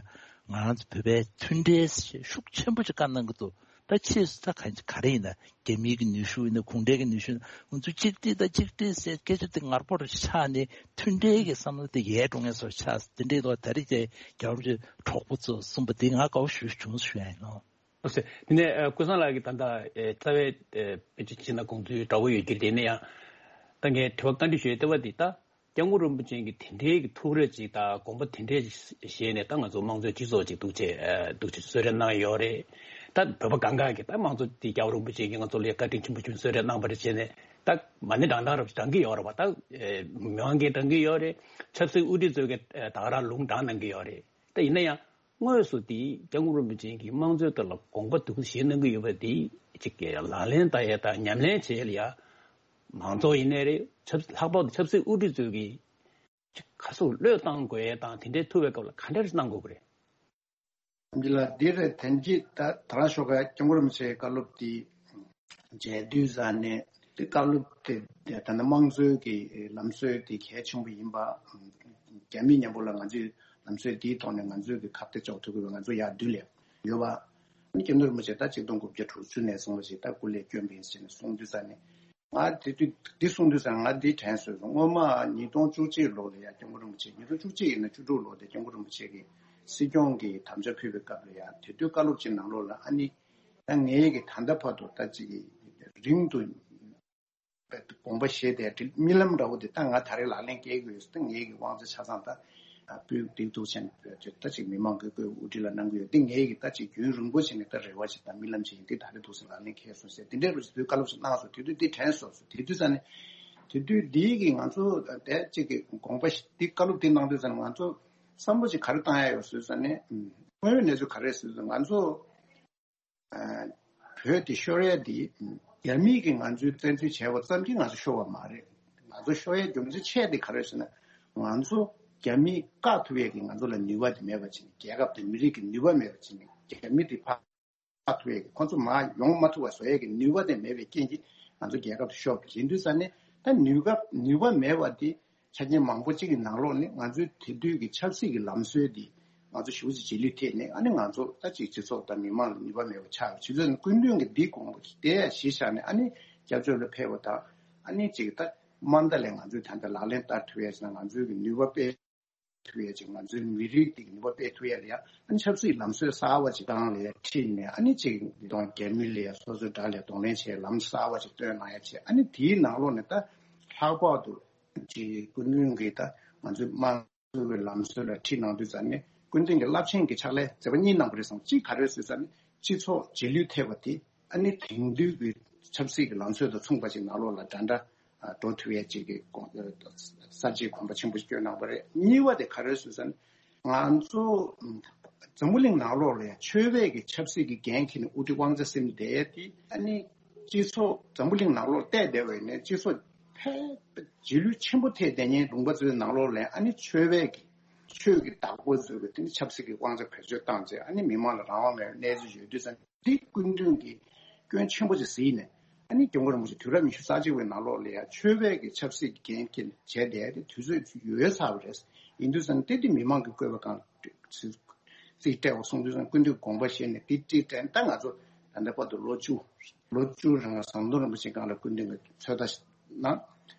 ང་རང་ཚོ་བོད་པའི་མཐུན་སྒྲིལ་ཞེས་ཤུགས་ཆེན་པོ་ཅིག་བཀའ་གནང་གི་འདུག་ད་ཕྱིས་སུ་ད་ག་ག་རེ་ཡིན་ན། རྒྱ་མིའི་གི་ནུས་ཤུགས་ཡིན་ན། གུང་ཁྲན་གི་ནུས་ཤུགས་ཡིན་ན། ང་ཚོ་གཅིག་སྒྲིལ་དང་གཅིག་སྒྲིལ་ཟེར་སྐད་ཆ་དེ་ངར་པོ་རུ་ཆགས་ནས་མཐུན་སྒྲིལ་གི་བསམ་བློ་དེ་ཡལ་འགྲོ་མཁན་བཟོ་ཆགས། དེ་འདྲའི་ཐོག་ད་རེས་དེ་རྒྱལ་བ་རིན་པོ་ཆེ་གྲོགས་པོ་ཚོ་གསུངས་པ་དེ་ང་དགའ་བོ་ཞེ་པོ་བྱུང་ཞུ་ཡ་ཡིན་ནོ། ལགས་སོ། དེ་ནས་ཨ་ཀུན་བཟང་ལགས་ཀྱིས་ད་ལྟ་ཨེ་རྩ་བའི་ཨེ་དཔེ་ཆ་ཕྱིན་ན་དགོངས་ཚུལ་འདྲ་བོ་ཡོད་ཀྱི་རེད། དེ་ནས་ཡང་ད་ངས་དྲི་བ་བཀའ་འདྲི་ཞུ་ཡས་ལྟ་བ་འདི་ད་སྐྱབས་མགོན་རིན་པོ་ཆེ་གིས་དེ་འདྲའི་གི་ཐུགས་རེ་ཅིག་དང་དགོངས་པ་དེ་འདྲའི་བཞེས་ནས་ད་ང་ཚོ་དམངས་གཙོའི་སྤྱི་ཚོགས་ཅིག་འདུག་ཅེས་ཨེ་འདུག་ཅེས་གསོལ་རས་གནང་ཡོད་རེད། ད་བོད་པ་གང་ག་གིས་ད་དམངས་གཙོ་འདི་སྐྱབས་རིན་པོ་ཆེ་གིས་ང་ཚོ་ལ་བཀའ་དྲིན་ཆེན་པོ་བྱུང་གསོལ་རས་གནང་བ་རེད་བྱས་ནས་ད་མ་ཎི་བགྲང་སྟངས་རབ་ཅིག་བགྲང་གི་ཡོད་རེད་བ། ད་ཨེ་མི་མང་གིས་བགྲང་གི་ཡོད་རེད། ཆབ་སྲིད་དབུ་ཁྲིད་ཚོས་གི་ཨེ་ད་ག་རང་ལུང་དྲངས་གནང་གི་ཡོད་རེད། ད་ཡིན་ན་ཡང་དངོས་སུ་དེ་སྐྱབས་མགོན་རིན་པོ་ཆེ་གིས་དམངས་གཙོའི་ཐོག་ལ་དགོངས་པ་འདུག་བཞེས་གནང་གི་ཡོད་པ་དེ་ཅིག་གི་ལག་ལེན་བསྟར་ཡས་དང་ཉམས་ལེན་བྱེད་ཡས་ལ་ཡ་མང་ཚོགས་ཡིན་ནའི་རེད། ཆབ་ལྷག་པར་དུ་ཆབ་སྲིད་དབུ་ཁྲིད་ཚོས་ཀྱིས་ཅིག་ག་ཚོད་བློས་བཏང་དགོས་ཡས་དང་དེ་འདྲའི་ཐུབ་པའི་སྐབས་ལ་ག་འདྲ་རེ་གནང་དགོས་ཀྱི་རེད། འདི་ལ་འདི་རེད། དན་གྱི་ད་ད་རང་ཤོག་ཁ་སྐྱབས་མགོན་རིན་པོ་ཆེའི་བཀའ་སློབ་དེ་མཇལ་དུས་ཙང་ནས་དེ་བཀའ་སློབ་དེ་ད་ནི་དམངས་གཙོའི་གི་ལམ་སྲོལ་དེ་གལ་ཆེན་པོ་ཡིན་པ། རྒྱ་མི་མཉམ་པོ་ལ་ང་ཚོས་ལམ་སྲོལ་དེའི་ཐོག་ནས་ང་ཚོས་གི་ཁ་གཏད་གཅོག་ཐུབ་དགོས་པ་ང་ཚོ་ཡར་མདུན་ལ་ཡོད་པ། ཨ་ནི་སྐྱབས་མགོན་རིན་པོ་ཆེ་ད་ཆིག་སྟོང་དགུ་བརྒྱ་དྲུག་ཅུ་ནས་བཟུང་བ་ཞིག་ད་སྐུ་ལས་བསྐྱོན་པ་ཡིན་ཟེར་ནས་གསུངས་དུས་ཙང་ནས། ང་དེ་དུས་འདི་གསུངས་དུས་ཙང་ང་འདི་དྲན་སོང་། སྔོན་མ་ཉིས་སྟོང་བཅུ་གཅིག་ལོ་ལ་ཡང་སྐྱབས་མགོན་རིན་པོ་ཆེ། ཉིས་སྟོང་བཅུ་གཅིག་ཡིན་ན་བཅུ་དྲུག་ལོ་དེ་སྐྱབས་མགོན་རིན་པོ་ཆེ་གིས་སྲིད་སྐྱོང་གི་དམ་བཅའ་ཕུལ་བའི་སྐབས་ལ་ཡང་དེ་དུས་བཀའ་སློབ་ཅིག་ནང་ལོགས་ལ་ཨ་ནི་ད་ངས་ཀྱི་ད་ལྟ་བར་དུ་ད་ཅིག་རིང་དུ་དགོངས་པ་བཞེས་ཏེ་རྨི་ལམ་འདྲ་བོ་དེ་ད་ང་ད་རེས་ལག་ལེན་འཁེལ་དགོས་ཡོད། ད་ངས་ཀྱི་དབང་ཆ་ཆ་ཚང་ད་སྤུས་འདེགས་ཐུག་ཆེན་ད་ཅིག་མི་མང་གི་དབུ་ཁྲིད་ལ་གནང་གི་ཡོད། འདི་ངས་ཀྱི་ད་ཅིག་རྒྱུན་རིང་པོ་བྱས་ནས་ད་རེ་བ་ཞིག་དང་རྨི་ལམ་ཞིག་ཡིན། འདི་ད་རེས་འདུག་སེ་ལག་ལེན་འཁེལ་སོང་ཟེར་དེ་འདྲའི་རུ་ཞིག་དུས་བཀའ་སློབ་ཞིག་གནང་སོང་། དེ་དུས་འདི་དྲན་སོང་ཟེར། དེ་དུས་ཙང་ནས་དེ་དུས་འདིའི་གི་ང་ཚོ་དེ་ཅིག་གི་དགོངས་པ་ཞིག་འདི་བཀའ་སློབ་འདི་གནང་དུས་ཙང་ནས་ང་ཚོ་བསམ་བློ་ཞིག་ག་རེ་བཏང་ཡ་ཡོད་ཟེར་ཙང་ནས། དངོས་ཡོད་གནས་ཚུལ་ག་རེ་ཟེར་ཙང་ང་ཚོ་བོད་དེ་ཤོར་ཡ་དེ་རྒྱ་མིས་ཀྱིས་ང་ཚོའི་བཙན་འཛུལ་བྱས་པ་ཙམ་གྱིས་ང་ཚོ་ཤོར་བ་མ་རེད། ང་ཚོ་ཤོར་ཡའི་རྒྱུ་མཚན་ཆེ་དེ་ག་རེ་ཟེར་ན། ང་ཚོ་རྒྱ་མིས་བཀག་ཐུབ་ཡས་ཀྱི་ང་ཚོ་ལ་ནུས་པ་དེ་མེད་པ་བྱས་ནས། རྒྱལ་ཁབ་དང་མི་རིགས་ཀྱི་ནུས་པ་མེད་པ་བྱས་ནས་རྒྱ་མི་དེ་ཕར་ཐུབ་ཡས་ཀྱི། ཁོང་ཚོ་མར་ཡོང་མ་ཐུབ་པ་བཟོ་ཡས་ཀྱི་ནུས་པ་དེ་མེད་པའི་རྐྱེན་གྱིས་ང་ཚོ་རྒྱལ་ཁབ་དེ་ཤོར་བ་ཡིན་དུས་ཙང་ནས། ད་ནུས་པ་ནུས་པ་མེད་པ་དེ་ཆ་རྐྱེན་མང་པོ་གཅིག་གི་ནང་ལོགས་ནས་ང་ཚོའི་དེ་དུས་ཀྱི་ཆབ་སྲིད་ཀྱི་ལམ་སྲོལ་འདི་ང་ཚོ་ཞེ་པོ་ཅིག་རྗེས་ལུས་ཐེབས་ནས། ཨ་ནི་ང་ཚོ་ད་ཅིག་སྤྱི་ཚོགས་དང་མི་མང་ལ་ནུས་པ་མེད་པ་ཆགས་ཡོད། བྱས་ཙང་ནས་སྐུ་མདུན་གྱིས་འདི་དགོངས་པ་དེ་ཡང་གཞི་བཞག་ནས། ཨ་ནི་སྐྱབས་བཅོལ་ལ་ཕེབས་པ་དང་། ཨ་ནི་ཅིག་ད་མ་མཐའ་ལ་ང་ཚོས་ད་ལྟ་ལག་ལེན་བསྟར་ཐུབ་ཡས་ཟེར་ན་ང་ཚོའི་གི་ནུས་པ་དཔེ་ ཐུབ་ཡ་ཅིག་ང་ཚོའི་མི་རིགས་འདི་གི་ནུས་པ་སྤེལ་ཐུབ་ཡ་ལ་ཡ་ཨ་ནི་ཆབ་སྲིད་ལམ་སྲོལ་གསར་བ་ཅིག་སྒང་ལ་ཡ་ཁྲིད་ནས་ཨ་ནི་ཅིག་འདི་དང་རྒྱ་མི་ལ་ཡ་སོ་སོའི་དགྲ་ལ་གདོང་ལེན་བྱེད་ལམ་གསར་བ་ཅིག་སྟོན་གནང་ཡ་བྱེད། ཨ་ནི་དེའི་ནང་ལོགས་ནས་ད་ལྷག་པར་དུ་ཅིག་སྐུ་མདུན་གྱིས་ད་ང་ཚོའི་དམངས་གཙོའི་ལམ་སྲོལ་ལ་ཁྲིད་གནང་དུས་ཙམ་ནས་སྐུ་མདུན་གྱི་རླབས་ཆེན་གྱི་ཕྱག་ལས་མཛད་པ་གཉིས་གནང་བ་རེད་བསམ། གཅིག་ག་རེ་ཟེར་ཙམ་ནས་སྤྱི་ཚོགས་རྗེས་ལུས་ཐེབས་པ་དེ་ཨ་ནི་དེང་དུས་ཀྱི་ཆབ་སྲིད་ཀྱི་ལམ་སྲོལ་དང་མཚུངས་པ་ཞིག་ནང་ལོགས་ལ་འདྲ་འདྲ་འགྲོ་ཐུབ་ཡས་ཅིག་གི་དགོངས་གསར་བརྗེའི་དགོངས་པ་ཆེན་པོ་ཞིག་བསྐྱོན་གནང་བ་རེད། གཉིས་པ་དེ་ག་རེ་ཟེར་ཙམ་ནས་ང་ཚོ་འཛམ་བུ་གླིང་ནང་ལོགས་ལ་ཡང་ཆོས་པའི་གི་ཆབ་སྲིད་ཀྱི་འགན་འཁྱེར་ནས་དབུ་ཁྲིད་དབང་ཆ་ཟིན་བསྡད་དེ་ཨ་ནི་སྤྱི་ཚོགས་འཛམ་བུ་གླིང་ནང་ལོགས་བལྟས་བསྡད་པ་ཡིན་ནའི་སྤྱི་ཚོགས་ཕལ་རྗེས་ལུས་ཆེན་པོ་ཐེབས་བསྡད་མཁན་ལུང་པ་ཚོའི་ནང་ལོགས་ལ་ཨ་ནི་ཆོས་པའི་གི་ཆོས་ཀྱི་བདག་པོ་ཚོས་གི་དེ་ནི་ཆབ་སྲིད་ཀྱི་དབང་ཆ་བེད་སྤྱོད་བཏང་རྗེས་ཨ་ནི་མི་མང་ལ་རང་དབང་མེད་པའི་གནས་ཚུལ་ཡོད་དུས་ཙང་འདི་སྐུ་མདུན་གྱིས་སྐྱོན་ཆེན་པོ་ཅིག་གཟིགས་ནས་ཨ་ནི་སྐྱབས་མགོན་རིན་པོ་ཆེ་དུས་རབས་ཉི་ཤུ་རྩ་གཅིག་པའི་ནང་ལོགས་ལ་ཡང་ཆོས་པའི་གི་ཆབ་སྲིད་ཀྱི་འགན་འཁྱེར་ནས་བྱས་བསྡད་དེ་དུས་ཚོད་ཡོལ་ཚར་བ་རེད། ཡིན་དུས་ཙང་དེ་དེ་མི་མང་གིས་བསྐོས་པའི་སྒང་རྩིས་སྤྲད་པ་སོང་དུས་ཙང་སྐུ་མདུན་དགོངས་པ་བཞེས་ནས་དེ་རྩིས་སྤྲད་ད་ང་ཚོ་ད་ལྟ་བར་དུ་ལོ་བཅུ་ལོ་བཅུ་རིང་ལ་ཟམ་གདོང་རིན་པོ་ཆེ་སྒང་ལ་སྐུ་མདུན་གྱི་ཚོད་ལྟ་གནང་།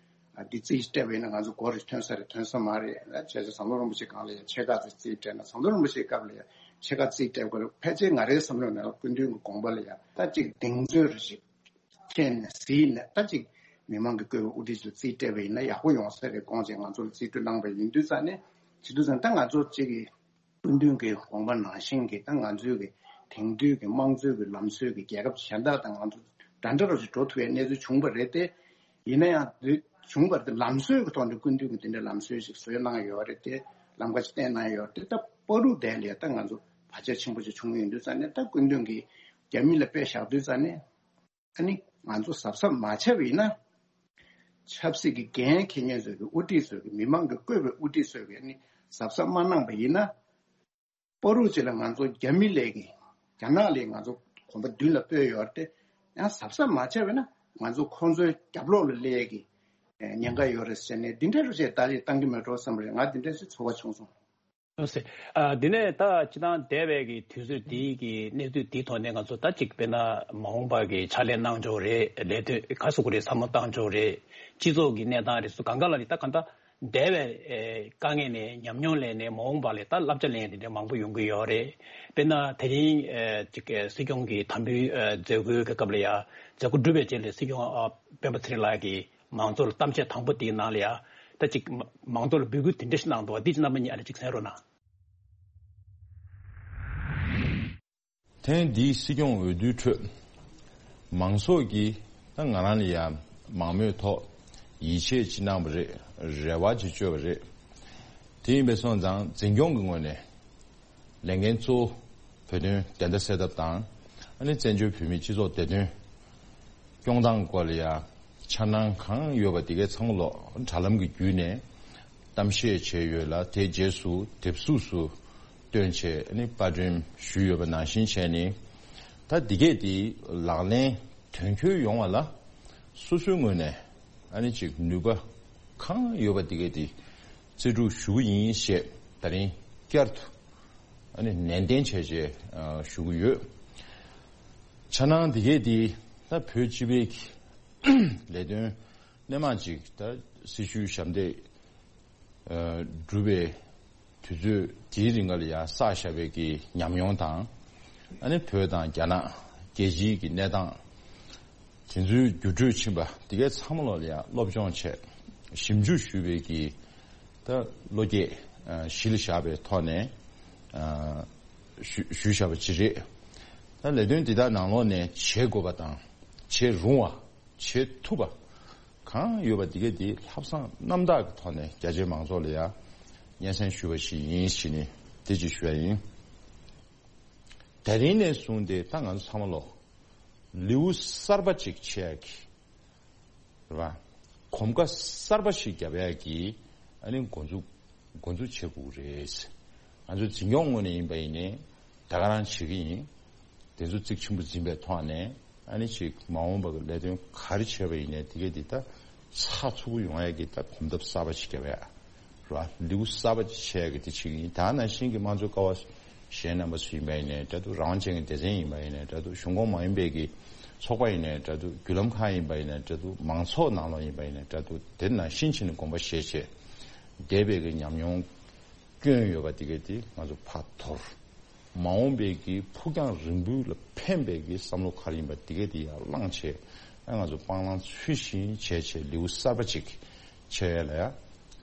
ཨ་འདི་རྩིས་སྤྲད་པ་ཡིན་ན་ང་ཚོ་མགོ་རེ་ཐོན་ས་རེད་ཐོན་ས་མ་རེད་ལ་བྱས་ཙང་ཟམ་གདོང་རིན་པོ་ཆེ་སྒང་ལ་ཡང་ཕྱེད་ཀ་ཙམ་རྩིས་སྤྲད་ན་ཟམ་གདོང་རིན་པོ་ཆེའི་སྐབས་ལ་ཡང་ཕྱེད་ཀ་རྩིས་སྤྲད་དགོས་རེད། ཕལ་ཆེར་ང་རའི་བསམ་བློ་ནང་ལ་སྐུ་མདུན་གྱི་དགོངས་པ་ལ་ཡང་ད་ཅིག་གདེང་ཚོད་རེ་ཞིག་ཁྱེད་ནས་གཟིགས་ནས་ད་ཅིག་མི་མང་གིས་བསྐོས་པའི་དབུ་ཁྲིད་ཚོས་རྩིས་སྤྲད་པ་ཡིན་ན་ཡག་པོ་ཡོང་ས་རེད་དགོངས་བྱས་ང་ཚོ་ལ་རྩིས་སྤྲོད་གནང་བ་ཡིན་དུས་ཙང་ནས་བྱེད་དུས་ཙང་ད་ང་ཚོ་གཅིག་གི་སྐུ་མདུན་གྱི་དགོངས་པ་ནང་བཞིན་གྱི་ད་ང་ཚོའི་གི་དེང་དུས་ཀྱི་དམངས་གཙོའི་གི་ལམ་སྲོལ་གྱི་རྒྱལ་ཁབ་གཞན་དག་དང་ང་ཚོ་འདྲ་འདྲ་རོ་ཞིག་འགྲོ་ཐུབ་པའི་གནས་ཚུལ་བྱུང་བ་རེད་དེ། ཡིན་ན་ཡང་དེ་བྱུང་བ་རེད་དེ་ལམ་སྲོལ་གྱི་ཐོག་ནས་སྐུ་མདུན་གྱི་དེ་འདྲའི་ལམ་སྲོལ་ཞིག་བཟོས་གནང་ཡོད་རེད་དེ་ལམ་ཁ་ཞིག་བསྟན་གནང་ཡོད་རེད་དེ་ད་བར་དུ་དེ་ལས་ད་ང་ཚོ་བར་ཆད་ཆེན་པོ་ཞིག་བྱུང་ཡོད་དུས་ཙང་ནས་ད་སྐུ་མདུན་གྱིས་རྒྱ་མི་ལ་དཔེ་བཞག་དུས་ཙང་ནས། ཨ་ནི་ང་ཚོ་གཟབ་གཟབ་མ་བྱས་པ་ཡིན་ན། ཆབ་སྲིད་ཀྱི་འགན་འཁྱེར་མཁན་ཚོས་ཀྱི་དབུ་ཁྲིད་ཚོས་ཀྱི་མི་མང་གིས་བསྐོས་པའི་དབུ་ཁྲིད་ཚོས་ཀྱི་ཨ་ནི་གཟབ་གཟབ་མ་གནང་པ་ཡིན་ན། བར་དུ་ཅིག་ལ་ང་ཚོ་རྒྱ་མི་ལས་ཀྱི་རྒྱ་ནག་ལས་ང་ཚོ་གོམ་པ་མདུན་ལ་སྤོས་ཡོད་རེད་དེ། ཡང་གཟབ་གཟབ་མ་བྱས་པ་ཡིན་ན་ང་ཚོ་ཁོང་ཚོའི་རྒྱབ་ལོགས་ལ་སླེབས་ཀྱི་ཉེན་ཁ་ཡོད་རེད་ཟེར་ནས་འདི་འདྲའི་རུ་ཆེ་ད་རེས་བཏང་གི་མེད་འགྲོ་བསམ་རེད། ང་འདི་འདྲའི་ཚོར་བ་བྱུང་སོང་། ལགས་སེ། ཨ། འདི་ནས་ད་སྤྱི་བཏང་འདས་པའི་གི་དུས་ཚོད་འདིའི་གི་གནས་ཚུལ་འདིའི་ཐོག་ནས་ང་ཚོ་ད་ཅིག་དཔེར་ན་མ་འོངས་པ་གི་ཕྱག་ལས་གནང་ཕྱོགས་རེད། ལས་དོན་ག་སུ་གུ་རེད་བསམ་བློ་བཏང་ཕྱོགས་རེད། སྤྱི་ཚོགས་ཀྱི་གནས་སྟངས་རེད་སུ་གང་ག་ལ་རེད་ད་གང་ལྟར་འདས་པའི་ཨེ་དཀའ་ངལ་ནས་ཉམས་མྱོང་ལེན་ནས་མ་འོངས་པ་ལ་ད་བསླབ་བྱ་ལེན་ཡ་དེ་འདྲ་མང་པོ་ཡོང་གི་ཡོད་རེད། དཔེར་ན་དེ་རིང་ཨེ་ཅིག་ཨེ་སྲིད་སྐྱོང་གི་དམ་འབུལ་ཨེ་མཛད་སྒོའི་གི་སྐབས་ལ་ཡ་མཛད་སྒོ་གྲུབ་པའི་རྗེས་ལ་སྲིད་སྐྱོང་ཨ་སྤེན་པ་ཚེ་རིང་ལགས་ཀྱིས། མང་ཚོགས་ལ་གཏམ་བཤད་དང་པོ་དེའི་ནང་ལ་ཡ། ད་ཅིག་མ་མང་ཚོགས་ལ་འབོད་སྐུལ་དེ་འདྲ་ཞིག་གནང་འདུག་བ་འདི་ཅིག་རྣམ་པ་གཉིས་ཨ་ནི་ཅིག་གསན་རོགས་གནང་། ཐེངས་འདིའི་སྲིད་སྐྱོང་འོས་བསྡུའི་ཁྲོད། མང་ཚོགས་ཀྱིས་ད་ང་རང་ལ་ཡ་མང་མོས་ཐོག་ཡིད་ཆེས་ཅིག་གནང་བ་རེད། རེ་བ་ཅིག་བཅོལ་བ་རེད། དེ་ཡིན་པས་སོང་ཙང་འཛིན་སྐྱོང་གི་ངོས་ནས། ལས་འགན་གཙོ་བོ་བོད་དོན་བདེན་མཐའ་གསལ་ཐབས་དང་། ཨ་ནི་བཙན་བྱོལ་བོད་མིའི་སྤྱི་ཚོགས་བདེ་དོན་སྐྱོང་སྟངས་སྐོར་ལ་ཡང་འཆར་སྣང་གང་ཡོད་པ་དེ་གའི་ཚང་མ་ལོག་དྲ་ལམ་གྱི་བརྒྱུད་ནས་གཏམ་བཤད་བྱས་ཡོད་ལ་དེའི་རྗེས་སུ་དེབ་གཟུགས་སུ་བཏོན་བྱས་ཨ་ནི་པར་སྐྲུན་ཞུས་ཡོད་པ་ནང་བཞིན་བྱས་ནས་ད་འདི་གས་དེ་ལག་ལེན་དོན་འཁྱོལ་ཡོང་བ་ལ་སོ་སོའི་ངོས་ནས་ཨ་ནི་ཅིག་ནུས་པ་གང་ཡོད་པ་དེ་གས་དེ་རྩལ་སྤྲུགས་ཞུ་གི་ཡིན་ཞེས་ད་རིང་བསྐྱར་དུ། ཨ་ནི་ནན་ཏན་བྱས་བྱས་ཨ་ཞུ་གི་ཡོད། འཆར་སྣང་འདི་གས་འདི་ད་བོད་སྤྱི་པའི་ལས་དོན་སྣེ་མང་ཅིག་ད་སྲི་ཞུའི་ཞབས་འདེགས་ཨ་སྒྲུབ་པའི་དུས་ཚོད་དེའི་རིང་ལ་ཡང་བསགས་བཞག་པའི་གི་ཉམས་མྱོང་དང་ཨ་ནི་བོད་དང་རྒྱ་ནག་རྒྱལ་སྤྱིའི་གི་གནས་སྟངས། དེ་ཚོའི་འགྱུར་འགྲོས་ཕྱིན་པ་དེ་གའི་ཚང་མ་ལོག་ལ་ཡང་སློབ་སྦྱོང་བྱས་ཞིབ་འཇུག་ཞུས་པའི་གི་ད་བློ་སྐྱེད་གཞི་ལ་བཞག་པའི་ཐོག་ནས་ཞུ་ཞུས་བཞག་པ་ཅིག་རེད། ད་ལས་དོན་འདི་དག་ནང་ལོགས་ནས་བྱེད་དགོས་པ་དང་བྱེད་རུང་བ་བྱེད་ཐུབ་པ་གང་ཡོད་པ་དེ་གའི་དེ་ལྷག་བསམ་རྣམ་དག་གི་ཐོག་ནས་རྒྱ་ཆེའི་མང་ཚོགས་ལ་ཡང་སྙན་སེང་ཞུས་པ་ཞིག་ཡིན་ཞེས་ནས་དེ་ཅིག་ཞུ་ཡ་ཡིན། དེ་རིང་ནས་བཟུང་སྟེ་ད་ང་ཚོ་ཚང་མ་ལོག་ལེའུ་གསར་པ་ཅིག་ཕྱེ་ཡག་གི་རེད་བ། གོམ་ཁ་གསར་པ་ཞིག་བརྒྱབ་ཡག་གི་ཨ་ནི་འགོ་འཛུགས་འགོ་འཛུགས་བྱེད་དགོས་རེད། ང་ཚོ་འཛིན་སྐྱོང་ངོས་ནས་ཡིན་པ་ཡིན་ནའི་ད་ག་རང་བྱེད་ཀྱི་ཡིན། དེ་ཚོ་གཙིགས་ཆེན་པོ་འཛིན་པའི་ཐོག་ནས་ཨ་ནི་ཅིག་མ་འོངས་པ་གི་ལས་དོན་ག་རེ་བྱས་པ་ཡིན་ནའི་དེ་གས་འདི་ད་ཚགས་ཚུད་པོ་ཡོང་ཡག་གི་ད་གོམ་སྟབས་གསར་པ་ཞིག་བརྒྱབ་ཡག་ར་ལེའུ་གསར་པ་ཅིག་ཕྱེ་ཡག་གི་དེ་བྱེད་ཀྱི་ཡིན། ད་ནང་བཞིན་གྱི་དམངས་གཙོའི་ཀ་བ་གཞན་རྣམ་པ་ཚོ་ཡིན་པ་ཡིན་ནའི་འདྲ་འདུག་རང་དབང་ཅན་གྱི་སྡེ་ཚན་ཡིན་པ་ཡིན་ནའི་འདྲ་འདུག་གཞུང་ཁོངས་མ་ཡིན་པའི་གི་ཚོགས་པ་ཡིན་ནའི་འདྲ་འདུག་བརྒྱུད་ལམ་ཁག་ཡིན་པ་ཡིན་ནའི་འདྲ་འདུག་མང་ཚོགས་ནང་ལོགས་ཡིན་པ་ཡིན་ནའི་འདྲ་འདུག་དེ་ནང་བཞིན་བྱས་ནས་དགོངས་པ་བཞེས་བྱས་འདས་པའི་གི་ཉམས་མྱོང་ སྐྱོན་ཡོད་པ་དེ་གས་དེ་ང་ཚོ་ཕར་དོར། མ་འོངས་པའི་གི་ཕུགས་རྒྱང་རིང་པོའི་ལ་ཕན་པའི་གི་བསམ་བློ་ག་རེ་ཡིན་པ་དེ་གས་དེ་ཡར་བླངས་བྱས། ཨ་ང་ཚོ་སྤང་བླང་ཚུལ་བཞིན་བྱས་བྱས་ལེའུ་གསར་པ་ཅིག་ཕྱེ་ཡས་ལ་ཡ།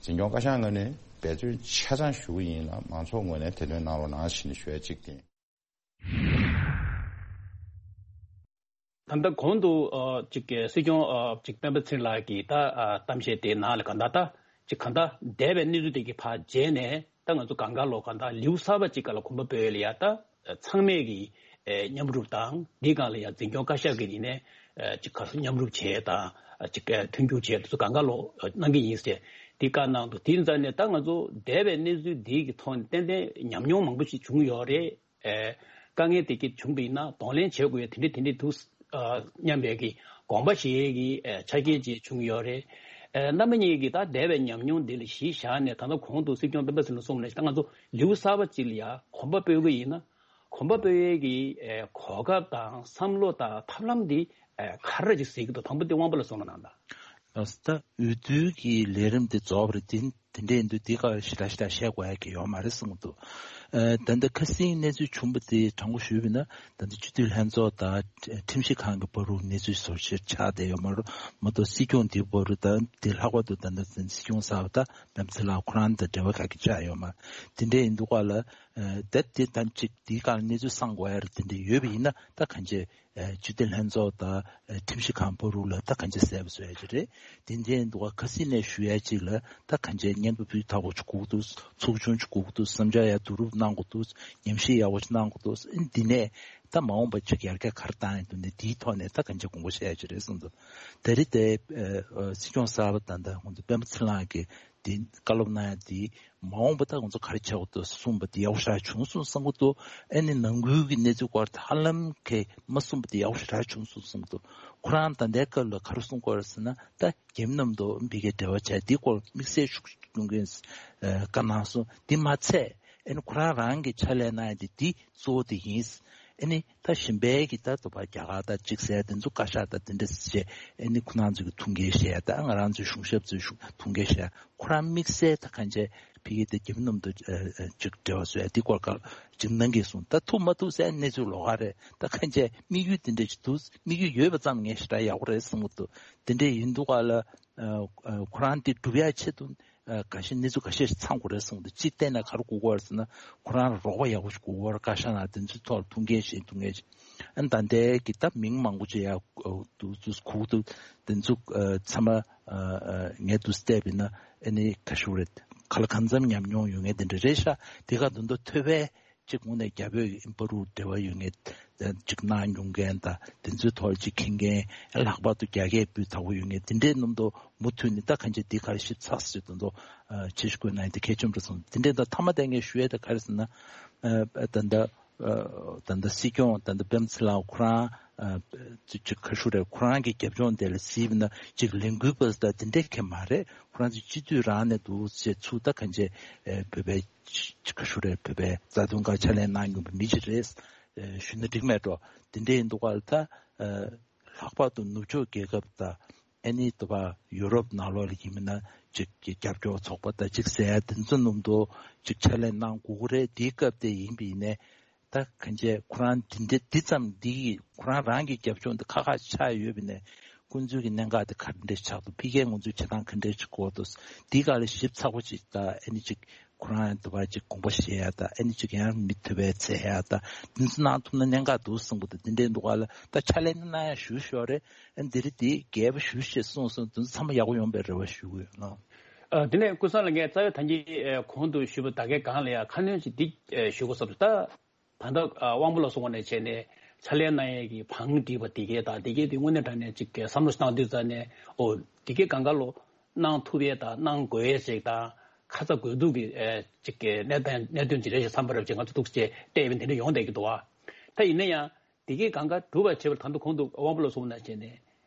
འཛིན་སྐྱོང་བཀའ་ཤག་ངོས་ནས་འབད་བརྩོན་ཆ་ཚང་ཞུ་གི་ཡིན་ལ། མང་ཚོགས་ངོས་ནས་དེ་དོན་གནང་རོགས་གནང་ཞེས་ནས་ཞུ་ཡ་གཅིག་དེ་ཡིན། ད་ལྟ་གོང་དུ་ཨ་ཅིག་གི་སྲིད་སྐྱོང་ཨ་ཅིག་སྤེན་པ་ཚེ་རིང་ལགས་ཀྱིས་ད་ཨ་གཏམ་བཤད་དེའི་ནང་ལ་གང་ལྟར་ད་ཅིག་གང་ལྟར་འདས་པའི་གནས་ཚུལ་དེ་གི་ཕར་བརྗེད་ནས། ད་ང་ཚོ་གང་ག་ལོ་གང་ལྟར་ལེའུ་གསར་པ་ཅིག་སྒང་ལ་གོམ་པ་སྤོས་ཡས་ལ་ཡ། ད་ཚང་མས་ཀྱི་ཨ་མཉམ་རུབ་དང་། འདིའི་སྒང་ལ་ཡ་འཛིན་སྐྱོང་བཀའ་ཤག་གི་ཡིན་ནའི་ཨ་ཅིག་ག་སོ་མཉམ་རུབ་བྱས་དང་། ཨ་ཅིག་ཨ་མཐུན་འགྱུར་བྱས་དུས་སུ་གང་ག་ལོ་ཨ་གནང་གི་ཡིན་ཟེར་དེ་བཀའ་གནང་འདུག་དེའི་རྩ་ནས་ད་ང་ཚོ་འདས་པའི་གནས་ཚུལ་འདི་གི་ཐོག་ནས་ཏན་ཏན་ཉམས་མྱོང་མང་པོ་ཞིག་བྱུང་ཡོད་རེད། ཨེ། དཀའ་ངལ་དེ་གས་བྱུང་བ་ཡིན་ན་གདོང་ལེན་བྱེད་དགོས་ཡ་དེ་འདྲ་དེ་འདྲ་འདུག་ཨ་སྙམ་པའི་གི་དགོངས་པ་བཞེས་ཀྱི་ཨེ་ཆ་རྐྱེན་ཅིག་བྱུང་ཡོད་རེད། ཨེ། རྣམ་པ་གཉིས་ཀྱིས་ད་འདས་པའི་ཉམས་མྱོང་འདི་ལ་གཞི་བཞག་ནས། ད་ལྟ་གོང་དུ་སྲིད་སྐྱོང་སྤེན་པ་ཚེ་རིང་གསུངས་ནས། ད་ང་ཚོ་ལེའུ་གསར་པ་ཅིག་ལ་ཡ་གོམ་པ་སྤོ་གི་ཡིན་ན། གོམ་པ་སྤོ་ཡས་ཀྱི་ཨེ་གོ་སྐབས་དང་བསམ་བློ་དང་ཐབས་ལམ་འདི་ཨེ་ག་རེ་ཅིག་གཟིགས་ཀྱི་འདུག་དང་པོ་དེ་དབང་པོ་ལགས་གསུང་རོགས་གནང་དང་། ལགས་སོ། ད་འོས་བསྡུ་གི་ལས་རིམ་དེ་རྫོགས་པ་རེད། དེ་དེ་འདྲ་ཡིན་དུས་དེ་ག་ཞེ་དྲག་ཞེ་དྲག་བཤད་དགོས་ཡ་གི་ཡོད་མ་རེད་གསུངས་འདུག་ཨ་ད་ལྟ་ཁ་སང་གནས་ཚུལ་བྱུང་བ་དེ་དྲང་པོ་ཞུས་པ་ཡིན་ན། ད་ལྟ་སྤྱི་འཐུས་ལྷན་ཚོགས་དང་ཁྲིམས་ཞིབ་ཁང་གི་བར་དུ་གནས་ཚུལ་བཟོ་བཅོས་ཆགས་བསྡད་ཡོད་མ་རེད། མ་གཏོགས་སྲིད་སྐྱོང་དེའི་བར་དུ་དང་དེ་ལྷག་པར་དུ་ད་ལྟ་སྲིད་སྐྱོང་གསར་པ་དང་སྤེན་པ་ཚེ་རིང་ཁོ་རང་དང་འབྲེལ་བ་ག་གེ་ཆགས་ཡོད་མ་རེད། དེ་འདྲ་ཡིན་དུས་ག་ལ་ཨ་ད་དེ་དང་གཅིག་དེའི་སྒང་གནས་ཚུལ་གསང་དགོས་ཡ་རེད། དེ་འདྲ་ཡོད་པ་ཡིན་ན་ད་གང་ཅི། ཨ་སྤྱི་འཐུས་ལྷན་ཚོགས་དང་ཨ་ཁྲིམས་ཞིབ་ཁང་བར་དུ་ལ་ད་གང་ཅི་གསལ་པོ་བཟོ་ཡ་ཅིག་རེད། དེ་འདྲ་ཡིན་དུས་ཁ་སང་ནས་ཞུ་ཡ་ཅིག་ལ་ད་གང་ཅི་སྙན་པོ་ཕུལ་ཐག་པོ་ཅིག་དགོས་ཀྱི་འདུག་ཚོགས་ཆུང་ཅིག་དགོས་ཀྱི་འདུག་བསམ་འཆར་ཡ་བསྡུ་རུབ་གནང་དགོས་འདུག་ཉམས་ཞིབ་ཡག་པོ་ཅིག་གནང་དགོས་འདུག་འདི་ནས་ད་མ་འོངས་པ་ཅིག་ཡར་རྒྱས་ག་རེ་བཏང་ཡ་འདུག་ནས་དེའི་ཐོག་ནས་ད་གང་ཅི་དགོངས་པ་བཞེས་ཡ་ཅིག་རེད་གསུངས་འདུག་ད་རེས་དེ་ཨ་སྲིད་སྐྱོང་གསར་པ་ད་ལྟ་ཁོང་ཚོ་སྤེན་པ་ཚེ་རིང་གིས་དེ་བཀའ་སློབ་གནང་ཡ་དེ། མ་འོངས་པ་ད་ང་ཚོ་ག་རེ་བྱེད་དགོས་འདུག་གསུངས་པ་དེ་ཡག་པོ་ཞེ་དྲག་བྱུང་སོང་བསམ་གྱི་འདུག་ཨ་ནི་ནང་ཁུལ་གྱི་གནས་ཚུལ་སྐོར་དེ་ཧ་ལམ་གྱིས་མ་གསུངས་པ་དེ་ཡག་པོ་ཞེ་དྲག་བྱུང་སོང་བསམ་གྱི་འདུག་ཁོ་རང་ད་ལྟའི་སྐབས་ལ་ག་རེ་གསུང་གི་ཡོད་རེད་ཟེར་ན། ད་རྒྱ་མི་རྣམས་དང་ཕ་གིའི་འབྲེལ་བ་བྱས་དེའི་སྐོར་དམིགས་བསལ་ཤུགས་གནང་གི་ཡིན་བཀའ་གནང་སོང་། དེ་མ་ཚད་ཨ་ནི་ཁོ་རང་རང་གི་ཕྱག་ལས་གནང་ཡ་དེ་དེ་གཙོ་བོ་དེ་ཡིན། ཨ་ནི་ད་གཞན་པའི་གི་ད་དུ་བ་རྒྱ་གར་ད་ཅིག་ཟེར་དེ་ཚོ་བཀའ་ཤག་ད་དེ་འདྲ་བྱས། ཨ་ནི་ཁོ་རང་ཚོ་གི་ཐུགས་འགན་བཞེས་ཡ་ད་ང་རང་ཚོའི་གཞུང་ཞབས་ཚོའི་གཞུང་ཐུགས་འགན་བཞེས་ཡ། ཁོ་རང་དམིགས་བསལ་ད་གང་བྱས་ཕ་གི་དེ་རྒྱ་མི་རྣམས་དང་ཨ་ཨ་ཅིག་འབྲེལ་བ་བཟོ་ཡ་དེ་སྐོར་ག་ཅིག་གནང་གི་སོང་། ད་ཐུབ་མ་ཐུབ་ཟེར་གནས་ཚུལ་ལོགས་ཀ་རེད། ད་གང་བྱས་དམིགས་ཡུལ་དེ་འདྲ་ཅིག་འདུག་དམིགས་ཡུལ་ཡོད་པ་ཙམ་ངས་ཞེ་དྲག་ཡག་པོ་རེད་བསམ་གྱི་འདུག་དེ་འདྲ་ཡིན་དུས་ག་ལ་ཨ་ཨ་ཁོ་རང་དེ་སྒྲུབ་ཡ་ཆེད་དུ། ཨ་ག་ཤེད་གནས་ཚུལ་ཁ་ཤས་ཤིག་ཚང་དགོས་རེད་གསུངས་འདུག་སྤྱིར་བལྟས་ན་ག་རེ་དགོས་ཀྱི་ཡོད་རེད་ཟེར་ན། ཁོ་རང་ལ་རོགས་པ་ཡག་པོ་ཞིག་དགོས་ཀྱི་ཡོད་རེད། བཀའ་ཤག་ནང་དེ་ཚོའི་ཐོག་ལ་ཐུགས་འགན་བཞེས་ཐུགས་འགན་བཞེས། ཨ་ནི་ད་ལྟའི་གི་ད་མིང་མང་པོ་ཅིག་ཡར་འདུག་འདུག་གོ་གི་འདུག་དེ་ཚོ་ཨ་ཚང་མ་ཨ་ཨ་ངས་འདུག་བལྟས་པ་ཡིན་ན་ཨ་ནི་ག་ཞུ་རེད། ག་ལ་གང་འཚམ་ཉམས་མྱོང་ཡོད་མཁན་དེ་འདྲ་རེད་ཤག་དེ་ག་དོན་དུ་ཐོས་པས། གཅིག་དངོས་གནས་རྒྱ་བོད་ཀྱི་ཨིན་པ་རུ་འབྲེལ་བ་ཡོད་མཁན། གཅིག་གནང་མྱོང་མཁན་དང་དེ་ཚོའི་ཐོག་ལ་གཅིག་མཁྱེན་མཁན། ལྷག་པར་དུ་རྒྱ་སྐད་སྤུས་དག་པོ་ཡོད་མཁན་དེ་འདྲའི་རྣམ་རྟོག་མུ་མཐུད་ནས་ད་གང་ཅི་འདི་ག་རེ་ཞིབ་ཚགས་སུ་དོན་དུ་ཆེ་ཞུ་དགོས་ན་དེ་གལ་ཆེན་པོ་རེད་བསམ། དེ་འདྲའི་ད་མཐའ་མ་དེ་ངས་ཞུ་ཡས་ད་ག་རེ་ཟེར་ན། ད་ལྟ་ད་ལྟ་སྲིད་སྐྱོང་ད་ལྟ་སྤེན་པ་ཚེ་རིང་ཁོ་རང་གཅིག་ག་ཞུ་རེད། ཁོ་རང་གི་རྒྱབ་ལྗོངས་དེ་ལ་གཟིགས་པ་ན་གཅིག་ལས་འགུལ་པ་ད་དེ་འདྲའི་གང་མ་རེད། ཁོ་རང་ཚོ་སྤྱི་འཐུས་རང་ནས་འདུག་ཅེས་ཚུར་ད་གང་ཅི་བོད་པའི་ཅི་ག་ཞུ་རེད། བོད་པའི་རྩ་དོན་ཁ་ཕྱག་ལས་གནང་མྱོང་པའི་མི་ཅིག་རེད། ཨ་ཞུ་ན་འགྲིག་མེད་འགྲོ། དེ་འདྲ་ཡིན་དུས་ག་ལ་ད་ཨ་ལྷག་པར་དུ་ནུབ་ཕྱོགས་རྒྱལ་ཁབ་དང་ཨ་ནི་དུ་བ་ཡུ་རོབ་ནང་ལོགས་ལ་ཡིན་མིན་ན་ཅིག་གི་རྒྱབ་སྐྱོར་ཚོགས་པ་དང་ཅིག་ཟེར་ཡ་དེ་ཚོ་ནུབ་དུ་ཅིག་ཕྱག་ལས་གནང་དགོས་ཀྱི་རེད། དེའི་སྐབས་དེ་ཡིན་པ་ཡིན་ནའི། ད་གང་བྱས་ཁོ་རང་འདི་འདྲ་འདི་ཙམ་འདི་ཡིས་ཁོ་རང་རང་གི་རྒྱབ་ལྗོངས་འདི་ཁ་ཁ་ཆགས་ཡོད་པ་ནས་ཁོང་ཚོའི་གི་གནད་འགག་དེ་ག་འདྲ་ཆགས་འདུག་ཕ་གིའི་ང་ཚོའི་བྱེད་སྟངས་ག་འདྲ་ཞིག་དགོས་འདུག་འདི་ག་ལ་ཞིབ་ཚགས་པོ་ཅིག་ད་ཨ་ནི་ཅིག་ཁོ་རང་འདི་བ་ཅིག་དགོངས་པ་བཞེས་ཡ་ད་ཨ་ནི་ཅིག་ཡང་མི་ཐུབ་པའི་ཚེ་ཡ་ད་འདི་ཚོ་གནང་ཐུབ་ན་གནད་འགག་འདུག་གསུངས་པ་ད་འདི་འདྲའི་འདུག་ག་ལ་ད་ཕྱག་ལས་གནང་ཡ་ཞུ་ཤོག་རེད། ཨ་འདི་རེད་འདི་རྒྱལ་པོ་ཞུ་ཞེས་གསུངས་སོང་། འདི་ཚོ་ཚང་མ་ཡག་པོ་ཡོང་པའི་རེ་བ་ཞུ་གི་ཡོད་ལགས། ཨ་དེ་ནས་ཀུན་བཟང་ལགས་ངས་རྩ་བའི་ད་གིན་གོང་དུ་ཞུས་པ་ད་གའི་སྒང་ལ་ཡ་ཁ་སྣོན་ཅིག་འདི་ཞུ་དགོས་བསམ་འདུག་ད། ད་ལྟ་ཨ་དབང་པོ་ལགས་གསུངས་པ་ནས་བྱས་ནས་ཕྱག་ལས་གནང་ཡས་ཀྱི་བང་སྒྲིག་པ་དེ་གས་དང་དེ་གས་དེ་དངོས་གནས་དྲང་གནས་ཅིག་གི་བསམ་བློ་བཏང་དུས་ཙ་ནས་ཨོ་དེ་གས་གང་ག་ལོ་གནང་ཐུབ་ཡས་དང་གནང་དགོས་ཡས་ཅིག་དང་ཁ་ཚ་དགོས་གཏུག་གི་ཨེ་ཅིག་གི་གནས་སྟངས་གནད་དོན་ཅིག་རེད་ཞེས་བསམ་པ་རབ་ཅིག་ང་ཚོ་ཐུགས་རྗེ་བལྟས་པའི་དེ་འདྲ་ཡོང་བསྡད་ཀྱི་འདུག་བ། ད་ཡིན་ན་ཡང་དེ་གས་གང་ག་སྒྲུབ་པ་བྱེད་པར་ད་དུང་གོང་དུ་དབང་པོ་ལགས་གསུངས་པ་ནང་བཞིན་ནས་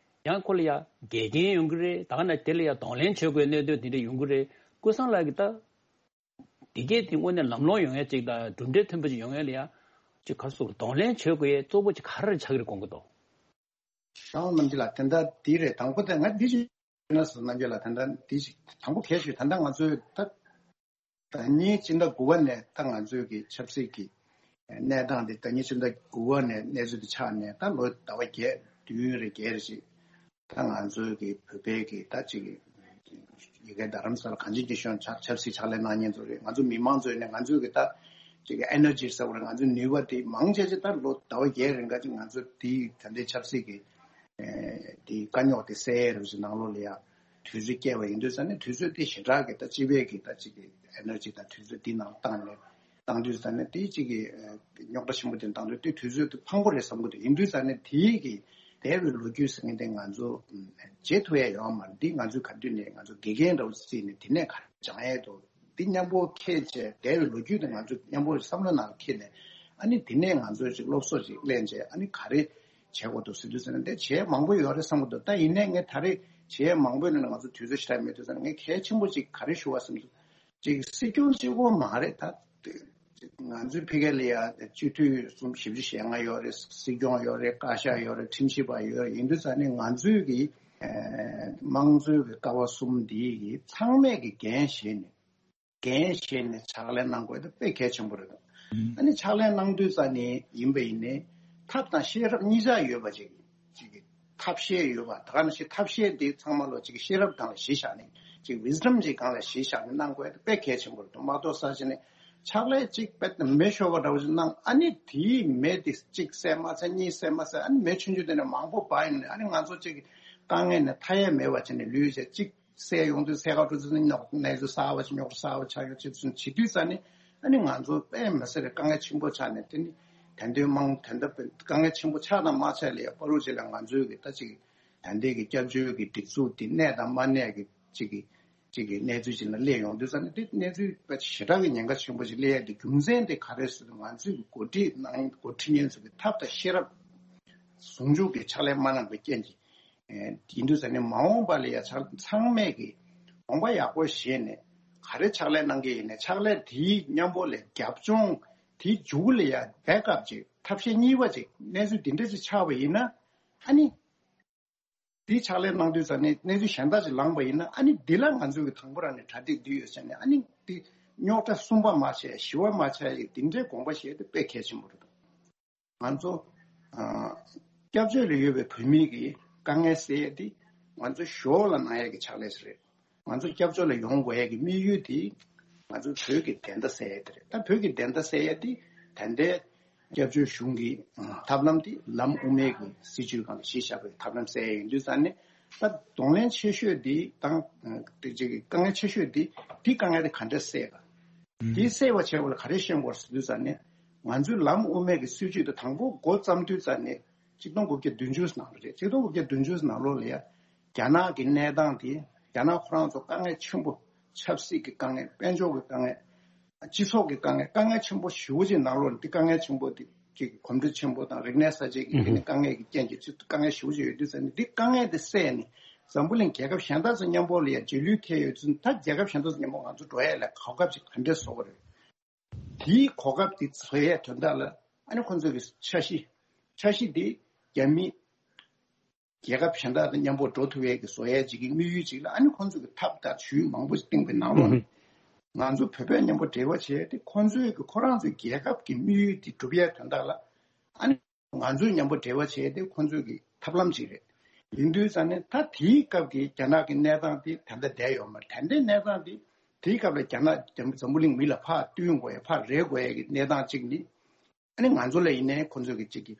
ཡང་ཁོ་ལ་ཡ་འགལ་རྐྱེན་ཡོང་གི་རེད། ད་ག་ན་དེ་ལ་ཡ་གདོང་ལེན་བྱེད་དགོས་གནད་དོན་དེ་འདྲ་ཡོང་གི་རེད། ཀུན་བཟང་ལགས་ཀྱིས་ད། དེ་གས་དེ་དངོས་གནས་ལམ་ལྷོང་ཡོང་ཡས་ཅིག་དང་གྲུབ་འབྲས་ཐོན་པ་ཅིག་ཡོང་ཡས་ལ་ཡ། ཅིག་ག་རེ་ཟེར་གདོང་ལེན་བྱེད་དགོས་ཡས་གཙོ་བོ་ཅིག་ག་རེ་ཆགས་ཀྱི་རེད་དགོངས་ཀྱི་འདུག་ཤང་རྣམ་རྒྱལ་ལགས་དེ་འདྲ་འདི་རེད། དང་པོ་དེ་ང་འདི་ཞིག་ན་ཟེར་རྣམ་རྒྱལ་ལགས་དེ་འདྲ་འདི་ཞིག་དང་པོ་གལ་ཆེ་ད་ལྟ་ང་ཚོས་ད་ ཟླ་ཉིན་སྤྱི་ཟླ་དགུ་པ་ནས་ད་ང་ཚོའི་གི་ཆབ་སྲིད་ཀྱི་གནས་སྟངས་དེ་ཟླ་ཉིན་སྤྱི་ཟླ་དགུ་པ་ནས་གནས་ཚུལ་དེ་ཆགས་ནས་ད་ལོ་ཟླ་བ་བརྒྱད་བདུན་རེ་བརྒྱད་རེ་ཞིག་ད་ང་ཚོའི་གི་བོད་པའི་གི་ད་ཅིག་ཡ་གི་རྡ་རམ་ས་ལ་གངས་ཅན་སྐྱིད་གཤོངས་ཆབ་ཆབ་སྲིད་ཕྱག་ལས་གནང་མཁན་ཚོ་རེད། ང་ཚོ་མི་མང་ཚོས་ནས་ང་ཚོའི་གི་ད་ཅིག་གི་ཨེ་ནར་ཇི་ཟེར་བ་རེད། ང་ཚོའི་ནུས་པ་དེ་མང་ཆེ་ཆེ་ད་ལོ་ཟླ་བ་བརྒྱད་རིང་ག་ཅིག་ང་ཚོ་དེ་ད་ལྟའི་ཆབ་སྲིད་ཀྱི་དེ་དཀའ་རྙོག་དེ་སེལ་ཡས་རུ་ཅིག་ནང་ལོགས་ལ་ཡ་དུས་ཚོད་བསྐྱལ་བ་ཡིན་དུས་ཙང་ནས་དུས་ཚོད་དེ་ཞེ་དྲག་གི་ད་སྤྱི་པའི་གི་ད་ཅིག་གི་ཨེ་ནར་ཇི་དང་དུས་ཚོད་དེ་ནང་བཏང་ནས། བཏང་དུས་ཙང་ནས་དེའི་གཅིག་གི་རྙོག་དྲ་ཆེན་པོ་དེ་བཏང་དུས་དེ་དུས་ཚོད་དེ་ཕངས་པོ་རེད་བསམ་གི་འདུག་ཡིན་དུས་ཙང་ནས་དེའི་གི་འདས་པའི་ལོ་རྒྱུས་ཟེར་མཁན་དེ་ང་ཚོ་བརྗེད་ཐུབ་ཡ་ཡོད་མ་རེད། འདི་ང་ཚོས་ག་དུས་ནས་ང་ཚོ་དགེ་རྒན་འདྲ་བོ་བརྩིས་ནས་དེ་ནས་ག་རེ་སྦྱང་ཡས་འདུག་འདི་མཉམ་པོ་འཁྱེར་བྱས་འདས་པའི་ལོ་རྒྱུས་དེ་ང་ཚོ་མཉམ་པོ་བསམ་བློ་ནང་འཁྱེར་ནས་ཨ་ནི་དེ་ནས་ང་ཚོས་ཅིག་སློབ་གསོ་ཅིག་ལེན་བྱས་ཨ་ནི་ག་རེ་བྱེད་དགོས་འདུག་ཟེར་དུས་ཙང་ནས་དེ་བྱེད་མང་པོ་ཡོད་རེད་བསམ་གི་འདུག་ད་ཡིན་ནའི་ངས་ད་རེས་བྱེད་མང་པོའི་ནང་ནས་ང་ཚོ་དུས་ཚོད་ཞེ་དྲག་མེད་དུས་ཙང་ནས་ངས་གལ་ཆེན་པོ་ཅིག་ག་རེ་ཞུ་བ་བསམ་འདུག་ཅིག་སྲིད་སྐྱོང་གཅིག་པོ་མ་རེད་ད། ང་ཚོའི་ཕ་གི་ལ་ཡ་སྤྱི་འཐུས་གསུམ་བཞི་བཅུ་ཞེ་ལྔ་ཡོད་རེད། སྲིད་སྐྱོང་ཡོད་རེད། བཀའ་ཤག་ཡོད་རེད། ཁྲིམས་ཞིབ་པ་ཡོད་རེད། ཡིན་དུས་ཙང་ནས་ང་ཚོའི་གི་དམངས་གཙོའི་གི་ཀ་བ་གསུམ་འདིའི་གི་ཚང་མས་གི་འགན་བཞེས་ནས་འགན་བཞེས་ནས་ཕྱག་ལས་གནང་དགོས་དེ་དཔེ་གལ་ཆེན་པོ་རེད་འདུག་ཨ་ནི་ཕྱག་ལས་གནང་དུས་ཙང་ནས་ཡིན་པ་ཡིན་ནའི་ཐབས་དང་ཤེས་རབ་གཉིས་ཆ་ཡོད་པ་ཅིག་ཅིག་གི་ཐབས་ཤེས་ཡོད་པ་ད་ག་ནང་བཞིན་ཐབས་ཤེས་དེ་ཚང་མ་ལོ་ཅིག་ཤེས་རབ་སྒང་ལ་གཞི་བཞག་ནས་ཅིག་ཝི་སི་ཌམ་ཅིག་སྒང་ལ་གཞི་བཞག་ནས་གནང་དགོས་དེ་དཔེ་གལ་ཆེན་པོ་རེད་འདུག་མ་གཏོགས་ས་ཆ་ནས་ཕྱག་ལས་ཅིག་དཔེ་མེ་ཤོར་བ་འདྲ་བོ་ཅིག་གནང་ཨ་ནི་དེའི་མེ་དེ་གཅིག་བསད་མ་ཚར་གཉིས་བསད་མ་ཚར་ཨ་ནི་མེ་ཆུང་ཆུང་དེ་ནས་མང་པོ་འབར་ཡོང་ནས་ཨ་ནི་ང་ཚོ་ཅིག་དཀའ་ངལ་ནས་ཐར་ཡས་མེད་པ་བྱས་ནས་ལུས་བྱས་གཅིག་སད་ཡོང་དུས་སད་ག་འགྲོ་དུས་ཉོག་གནས་ཚུལ་གསར་བ་ཞིག་ཉོག་གསར་བ་ཆགས་ཡོང་ཅེས་ཚུན་བྱེད་དུས་ཙང་ནས་ཨ་ནི་ང་ཚོ་དཔེ་མི་སྲིད་རེད། དཀའ་ངལ་ཆེན་པོ་ཆགས་ནས་དེ་ནི་དད་འདུན་མང་དོན་དག་དཀའ་ངལ་ཆེན་པོ་ཆགས་དང་མ་ཆགས་ལ་ཡ་བར་དུ་ཅིག་ལ་ང་ཚོའི་གི་ད་ཅིག་ད་ལྟའི་གི་སྐྱབས་བཅོལ་གི་སྒྲིག་འཛུགས་དེ་གནས་དང་མ་གནས་གི་ཅིག་གི་ཅིག་གི་གནས་ཚུལ་ཅིག་ལ་སླེབས་ཡོང་དུས་ཙང་ནས་དེ་གནས་ཚུལ་དཔེ་ཞེ་དྲག་གི་ཉེན་ཁ་ཆེན་པོ་ཅིག་སླེབས་ཡ་དེ་རྒྱུ་མཚན་དེ་ག་རེ་ཟེར་ན་ང་ཚོའི་གི་འགོ་ཁྲིད་གནང་འགོ་ཁྲིད་མཁན་ཚོ་གི་ཐབས་དང་ཤེས་རབ་ཟུང་འཇུག་གི་ཕྱག་ལས་མ་གནང་བའི་རྐྱེན་གྱིས། ཡིན་དུས་ཙང་ནས་མ་འོངས་པ་ལ་ཡ་ཚང་མས་ཀྱི་དགོངས་པ་ཡག་པོ་བཞེས་ནས་ག་རེ་ཕྱག་ལས་གནང་གི་ཡིན་ནས་ཕྱག་ལས་དེའི་མཉམ་པོ་ལ་རྒྱབ་ལྗོངས་དེའི་མཇུག་ལ་ཡ་བེག་ཨབ་ཅིག་ཐབས་ཤེས་གཉིས་པ་ཅིག་གནས་ཚུལ་འདི་འདྲ་ཅིག་ཆགས་པ་ཡིན་ན་ཨ་ནི་དེའི་ཕྱག་ལས་གནང་དུས་ཙང་ནས་གནས་ཚུལ་གཞན་དག་ཅིག་ལངས་པ་ཡིན་ན་ཨ་ནི་འདི་ལ་ང་ཚོས་ཀྱི་དང་པོ་རང་ནས་གྲ་སྒྲིག་འདི་ཡོད་ཟེར་ནས་ཨ་ནི་དེ་རྙོག་དྲ་གསུམ་པ་མ་ཆགས་བཞི་པ་མ་ཆགས་ཡི་འདི་འདྲའི་དགོངས་པ་བཞེས་དེ་དཔེ་གལ་ཆེན་པོ་རེད། ང་ཚོ་ཨ་སྐྱབས་བཅོལ་ལ་ཡོད་པའི་བོད་མི་གི་དཀའ་ངལ་སེལ་ཡས་དེ་ང་ཚོ་ཞོར་ལ་གནང་ཡས་ཀྱི་ཕྱག་ལས་ཤིག་རེད། ང་ཚོ་སྐྱབས་བཅོལ་ལ་ཡོང་དགོས་ཡས་ཀྱི་དམིགས་ཡུལ་དེ་ང་ཚོ་བོད་ཀྱི་བདེན་མཐའ་གསལ་ཡས་དེ་རེད། ད་བོད་ཀྱི་བདེན་མཐའ་གསལ་ཡས་དེ་ད་ལྟའི་སྐྱབས་བཅོལ་གཞུང་གི་ཐབས་ལམ་དེ་ལམ་དབུ་མའི་གི་སྲིད་བྱུས་སྒང་ལ་གཞི་བཞག་པའི་ཐབས་ལམ་གསལ་ཡས་ཡིན་དུས་ཙང་ནས་ད་གདོང་ལེན་ཆེ་ཤོས་དེ་དང་དེ་ཅིག་གི་དཀའ་ངལ་ཆེ་ཤོས་དེ་དེ་དཀའ་ངལ་དེ་ག་འདྲས་སེལ་ག་དེ་སེལ་བ་བྱེད་པ་ལ་ག་རེ་ཤེས་དགོས་ཟེར་དུས་ཙང་ནས་ང་ཚོའི་ལམ་དབུ་མའི་གི་སྲིད་བྱུས་དེ་དང་པོ་འགོ་བརྩམས་དུས་ཙང་ནས་ཆིག་སྟོང་དགུ་བརྒྱ་བདུན་ཅུ་ནང་ལ་རེད། ཆིག་སྟོང་དགུ་བརྒྱ་བདུན་ཅུ་ནང་ལོགས་ལ་ཡ་རྒྱ་ནག་གི་གནས་སྟངས་དེ་རྒྱ་ནག་ཁོ་རང་ཚོ་དཀའ་ངལ་ཆེན་པོ་ཆབ་སྲིད་ཀྱི་དཀའ་ངལ་དཔལ་འབྱོར་གྱི་དཀའ་ངལ་སྤྱི་ཚོགས་ཀྱི་དཀའ་ངལ་དཀའ་ངལ་ཆེན་པོ་ཞེ་པོ་ཅིག་ནང་ལོགས་ལ་དེ་དཀའ་ངལ་ཆེན་པོ་དེ་ཅིག་གོམས་འདྲིས་ཆེན་པོ་དང་རིག་གནས་གསར་བརྗེ་གི་དེ་ནི་དཀའ་ངལ་གྱི་རྐྱེན་གྱིས་དཀའ་ངལ་ཞེ་པོ་ཅིག་ཡོད་དུས་ཙང་ནས་དེ་དཀའ་ངལ་དེ་སེལ་ནས་འཛམ་བུ་གླིང་རྒྱལ་ཁབ་གཞན་དག་ཚོ་མཉམ་པོ་ལ་ཡ་རྗེས་ལུས་ཐེབས་ཡོད་ཙང་ད་རྒྱལ་ཁབ་གཞན་དག་ཚོ་མཉམ་པོ་ང་ཚོ་འགྲོ་ཡ་ལ་གོ་སྐབས་ཅིག་ག་འདྲས་བཟོ་དགོས་རེད། དེའི་གོ་སྐབས་དེ་བཟོ་ཡས་དོན་དག་ལ་ཨ་ནི་ཁོང་ཚོ་གི་འཆར་གཞི། འཆར་གཞི་དེ་རྒྱ་མི་རྒྱལ་ཁབ་གཞན་དག་དང་མཉམ་པོ་འགྲོ་ཐུབ་ཡས་ཀྱི་བཟོ་ཡས་ཅིག་གི་དམིགས་ཡུལ་ཅིག་ལ་ཨ་ནི་ཁོང་ཚོ་གི་ཐབས་དང་ཇུས་མང་པོ་ཞིག་བཏིང་བའི་ནང་ལོགས་ནས་ང་ཚོ་བོད་པས་མཉམ་པོ་འབྲེལ་བ་བྱས་ཏེ་ཁོང་ཚོའི་གི་ཁོ་རང་ཚོའི་རྒྱལ་ཁབ་ཀྱི་དམིགས་ཡུལ་དེ་སྒྲུབ་ཡས་དོན་དག་ལ་ཨ་ནི་ང་ཚོས་མཉམ་པོ་འབྲེལ་བ་བྱས་ཏེ་ཁོང་ཚོའི་གི་ཐབས་ལམ་ཅིག་རེད། ཡིན་དུས་ཙང་ནས་ད་དེའི་སྐབས་ཀྱི་རྒྱ་ནག་གི་གནས་སྟངས་དེ་ད་ལྟ་བསྡད་ཡོད་མ་རེད། ད་ལྟའི་གནས་སྟངས་དེ་དེའི་སྐབས་ལ་རྒྱ་ནག་འཛམ་བུ་གླིང་མི་ལ་ཕར་བསྟུན་དགོས་ཡ་ཕར་རེག་དགོས་ཡ་གི་གནས་སྟངས་གཅིག་ནི། ཨ་ནི་ང་ཚོ་ལ་ཡིན་ནའི་ཁོ་ཚོས་ཀྱི་གཅིག་གི་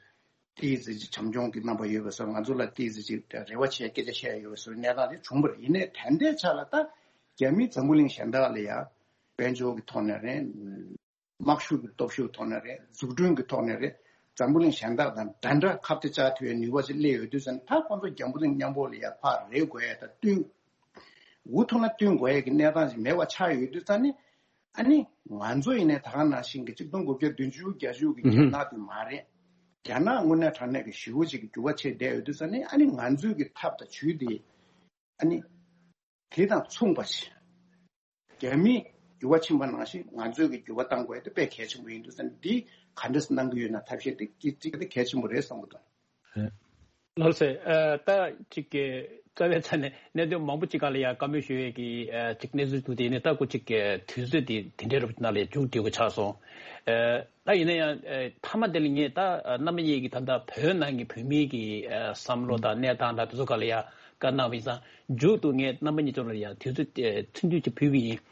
ཏི་ཟི་ཅིག་བྱམས་སྐྱོང་གི་རྣམ་པ་ཡོད་པའི་བཟོ་ང་ཚོ་ལ་ཏི་ཟི་ཅིག་རེ་བ་བྱས་སྐད་ཆ་བཤད་ཡ་ཡོད་པའི་བཟོ་གནས་སྟངས་དེ་བྱུང་བ་རེད། ཡིན་ནའི་ད་ལྟའི་ཆ་ལ་ད་རྒྱ་མི་འཛམ་བུ་གླིང་གཞན་དག་ལ་ཡ་དཔལ་འབྱོར་གྱི་ཐོག་ནས་རེད། དམག་ཤུགས་ཀྱི་སྟོབས་ཤུགས་ཐོག་ནས་རེད། འཛུགས་སྐྲུན་གྱི་ཐོག་ནས་རེད། འཛམ་བུ་གླིང་གཞན་དག་དང་འདྲ་འདྲ་ཁ་གཏད་བཅག་ཐུབ་ཡ་ནུས་པ་ཅིག་སླེབས་ཡོད་དུས་ཙང་ད་ཁོང་ཚོ་རྒྱ་བུ་གླིང་མཉམ་པོ་ལ་ཡ་ཕར་རེག་དགོས་ཡ་ད་བསྟུན། འུ་ཐུག་ན་བསྟུན་དགོས་ཡ་གི་གནས་སྟངས་ཅིག་མེད་པ་ཆགས་ཡོད་དུས་ཙང་ནི། ཨ་ནི་ང་ཚོ་ཡིན་ནའི་ད་ག་ནང་བཞིན་གྱི་གཅིག་སྟོང་དགུ་བརྒྱ་བདུན་ཅུ་གྱ་བཞི་གི་རྒྱ་ནག་དེ་མ་རེད། རྒྱ་ནག་དངོས་གནས་དྲང་གནས་ཀྱི་ཞེ་པོ་ཅིག་གི་འགྱུར་བ་ཕྱིན་བསྡད་ཡོད་དུས་ཙང་ནི་ཨ་ནི་ང་ཚོའི་གི་ཐབས་དང་ཇུས་དེ། ཨ་ནི། དེ་དང་མཚུངས་པ་ཞིག་རྒྱ་མིས་འགྱུར་བ་ཕྱིན་པ་ནང་བཞིན་ང་ཚོས་ཀྱི་འགྱུར་བ་གཏང་དགོས་དེ་དཔེ་གལ་ཆེན་པོ་ཡིན་འདུག་ཟེར་ནས་འདི་ག་འདྲས་གནང་གི་ཡོད་ན་ཐབས་ཤེས་དེ་གཅིག་གཅིག་དེ་གལ་ཆེན་པོ་རེད་བསམ་གི་འདུག་ལགས་སེ། ཨ་ད་ཅིག་གི་རྩ་བའི་ཆ་ནས་གནད་དོན་མང་པོ་ཅིག་སྒང་ལ་ཡང་བཀའ་མོལ་ཞུ་ཡས་ཀྱི་ཨ་ཅིག་གནས་ཚུལ་འདུག་དེ་ནས་ད་ཁོ་ཅིག་གི་དུས་ཚོད་དེ་དེ་འདྲའི་རུ་ནང་ལ་མཇུག་སྒྲིལ་དགོས་ཆགས་སོང་། ཨ་ད་ཡིན་ན་ཡང་ཨ་མཐའ་མ་དེ་ལ་ངས་ད་ཨ་རྣམ་པ་གཉིས་ཀྱི་ད་ལྟ་བོད་ནང་གི་བོད་མིའི་གི་ཨ་བསམ་བློ་དང་གནས་སྟངས་དང་དེ་ཚོ་སྒང་ལ་ཡང་བཀའ་གནང་བ་ཡིན་ཙང་མཇུག་ཏུ་ངས་རྣམ་པ་གཉིས་ཚོ་ལ་ཡང་དུས་ཚོད་ཨ་ཐུང་ཐུང་ཅིག་ཕུལ་བ་ཡིན།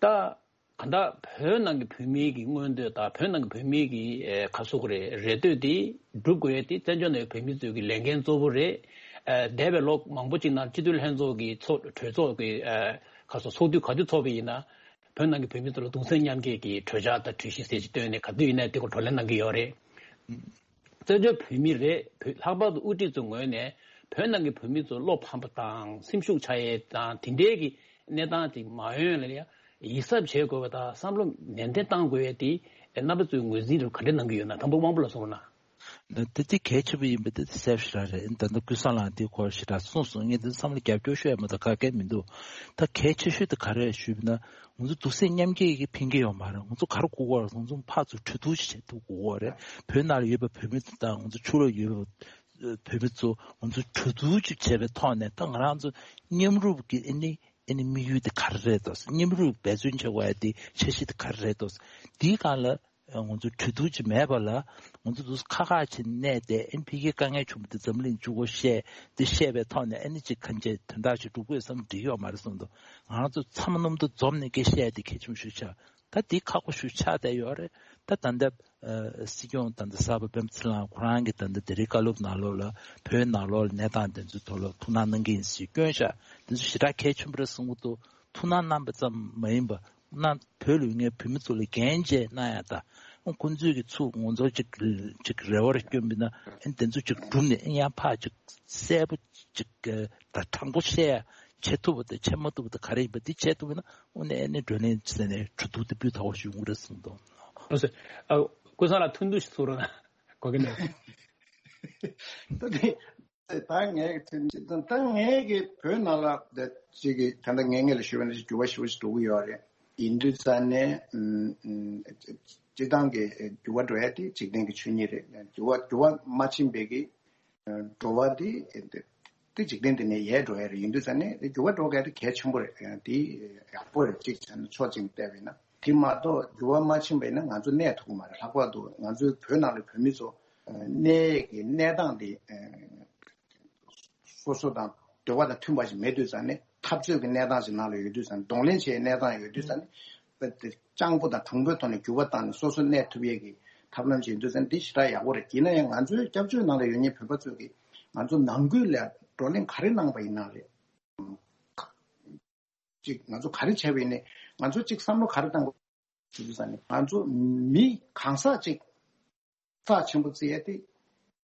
ད། གང་ལྟར་བོད་ནང་གི་བོད་མིའི་གི་མངོན་འདོད་དང་བོད་ནང་གི་བོད་མིའི་གི་ཨེ་ག་རེ་ཟེར་དགོས་རེད། རེ་འདོད་དེ་སྒྲུབ་དགོས་ཡས་དེ་བཙན་བྱོལ་ནང་བོད་མི་ཚོའི་གི་ལས་འགན་གཙོ་བོ་རེད། ཨེ་འདས་པའི་ལོ་མང་པོ་ཅིག་ནང་སྤྱི་འཐུས་ལྷན་ཚོགས་ཀྱི་ཚོགས་གྲོས་ཚོགས་ཀྱི་ཨེ་ག་རེ་ཟེར་ཚོགས་དུས་ག་དུས་ཚོགས་པ་ཡིན་ན་བོད་ནང་གི་བོད་མི་ཚོ་ལ་གདུང་སེམས་མཉམ་སྐྱེད་ཀྱི་གྲོས་འཆར་དང་གྲོས་གཞི་ཟེར་ཅིག་བཏོན་ནས་ག་དུས་ཡིན་ན་དེ་ག་བགྲོ་གླེང་གནང་གི་ཡོད་རེད། བཙན་བྱོལ་བོད་མི་རེད། བོད་ལྷག་པར་དུ་དབུ་ཁྲིད་ཚོའི་ངོས་ནས་བོད་ནང་གི་བོད་མི་ཚོ་བློ་ཕམ་པ་དང་སེམས་ཤུགས་ཆག་ཡས་དང་དེ་འདྲའི་གི་གནས་སྟངས་ཅིག་མ་ཡོང་ཡ་ལ་ཡ་ཡིད་གཟབ་བྱེད་དགོས་པ་དང་བསམ་བློ་ནན་ཏན་གཏང་དགོས་ཡས་དེ་རྣམ་པ་ཚོས་ངོས་འཛིན་རུ་ག་འདྲ་གནང་གི་ཡོད་ན། དང་པོ་དབང་པོ་ལ་གསུངས་རོགས་གནང་། ད་དེ་གལ་ཆེན་པོ་ཡིན་པ་དེ་གསལ་པོ་ཞེ་དྲག་རེད། ད་ལྟ་ཀུན་བཟང་ལགས་དེའི་སྐོར་ཞེ་དྲག་གསུངས་སོང་། ངས་དེ་བསམ་བློ་རྒྱབ་སྐྱོར་ཤོད་ཡ་མ་གཏོགས་ག་གེ་མི་འདུག་ད་གལ་ཆེ་ཤོས་དེ་ག་རེ་རེད་ཞུས་པ་ན། ང་ཚོ་གདུང་སེམས་མཉམ་སྐྱེད་ཀྱི་ཕན་གྱི་ཡོད་མ་རེད། ང་ཚོ་ག་རེ་དགོས་ཀྱི་ཡོད་རེད། ང་ཚོ་ཕར་ཚུར་གྲོས་བསྡུར་ཞིག་བྱེད་ཐུབ་དགོས་ཀྱི་ཡོད་རེད། བོད་ནང་ལ་ཡོད་པའི་བོད་མི་ཚོ་དང་ང་ཚོ་ཕྱི་ལོགས་ཡོད་པའི་བོད་མི་ཚོ་ང་ཚོ་གྲོས་བསྡུར་ཅིག་བྱས་པའི་ཐོག་ནས་ད་ང་རང་ཚོ་མཉམ་རུབ་ཀྱི་ཨ་ནི་ཨ་ནི་དམིགས་ཡུལ་དེ་ག་རེ་རེད་འདུག་མཉམ་རུབ་འབད་བརྩོན་བྱེད་དགོས་ཡ་དེ་འཆར་གཞི་དེ་ག་རེ་རེད་འདུག་དེའི་སྒང་ལ་ང་ཚོ་གྲོས་བསྡུར་ཅིག་མེད་པ་ལ་ང་ཚོ་འདུག་ཁ་ཁ་ཅིག་གནས་ཏེ་ཨ་ནི་ཕ་གིའི་དཀའ་ངལ་བྱུང་བ་དེ་འཛམ་གླིང་མཇུག་གུ་བཤད་དེ་བཤད་པའི་ཐོག་ནས་ཨ་ནི་ཅིག་གང་ཅི་དོན་དག་ཅིག་སྒྲུབ་དགོས་བསམ་འགྲིག་ཡོད་མ་རེད་བསམ་འདུག་ང་རང་ཚོ་ཚང་མ་མཉམ་དུ་འཛོམས་ནས་སྐད་བཤད་ཡ་དེ་གལ་ཆེན་པོ་ཞིག་ཆགས། ད་འདི་ཁག་པོ་ཞིག་ཆགས་བསྡད་ཡོད་རེད། ད་ད་ལྟ་ཨ་སྲིད་སྐྱོང་ད་ལྟ་གསར་པ་སྤེན་པ་ཚེ་རིང་ཁོ་རང་གིས་ད་ལྟ་དེ་རིང་བཀའ་སློབ་ནང་ལོགས་ལ་བོད་ནང་ལོགས་ལ་གནས་སྟངས་དེ་ཚོའི་ཐོག་ལ་ཐུགས་སྣང་གནང་གི་ཡིན་ཟེར་སྐྱོན་བཞག་དེ་ཚོ་ཞེ་དྲག་གལ་ཆེན་པོ་རེད་བསམ་གྱི་འདུག་ཐུགས་སྣང་གནང་པ་ཙམ་མ་ཡིན་པ་ཁོ་རང་བོད་ལ་ཡོད་མཁན་བོད་མི་ཚོ་ལ་འགན་བཅས་གནང་ཡ་དང་ཁོང་ཚོས་ཀྱི་ཚུར་ང་ཚོ་ཅིག་ཅིག་རེ་བ་རེ་སྐྱོན་པ་ཡིན་ན་ཨ་ནི་དེ་ཚོ་ཅིག་བསྒྲུབས་ནས་ཨ་ནི་ཡང་ཕར་ཅིག་གསལ་པོ་ཅིག་ད་དྲང་པོ་བཤད་ཡ་བྱེད་ཐུབ་པ་དང་བྱེད་མ་ཐུབ་པ་དང་ག་རེ་ཡིན་པ་འདི་བྱེད་ཐུབ་ན་དངོས་གནས་ཨ་ནི་བགྲོ་གླེང་བྱས་ནས་གྲོས་བསྡུར་དེ་སྤུས་དག་པོ་ཞིག་ཡོང་གི་རེད་བསམ་གྱི་འདུག་ལགས་སོ། ཨ་ཀུན་བཟང་ལགས་ཐུང་ཐུང་ཞིག་གསུང་རོགས་གནང་། གོ་གི་འདུག་ད་དེ་ད་ངས་ཐུང་ད་ངས་ཀྱི་བོད་ནང་ལ་ད་ཅིག་གི་ད་ལྟ་ངས་ངས་ལ་ཞུ་བ་ནི་འགྱུར་བ་ཞེ་པོ་ཞིག་འགྲོ་གི་ཡོད་རེད། ཡིན་དུས་ཙང་ནས་ཨུམ་ཨུམ་སྤྱི་བཏང་གི་འགྱུར་བ་འགྲོ་ཡ་དེ་འཇིག་རྟེན་གྱི་ཆོས་ཉིད་རེད། འགྱུར་བ་འགྱུར་བ་མ་ཕྱིན་པའི་གི་འགྲོ་བ་འདི་འདི་འཇིག་རྟེན་འདི་ནས་ཡལ་འགྲོ་ཡ་རེད། ཡིན་དུས་ཙང་ནས་འགྱུར་བ་འགྲོ་མཁན་དེ་གལ་ཆེན་པོ་རེད། འདི་ཡག་པོ་རེད། གཅིག་བྱས་ན་ཕྱོགས་གཅིག་ནས་བལྟས་པ་ཡིན་ན། དེ་མ་གཏོགས་འགྱུར་བ་མ་ཕྱིན་པ་ཡིན་ན་ང་ཚོ་གནས་ཐུབ་ཀྱི་མ་རེད། ལྷག་པར་དུ་ང་ཚོའི་བོད་ནང་ལ་བོད་མི་ཚོ་གནས་ཀྱི་གནས་སྟངས་འདི་སོ་སོ་དང་འདོད་པ་དང་མཐུན་པ་ཞིག་མེད་དུས་ཙང་ནས་འཐབ་རྩོད་ཀྱི་གནས་སྟངས་ཤིག་ནང་ལ་ཡོད་དུས་ཙང་ནས་གདོང་ལེན་བྱེད་ཡའི་གནས་སྟངས་ཡོད་དུས་ཙང་ནས། སྤྱང་པོ་དང་གྲུང་པོའི་ཐོག་ནས་འགྱུར་བ་བཏང་ནས་སོ་སོ་གནས་ཐུབ་ཡས་ཀྱི་ཐབས་ལམ་ཅིག་ཡིན་དུས་ཙང་འདི་ཞེ་དྲག་ཡག་པོ་རེད། ཡིན་ན་ཡང་ང་ཚོའི་སྐྱབས་བཅོལ་ནང་ལ་ཡོད་མཁན་བོད་པ་ཚོས་ཀྱིས་ང་ཚོ་ནང་ཁུལ་ལ་བགྲོ་གླེང་ག་རེ་གནང་པ་ཡིན་ན་རེད། ཅིག་ང་ཚོ་ག་རེ་བྱས་པ་ཡིན་ནའི་ང་ཚོ་ཅིག་བསམ་བློ་ག་རེ་བཏང་དགོས་ཞུ་དུས་ཙང་ནས་ང་ཚོ་མི་གང་ཟག་ཅིག་རྩ་ཆེན་པོ་བརྩི་ཡས་དེ།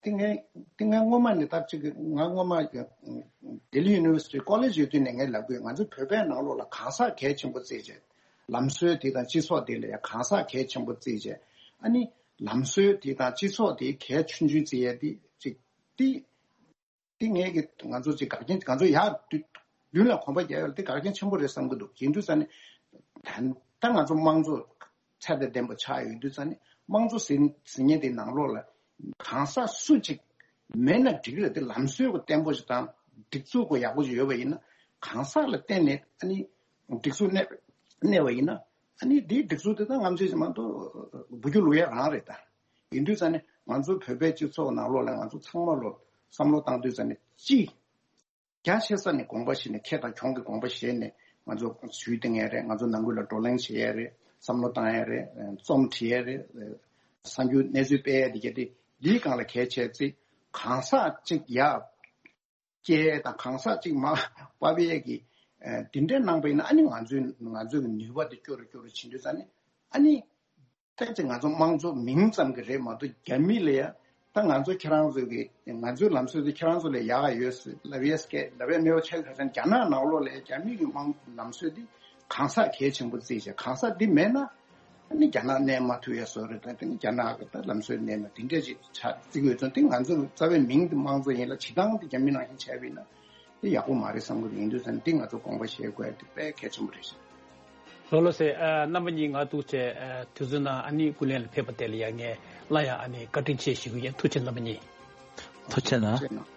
དེ་ངས་དེ་ངས་སྔོན་མ་ནས་ད་ཅིག་ང་སྔོན་མ་ལྡི་ལི་ཡུ་ནི་ཝར་སི་ཊི་ཀོ་ལེཇ་ཡོད་དུས་ནས་ངས་ལབ་དགོས། ང་ཚོ་བོད་པའི་ནང་ལོགས་ལ་གང་ཟག་གལ་ཆེན་པོ་བརྩིས་བྱས། ལམ་སྲོལ་དེ་དང་སྤྱི་ཚོགས་དེ་ལ་ཡང་གང་ཟག་གལ་ཆེན་པོ་བརྩིས་བྱས། ཨ་ནི་ལམ་སྲོལ་དེ་དང་སྤྱི་ཚོགས་དེ་གལ་ཆུང་ཆུང་བརྩི་ཡས་དེ་ཅིག་དེ། དེ་ངས་ཀྱི་ང་ཚོ་ཅིག་འགག་རྐྱེན་ང་ཚོ་ཡར་མདུན་མདུན་ལ་གོམ་པ་རྒྱག་ཡོད་ལ་དེ་འགག་རྐྱེན་ཆེན་པོ་རེད་བསམ་གྱི་འདུག་ཡིན་དུས་ཙང་ནས་ད་ད་ང་ཚོ་དམངས་གཙོ་ཚད་དང་ལྡན་པ་ཆགས་ཡོད་དུས་ཙང་ནས་དམངས་གཙོ་ཟེར་ཟེར་མཁན་དེ་ནང་ལོགས་ལ་གང་ཟག་སུ་གཅིག་མེད་ན་འགྲིག་རེད། དེ་ལམ་སྲོལ་གོ་བརྟན་པོ་ཞིག་དང་སྒྲིག་འཛུགས་གོ་ཡག་པོ་ཞིག་ཡོད་པ་ཡིན་ན་གང་ཟག་ལ་བརྟེན་ནས་ཨ་ནི་སྒྲིག་འཛུགས་གནས་གནས་པ་ཡིན་ན་ཨ་ནི་དེའི་སྒྲིག་འཛུགས་དེ་ད་ང་ཚོས་ཅིག་མ་གཏོགས་འབུད་རྒྱུ་བླུག་ཡ་རང་རེད་ད། ཡིན་དུས་ཙང་ནས་ང་ཚོ་བོད་པའི་སྤྱི་ཚོགས་ནང་ལོགས་ལ་ང་ཚོ་ཚང་མ་ལོ་བསམ་བློ་བཏང་དུས་ཙང་ནས་གཅིག་རྒྱ་ཆེ་ས་ནས་དགོངས་པ་བཞེས་ནས་ཁེ་དང་གྱོང་གི་དགོངས་པ་བཞེས་ནས་ང་ཚོ་ཇུས་འདོན་ཡས་རེད། ང་ཚོ་ནང་ཁུལ་ལ་བགྲོ་གླེང་བྱེད་ཡས་རེད། བསམ་བློ་བཏང་ཡས་རེད། རྩོམ་བྲིས་ཡས་རེད། གསར་འགྱུར་གནས་ཚུལ་སྤེལ་ཡས་དེ་ག་དེ་འདིའི་སྒང་ལ་གལ་ཆེ་ཚེ་གང་ཟག་གཅིག་ཡ་སྐྱེ་དང་གང་ཟག་གཅིག་མ་པ་བའི་གི་དེ་འདྲའི་གནང་པ་ཡིན་ན་ཨ་ནི་ང་ཚོའི་ང་ཚོའི་གི་ནུས་པ་དེ་སྐྱོ་རུ་སྐྱོ་རུ་ཕྱིན་དུས་ཙང་ནས་ཨ་ནི་ད་ཅིག་ང་ཚོ་དམངས་གཙོ་མིང་ཙམ་གྱི་རེད་མ་གཏོགས་རྒྱ་མི་ལ་ཡ་ད་ང་ཚོ་ཁྱེད་རང་ཚོའི་གི་ང་ཚོའི་ལམ་སྲོལ་དེ་ཁྱེད་རང་ཚོ་ལས་ཡག་ག་ཡོད་ཟེར་ལབ་ཡས་སྐད་ལབ་ཡས་མེད་པ་ཆགས་ཁ་སང་རྒྱ་ནག་ནང་ལོགས་ལ་ཡ་རྒྱ་མི་གི་དམངས་ལམ་སྲོལ་དེ་གང་ཟག་གལ་ཆེན་པོ་བརྩིས་བྱས་གང་ཟག་འདི་མེད་ན། ཨ་ནི་རྒྱ་ནག་གནས་མ་ཐུབ་ཡ་བཟོ་རེད། ད་དེ་ནི་རྒྱ་ནག་གི་ད་ལམ་སྲོལ་གནས་ན་དེ་འདྲས་ཅིག་ཆགས་བརྩི་དགོས་ཚོད་དེ་ང་ཚོ་རྩ་བའི་མིང་དེ་དམངས་གཙོ་ཡིན་ལ་བྱེད་སྟངས་དེ་རྒྱ་མི་ནང་བཞིན་བྱས་པ་ཡིན་ན་དེ་ཡག་པོ་མ་རེད་བསམ་གི་རེད། ཡིན་དུས་ཙང་དེ་ང་ཚོ་དགོངས་པ་བཞེས་དགོས་ཡ་དེ་དཔེ་གལ་ཆེན་པོ་རེད་ཤག་ལགས་ལགས་སེ། ཨ་རྣམ་པ་གཉིས་ང་ཐུགས་རྗེ་ཆེ། ཨ་དུས་ཚོད་ནང་ཨ་ནི་སྐུ་ལས་ལ་ཕེབས་པ་དེ་ལ་ཡང་ངས་སླར་ཡང་ཨ་ནི་བཀའ་དྲིན་ཆེ་ཞུ་གི་ཡིན། ཐུགས་རྗེ་ཆེ་རྣམ་པ་གཉིས། ཐུགས་རྗེ་གནང་། ཐུགས་རྗེ་གནང་།